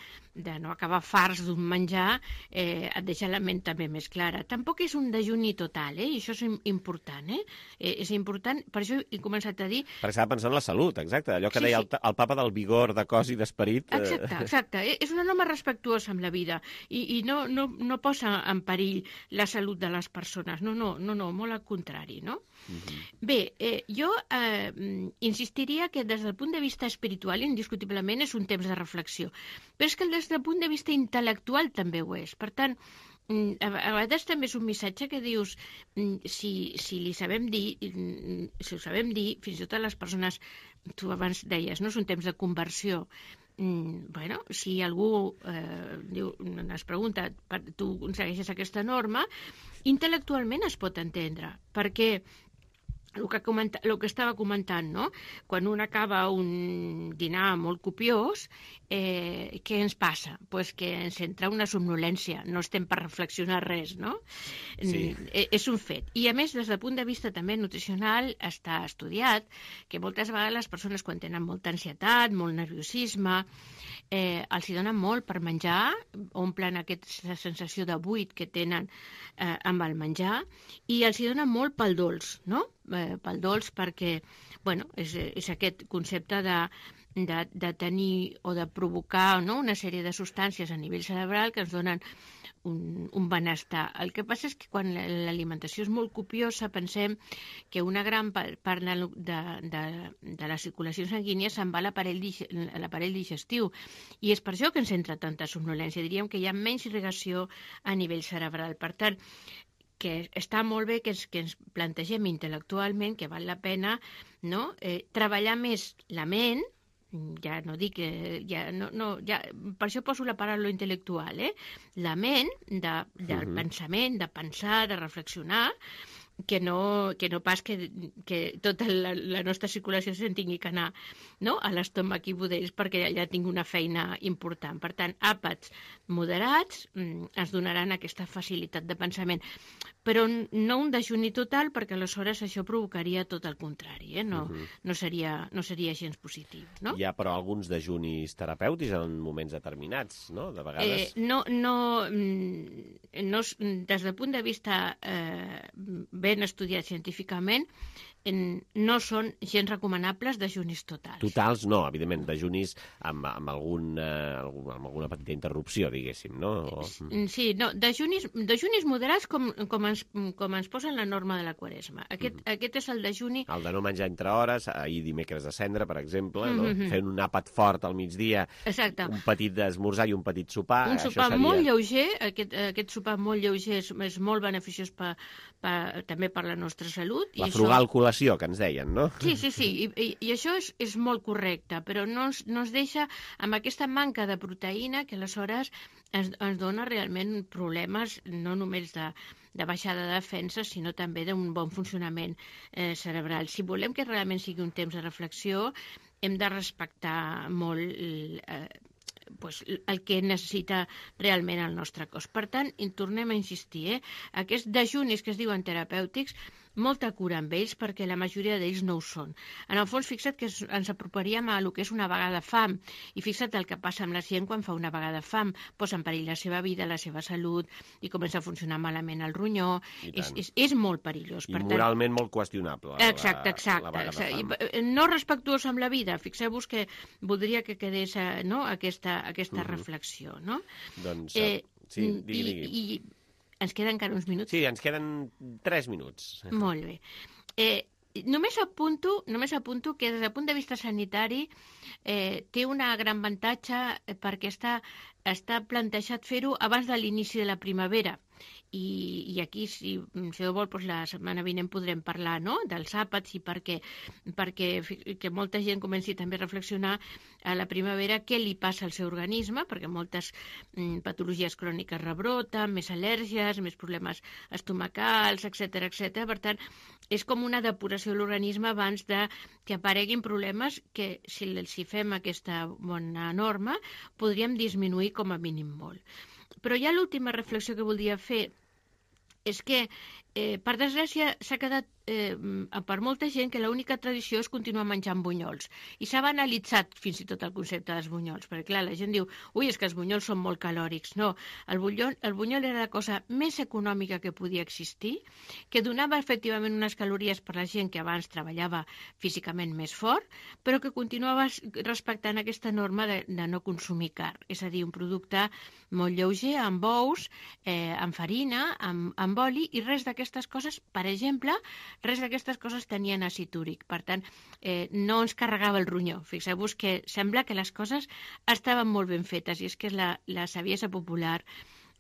no acabar farts d'un menjar et deixa la ment també més clara. Tampoc és un dejuni total, i això és important, és important, per això he començat a dir... Perquè s'ha de pensar en la salut, exacte, allò que deia el papa del vigor de cos i d'esperit. Exacte, és una norma respectuosa amb la vida i no posa en perill la salut de les persones, no, molt al contrari, no? Bé, jo insistiria que des del punt de vista espiritual indiscutiblement és un temps de reflexió, però és que des del punt de vista intel·lectual també ho és. Per tant, a vegades també és un missatge que dius, si li sabem dir, si ho sabem dir, fins i tot a les persones, tu abans deies, no, és un temps de conversió. Bueno, si algú es pregunta, tu segueixes aquesta norma, intel·lectualment es pot entendre, perquè el que estava comentant, no? Quan un acaba un dinar molt copiós, què ens passa? Pues que ens entra una somnolència, no estem per reflexionar res, no? Sí. És un fet. I a més, des del punt de vista també nutricional, està estudiat que moltes vegades les persones quan tenen molta ansietat, molt nerviosisme, els hi donen molt per menjar, omplen aquesta sensació de buit que tenen amb el menjar, i els hi donen molt pel dolç, no? Pel dolç perquè, bueno, és aquest concepte de tenir o de provocar, no?, una sèrie de substàncies a nivell cerebral que ens donen un benestar. El que passa és que quan l'alimentació és molt copiosa pensem que una gran part de la circulació sanguínia se'n va a l'aparell digestiu, i és per això que ens entra tanta somnolència. Diríem que hi ha menys irrigació a nivell cerebral. Per tant, que està molt bé que ens plantegem intel·lectualment que val la pena, no?, treballar més la ment, ja no dic que... per això poso la paraula intel·lectual, la ment del pensament, de pensar, de reflexionar, que no pas que tota la nostra circulació se'n tingui que anar, no?, a l'estómac i budells, perquè allà tinc una feina important. Per tant, àpats moderats ens donaran aquesta facilitat de pensament, però no un dejuni total, perquè aleshores això provocaria tot el contrari, no seria gens positiu, no? Hi ha, però, alguns dejunis terapèutics en moments determinats, no?, de vegades. Des del punt de vista ben estudiat científicament, no són gens recomanables dejunis totals. Totals no, evidentment, dejunis amb alguna petita interrupció, diguéssim, no? Sí, no, dejunis moderats com ens posen la norma de la Quaresma. Aquest és el dejuni... El de no menjar entre hores, ahir dimecres de cendre, per exemple, no? Fent un àpat fort al migdia, un petit esmorzar i un petit sopar. Un sopar molt lleuger, aquest sopar molt lleuger és molt beneficiós també per la nostra salut. La frugal col·lació, que ens deien, no? Sí, i això és molt correcte, però no ens deixa amb aquesta manca de proteïna que aleshores ens dona realment problemes no només de baixada de defensa, sinó també d'un bon funcionament cerebral. Si volem que realment sigui un temps de reflexió, hem de respectar molt el que necessita realment el nostre cos. Per tant, tornem a insistir, aquests dejunis que es diuen terapèutics, molta cura amb ells, perquè la majoria d'ells no ho són. En el fons, fixa't que ens aproparíem a el que és una vegada fam, i fixa't el que passa amb la gent quan fa una vegada fam, posa en perill la seva vida, la seva salut, i comença a funcionar malament el ronyó. És molt perillós. I moralment molt qüestionable. Exacte. No respectuós amb la vida. Fixeu-vos que voldria que quedés aquesta reflexió. Doncs, sí, digui. Ens queden encara uns minuts? Sí, ens queden 3 minuts. Molt bé. Només apunto que des del punt de vista sanitari té un gran avantatge perquè està plantejat fer-ho abans de l'inici de la primavera. I aquí, si Déu vol, la setmana vinent podrem parlar dels àpats i perquè molta gent comenci també a reflexionar a la primavera què li passa al seu organisme, perquè moltes patologies cròniques rebroten, més al·lèrgies, més problemes estomacals, etc. Per tant, és com una depuració de l'organisme abans que apareguin problemes que, si fem aquesta bona norma, podríem disminuir com a mínim molt. Però ja l'última reflexió que voldria fer és que, per desgràcia, s'ha quedat per molta gent que l'única tradició és continuar menjant bunyols. I s'ha banalitzat fins i tot el concepte dels bunyols, perquè clar, la gent diu, és que els bunyols són molt calòrics. No, el bunyol era la cosa més econòmica que podia existir, que donava efectivament unes calories per la gent que abans treballava físicament més fort, però que continuava respectant aquesta norma de no consumir carn. És a dir, un producte molt lleuger, amb ous, amb farina, amb oli, i res d'aquestes coses, per exemple, res d'aquestes coses tenien àcid úric. Per tant, no ens carregava el ronyó. Fixeu-vos que sembla que les coses estaven molt ben fetes, i és que la saviesa popular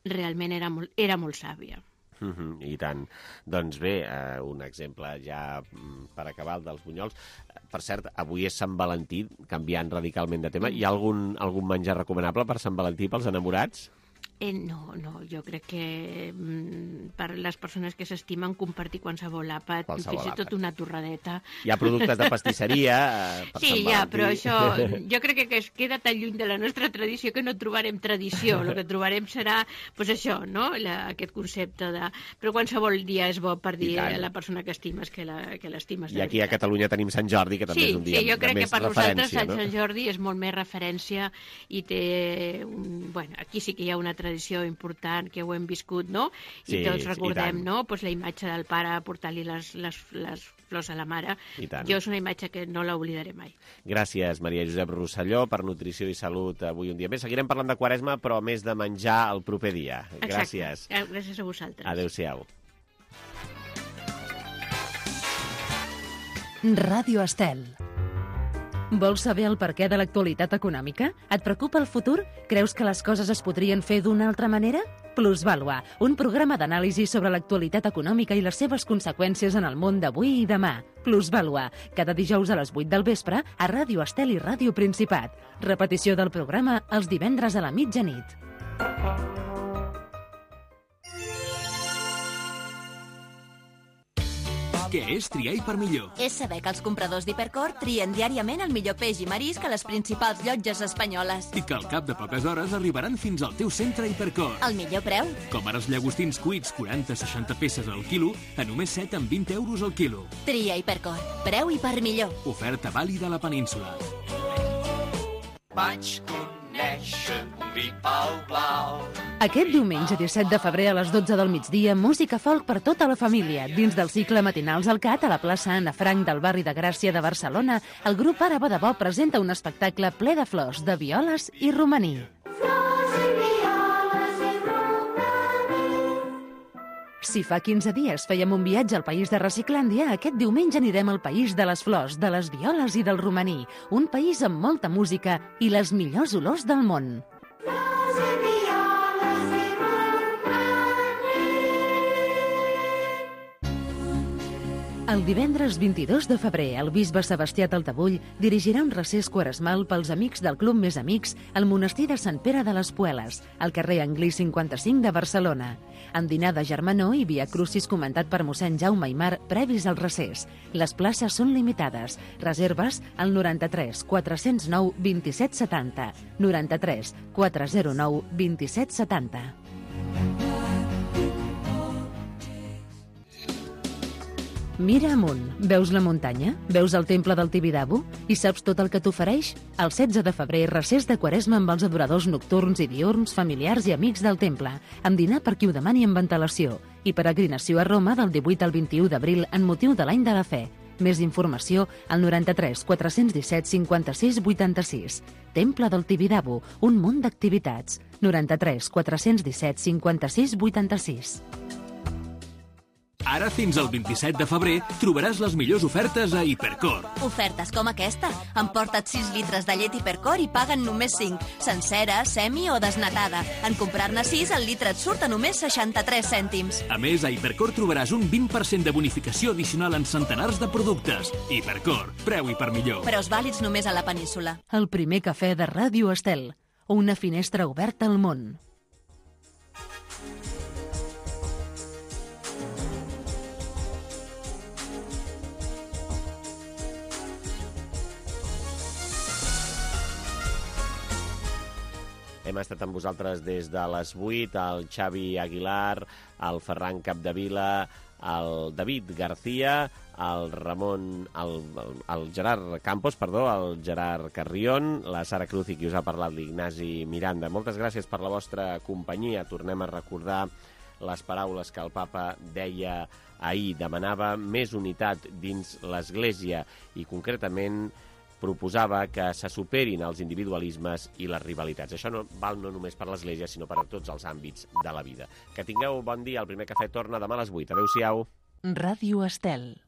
realment era molt sàvia. I tant. Doncs bé, un exemple ja per acabar dels bunyols. Per cert, avui és Sant Valentí, canviant radicalment de tema. Hi ha algun menjar recomanable per Sant Valentí pels enamorats? No, jo crec que per les persones que s'estimen compartir qualsevol àpat, fins i tot una torradeta. Hi ha productes de pastisseria per Sant Valentí. Però això jo crec que es queda tan lluny de la nostra tradició que no trobarem tradició. El que trobarem serà això, no? Aquest concepte de... Però qualsevol dia és bo per dir a la persona que estimes que l'estimes. I aquí a Catalunya tenim Sant Jordi, que també és un dia de més referència. Sí, jo crec que per nosaltres Sant Jordi és molt més referència i té... Aquí sí que hi ha una tradició important que ho hem viscut, no? I tots recordem, no? La imatge del pare portant-li les flors a la mare. Jo és una imatge que no l'oblidaré mai. Gràcies, Maria Josep Rosselló, per Nutrició i Salut avui un dia més. Seguirem parlant de Quaresma, però més de menjar el proper dia. Gràcies. Gràcies a vosaltres. Adéu-siau. Ràdio Estel. Vols saber el perquè de l'actualitat econòmica? Et preocupa el futur? Creus que les coses es podrien fer d'una altra manera? Plusvàlua, un programa d'anàlisi sobre l'actualitat econòmica i les seves conseqüències en el món d'avui i demà. Plusvàlua, cada dijous a les 8 del vespre a Ràdio Estel i Ràdio Principat. Repetició del programa els divendres a la mitjanit. Què és triar i per millor? És saber que els compradors d'Hipercor trien diàriament el millor peix i marisc a les principals llotges espanyoles. I que al cap de poques hores arribaran fins al teu centre Hipercor. El millor preu? Com ara els llagostins cuits 40-60 peces al quilo a només 7 amb 20 euros al quilo. Tria Hipercor. Preu i per millor. Oferta vàlida a la península. Vaig neixen un vi pel blau. Aquest diumenge 17 de febrer a les 12 del migdia, música folk per tota la família. Dins del cicle Matinals al Cat, a la plaça Anna Frank del barri de Gràcia de Barcelona, el grup Àraba de Bo presenta un espectacle ple de flors, de violes i romaní. Si fa 15 dies fèiem un viatge al país de Reciclàndia, aquest diumenge anirem al país de les flors, de les violes i del romaní. Un país amb molta música i les millors olors del món. El divendres 22 de febrer, el bisbe Sebastià Taltabull dirigirà un recés quaresmal pels amics del Club Més Amics al monestir de Sant Pere de les Pueles, al carrer Anglí 55 de Barcelona. Amb dinar de germanor i via crucis comentat per mossèn Jaume Aymar previs al recés. Les places són limitades. Reserves al 93 409 27 70. 93 409 27 70. Mira amunt. Veus la muntanya? Veus el temple del Tibidabo? I saps tot el que t'ofereix? El 16 de febrer, recés de Quaresma amb els adoradors nocturns i diurns, familiars i amics del temple, amb dinar per qui ho demani amb ventilació, i peregrinació a Roma del 18 al 21 d'abril en motiu de l'any de la fe. Més informació al 93 417 56 86. Temple del Tibidabo, un munt d'activitats. 93 417 56 86. Ara, fins al 27 de febrer, trobaràs les millors ofertes a Hipercor. Ofertes com aquesta. Emporta't 6 litres de llet Hipercor i paguen només 5. Sencera, semi o desnatada. En comprar-ne 6, el litre et surt a només 63 cèntims. A més, a Hipercor trobaràs un 20% de bonificació addicional en centenars de productes. Hipercor, preu i per millor. Preus vàlids només a la península. El primer cafè de Ràdio Estel. Una finestra oberta al món. Hem estat amb vosaltres des de les 8, el Xavi Aguilar, el Ferran Capdevila, el David García, el Ramon, el Gerard Campos, el Gerard Carrión, la Sara Cruz i qui us ha parlat, l'Ignasi Miranda. Moltes gràcies per la vostra companyia. Tornem a recordar les paraules que el papa deia ahir. Demanava més unitat dins l'Església i concretament proposava que se superin els individualismes i les rivalitats. Això no val no només per l'Església, sinó per a tots els àmbits de la vida. Que tingueu bon dia. El primer cafè torna demà a les 8. Adéu-siau. Ràdio Estel.